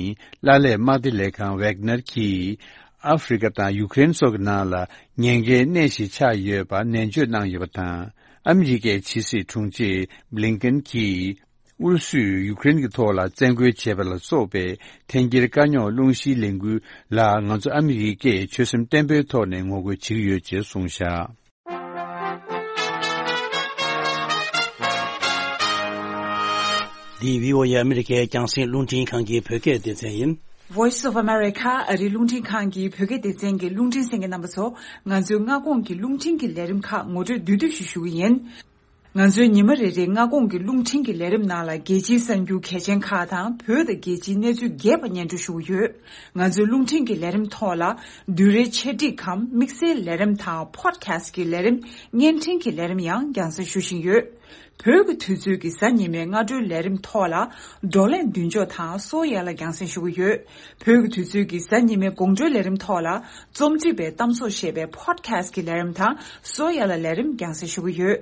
གླ་ལས་དམག་སྡེ་ལས་ཁང་Wagner་གྱིས་ཨ་ཧྥེ་རི་ཁ་དང་ཡུཀ་རེན་སོགས་ཀྱི་ནང་ལ་ཉེན་ཁའི་གནས་ཤིག་ཆགས་ཡོད་པ་ནན་བརྗོད་གནང་ཡོད་པ་དང་། ཨ་མི་རི་ཀའི་ཕྱི་སྲིད་དྲུང་ཆེ་བྷི་ལིན་ཀེན་གྱིས། ཨུ་རུ་སུས་ཡུཀ་རེན་གྱི་ཐོག་ལ་བཙན་རྒོལ་བྱས་པ་ལ་སོགས་པའི་འཐེན་འཁྱེར་དཀའ་རྙོག་སློང་གཞིའི་ལས་འགུལ་ལ། ང་ཚོ་ཨ་མི་རི་ཀས་ཆོད་སེམས་བརྟན་པོའི་ཐོག་ནས་ངོ་རྒོལ་བྱེད་ཀྱི་ཡོད་ཅེས་གསུངས་བཞག། འདི་བྷི་ཨོ་ཨེ་ཨ་མི་རི་ཀའི་རྒྱང་སྲིང་རླུང་འཕྲིན་ཁང་གི་བོད་སྐད་སྡེ་ཚན་ཡིན། Voice of America ཨ་རིའི་རླུང་འཕྲིན་ཁང་གི་བོད་སྐད་སྡེ་ཚན་གྱི་རླུང་འཕྲིན་གསན་མཁན་རྣམ་པ་ཚོ། ང་ཚོའི་སྔ་དགོང་གི་རླུང་འཕྲིན་གྱི་ལས་རིམ་ཁག་ངོ་སྤྲོད་བསྡུས་བསྡུས་ཤིག་ཞུ་གི་ཡིན། ང་ཚོའི་ཉི་མ་རེ་རེའི་སྔ་དགོང་གི་རླུང་འཕྲིན་གྱི་ལས་རིམ་ནང་ལ། རྒྱལ་སྤྱིའི་གསར་འགྱུར་གལ་ཆེན་ཁག་དང་། བོད་དང་རྒྱལ་སྤྱིའི་གནས་ཚུལ་རྒྱས་པ་སྙན་སྒྲོན་ཞུ་གི་ཡོད། ང་ཚོའི་རླུང་འཕྲིན་གྱི་ལས་རིམ་ཐོག་ལ། བསྡུས་རའི་ཆེད་སྒྲིག་གམ་དམིགས་བསལ་ལས་རིམ་དང་། Podcast་གི་ལས་རིམ། བརྙན་འཕྲིན་གྱི་ལས་རིམ་ཡང་རྒྱང་སྲིང་ཞུ་བཞིན་ཡོད། བོད་ཀྱི་དུས་ཚོད་ཀྱི་གཟའ་ཉི་མའི་སྔ་དྲོའི་ལས་རིམ་ཐོག་ལ། བགྲོ་གླེང་མདུན་ལྕོག་དང་གསོ་ཡ་ལ་རྒྱང་སྲིང་ཞུ་གི་ཡོད། བོད་ཀྱི་དུས་ཚོད་ཀྱི་གཟའ་ཉི་མའི་དགོང་དྲོའི་ལས་རིམ་ཐོག་ལ། རྩོམ་སྒྲིག་པའི་གཏམ་བཟོ་ཞེས་པའི་Podcast་གི་ལས་རིམ་དང་གསོ་ཡ་ལ་ལས་རིམ་རྒྱང་སྲིང་ཞུ་གི་ཡོད།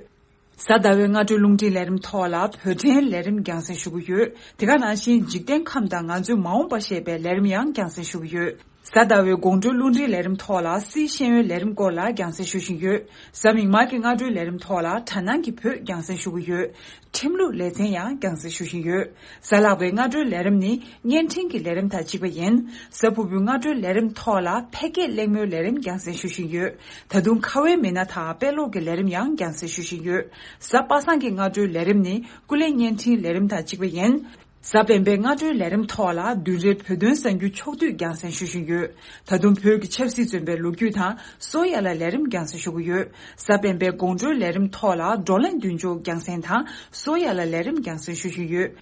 གཟའ་ཟླ་བའི་སྔ་དྲོའི་རླུང་འཕྲིན་ལས་རིམ་ཐོག་ལ་བོད་ཕྲན་ལས་རིམ་རྒྱང་སྲིང་ཞུ་གི་ཡོད། དེ་ག་ནང་བཞིན་འཇིག་རྟེན་ཁམས་དང་ང་ཚོའི་མ་འོངས་པ་ཞེས་པའི་ལས་རིམ་ཡང་རྒྱང་སྲིང་ཞུ་གི་ཡོད། གཟའ་ཟླ་བའི་དགོང་དྲོའི་རླུང་འཕྲིན་ལས་རིམ་ཐོག་ལ་སིའི་ཤེས་ཡོན་ལས་རིམ་སྐོར་ལ་རྒྱང་སྲིང་ཞུ་བཞིན་ཡོད། གཟའ་མིག་དམར་གྱི་སྔ་དྲོའི་ལས་རིམ་ཐོག་ལ་དྲ་སྣང་གི་བོད་རྒྱང་སྲིང་ཞུ་གི་ཡོད། ཁྲིམས་ལུགས་ལེ་ཚན་ཡང་རྒྱང་སྲིང་ཞུ་བཞིན་ཡོད། གཟའ་ལྷག་པའི་སྔ་དྲོའི་ལས་རིམ་ནི་བརྙན་འཕྲིན་གྱི་ལས་རིམ་དང་གཅིག་པ་ཡིན། གཟའ་ཕུར་བུའི་སྔ་དྲོའི་ལས་རིམ་ཐོག་ལ་ཕལ་སྐད་གླེང་མོལ་ལས་རིམ་རྒྱང་སྲིང་ཞུ་བཞིན་ཡོད། ད་དུང་ཁ་བའི་མི་སྣ་དང་དཔེ་ཀློག་གི་ལས་རིམ་ཡང་རྒྱང་སྲིང་ཞུ་བཞིན་ཡོད། གཟའ་པ་སངས་ཀྱི་སྔ་དྲོའི་ལས་རིམ་ནི་ཀུན་གླེང་བརྙན་འཕྲིན་ལས་རིམ་དང་གཅིག་པ་ཡིན། གཟའ་སྤེན་པའི་སྔ་དྲོའི་ལས་རིམ་ཐོག་ལ་བདུན་རེའི་བོད་དོན་གསར་འགྱུར་ཕྱོགས་བསྡུས་རྒྱང་སྲིང་ཞུ་བཞིན་ཡོད། ད་དུང་བོད་ཀྱི་ཆབ་སྲིད་བཙོན་པའི་ལོ་རྒྱུས་དང་གསོ་ཡ་ལ་ལས་རིམ་རྒྱང་སྲིང་ཞུ་གི་ཡོད། གཟའ་སྤེན་པའི་དགོང་དྲོའི་ལས་རིམ་ཐོག་ལ་བགྲོ་གླེང་མདུན་ལྕོག་རྒྱང་སྲིང་དང་གསོ་ཡ་ལ་ལས་རིམ་རྒྱང་སྲིང་ཞུ་བཞིན་ཡོད།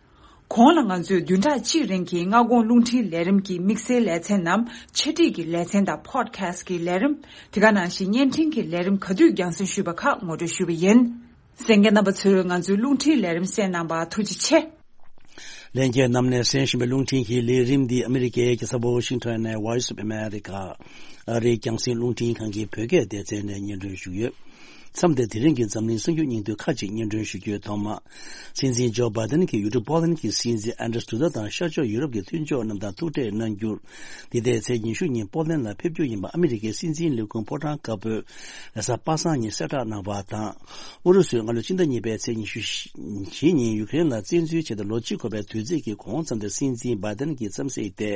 གོང་ལ་ང་ཚོས་བདུན་ཕྲག་གཅིག་རིང་གི་སྔ་དགོང་རླུང་འཕྲིན་ལས་རིམ་གྱི་དམིགས་བསལ་ལེ་ཚན་ནམ་ཆེད་སྒྲིག་གི་ལེ་ཚན་དང་Podcast་གི་ལས་རིམ། དེ་ག་ནང་བཞིན་བརྙན་འཕྲིན་གྱི་ལས་རིམ་ག་དུས་རྒྱང་སྲིང་ཞུས་པ་ཁག་ངོ་སྤྲོད་ཞུས་པ་ཡིན། གསན་མཁན་རྣམ་པ་ཚོས་ང་ཚོའི་རླུང་འཕྲིན་ལས་རིམ་གསན་གནང་བར་ཐུགས་རྗེ་ཆེ། ལྷན་རྒྱས་རྣམས་ནས་གསན་བཞིན་པའི་རླུང་འཕྲིན་གྱི་ལས་རིམ་འདི་ཨ་མི་རི་ཀའི་རྒྱལ་ས་ཝ་ཤིང་ཊོན་ནས་Voice of America ཨ་རིའི་རྒྱང་སྲིང་རླུང་འཕྲིན་ཁང་གི་བོད་སྐད་སྡེ་ཚན་ནས་སྙན་སྒྲོན་ཞུས་ཡོད། མཚམས་འདིར་དེ་རིང་གི་འཛམ་གླིང་གསར་འགྱུར་སྙིང་བསྡུས་ཁག་ཅིག་སྙན་སྒྲོན་ཞུ་རྒྱུའི་ཐོག་མ། སྲིད་འཛིན་ཇོ་བྷའི་ཏན་གྱི་ཡུལ་གྲུ་པོ་ལན་གྱི་སྲིད་འཛིན་ཨན་ཌྲི་སི་ཌུ་ཌ་དང་ཤར་ཕྱོགས་ཡུ་རོབ་ཀྱི་མཐུན་ཕྱོགས་རྣམས་དང་ཐུག་འཕྲད་གནང་རྒྱུར། འདི་ཟླའི་ཚེས་ཉི་ཤུ་ཉིན་པོ་ལན་ལ་ཕེབས་རྒྱུ་ཡིན་པ་ཨ་མི་རི་ཀའི་སྲིད་འཛིན་ལས་ཁུངས་ཕོ་བྲང་དཀར་པོས་རེས་གཟའ་པ་སངས་ཉིན་གསལ་བསྒྲགས་གནང་བ་དང་། ཨུ་རུ་སུས་སྔ་ལོ་ཕྱི་ཟླ་གཉིས་པའི་ཚེས་ཉི་ཤུ་བཞི་ཉིན་ཡུ་ཀེ་རེན་ལ་བཙན་འཛུལ་བྱས་ཏེ་ལོ་གཅིག་འཁོར་བའི་དུས་ཚིགས་ཀྱི་གོང་མཚམས་དེར་སྲིད་འཛིན་བྷའི་ཏན་གྱིས་མཚམས་བསྲེས་ཏེ།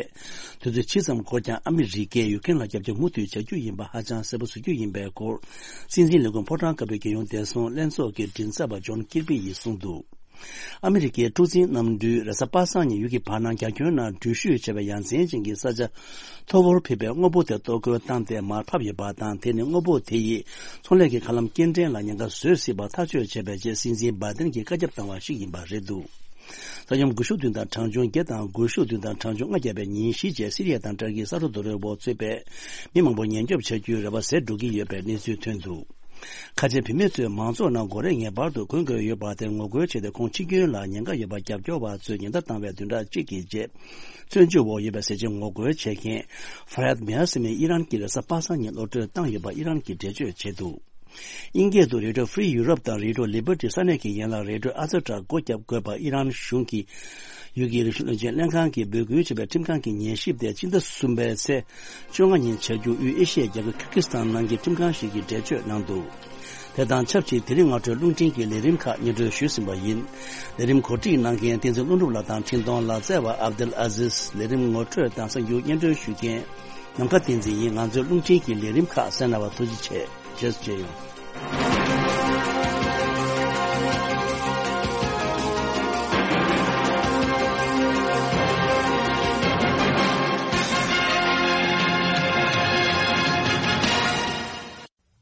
དུས་ཚོད་ཇི་ཙམ་འགོར་ཀྱང་ཨ་མི་རི་ཀས་ཡུ་ཀེ་རེན་ལ་རྒྱབ་སྐྱོར་མུ་མཐུད་བྱ་རྒྱུ་ཡིན་པ་ཧ་ཅང་གསལ་པོ་བཟོ་རྒྱུ་ཡིན་པའི་སྐོར། སྲིད་འཛིན་ལས་ཁུངས་ཕོ་བྲང་དཀར་པོའི་རྒྱལ་ཡོངས་བདེ་སྲུང་ལྷན་ཚོགས་ཀྱི་མགྲིན་ཚབ་པ་ཇོན་ཀིར་པི་ཡིས་གསུངས་འདུག། ཨ་མི་རི་ཀའི་འཁྲུག་འཛིང་གནམ་གྲུས་རེས་གཟའ་པ་སངས་ཉིན་ཡུལ་གྱི་བར་སྣང་རྒྱ་ཁྱོན་ནང་འགྲུལ་བཞུད་བྱས་པའི་ཡ་མཚན་ཅན་གྱི་ས་ཆ་མཐོ་བོར་ཕེབས་པའི་དངོས་པོ་དེ་གཏོར་རྒོལ་བཏང་སྟེ་མར་ཕབ་ཡོད་པ་དང་། དེ་ནི་དངོས་པོ་དེ་ཡིས་ཚོང་ལས་ཀྱི་མཁའ་ལམ་སྐྱེལ་འདྲེན་ལ་ཉེན་ཁ་བཟོ་སྲིད་པར་ཐག་གཅོད་བྱས་པའི་རྗེས་སྲིད་འཛིན་བྷའི་ཏན་གྱིས་བཀའ་ཁྱབ་བཏང་བ་ཞིག་ཡིན་པ་རེད་འདུག། ས་ཡོམ་དགུ་ཤུགས་བདུན་དང་གྲངས་ཆུང་བརྒྱད་དང་དགུ་ཤུགས་བདུན་དང་གྲངས་ཆུང་ལྔ་བརྒྱབ་པའི་ཉིན་བཞི་རྗེས་སི་རི་ཡ་དང་ཏུར་ཀིའི་ས་མཐོ་རྡོ་རོལ་པོ་གཙོས་པའི་མི་མང་པོ་ཉེན་སྐྱོབ་བྱ་རྒྱུའི་རེ་བ་ཟད་འགྲོ་གི་ཡོད་པའི་གནས་ཚུལ་ཐོན་འདུག། ཁ་ཆེ་བུད་མེད་ཚོས་མང་ཚོགས་ནང་སྒོ་རའི་ངེས་པར་དུ་གོན་དགོས་ཡོད་པ་དེར་ངོ་རྒོལ་བྱས་ཏེ། ཁོང་འཆི་སྐྱོན་ལ་ཉེན་ཁ་ཡོད་པ་རྒྱབ་སྐྱོར་བ་ཚོས་ཉེན་བརྡ་བཏང་བའི་བདུན་ཕྲག་གཅིག་གི་རྗེས། བཙོན་འཇུག་འོག་ཡོད་པའི་ཟས་བཅད་ངོ་རྒོལ་བྱེད་མཁན་Fahed Meher ཟེར་མིས་ཨི་རན་གྱི་རེས་གཟའ་པ་སངས་ཉིན་གློད་གྲོལ་བཏང་ཡོད་པ་ཨི་རན་གྱིས་འགྲེལ་བརྗོད་བྱས་འདུག་དབྱིན་སྐད་དུ་Radio Free Europe དང་Radio Liberty ས་གནས་ཀྱི་ཡན་ལག་Radio Azetra སྒོ་བརྒྱབ་དགོས་པ་ཨི་རན་གཞུང་གིས་ཡུལ་གྱི་རིག་གཞུང་བློན་ཆེན་ལྷན་ཁང་གིས་འབོད་སྐུལ་བྱས་པའི་ཁྲིམས་ཁང་གི་ཉན་ཞིབ་དེ་ཕྱི་ཟླ་གསུམ་པའི་ཚེས་བཅོ་ལྔ་ཉིན་བྱ་རྒྱུ་དབུས་ཨེ་ཤི་ཡའི་རྒྱལ་ཁབ་ཁིར་ཀི་སི་ཐན་ནང་གི་ཁྲིམས་ཁང་ཞིག་གིས་འགྲེལ་བརྗོད་གནང་འདུག་དེ་དང་ཆབས་ཅིག་དེ་རིང་སྔ་དྲོའི་རླུང་འཕྲིན་གྱི་ལས་རིམ་ཁག་སྙན་སྒྲོན་ཞུས་ཟིན་པ་ཡིན། ལས་རིམ་གོ་སྒྲིག་གནང་མཁན་བསྟན་འཛིན་ལྷུན་གྲུབ་ལགས་དང་འཕྲིན་གཏོང་ལག་རྩལ་བ་ཨབ་དུལ་ཨ་ཟིས། ལས་རིམ་ངོ་སྤྲོད་དང་གསར་འགྱུར་སྙན་སྒྲོན་ཞུ་མཁན་ནམ་མཁའ་བསྟན་འཛིན་ཡིན། ང་ཚོའི་རླུང་འཕྲིན་གྱི་ལས་རིམ་ཁག་གསན་གནང་བར་ཐུགས་རྗེ་ཆེ། རྗེས་སུ་མཇལ་ཡོང་།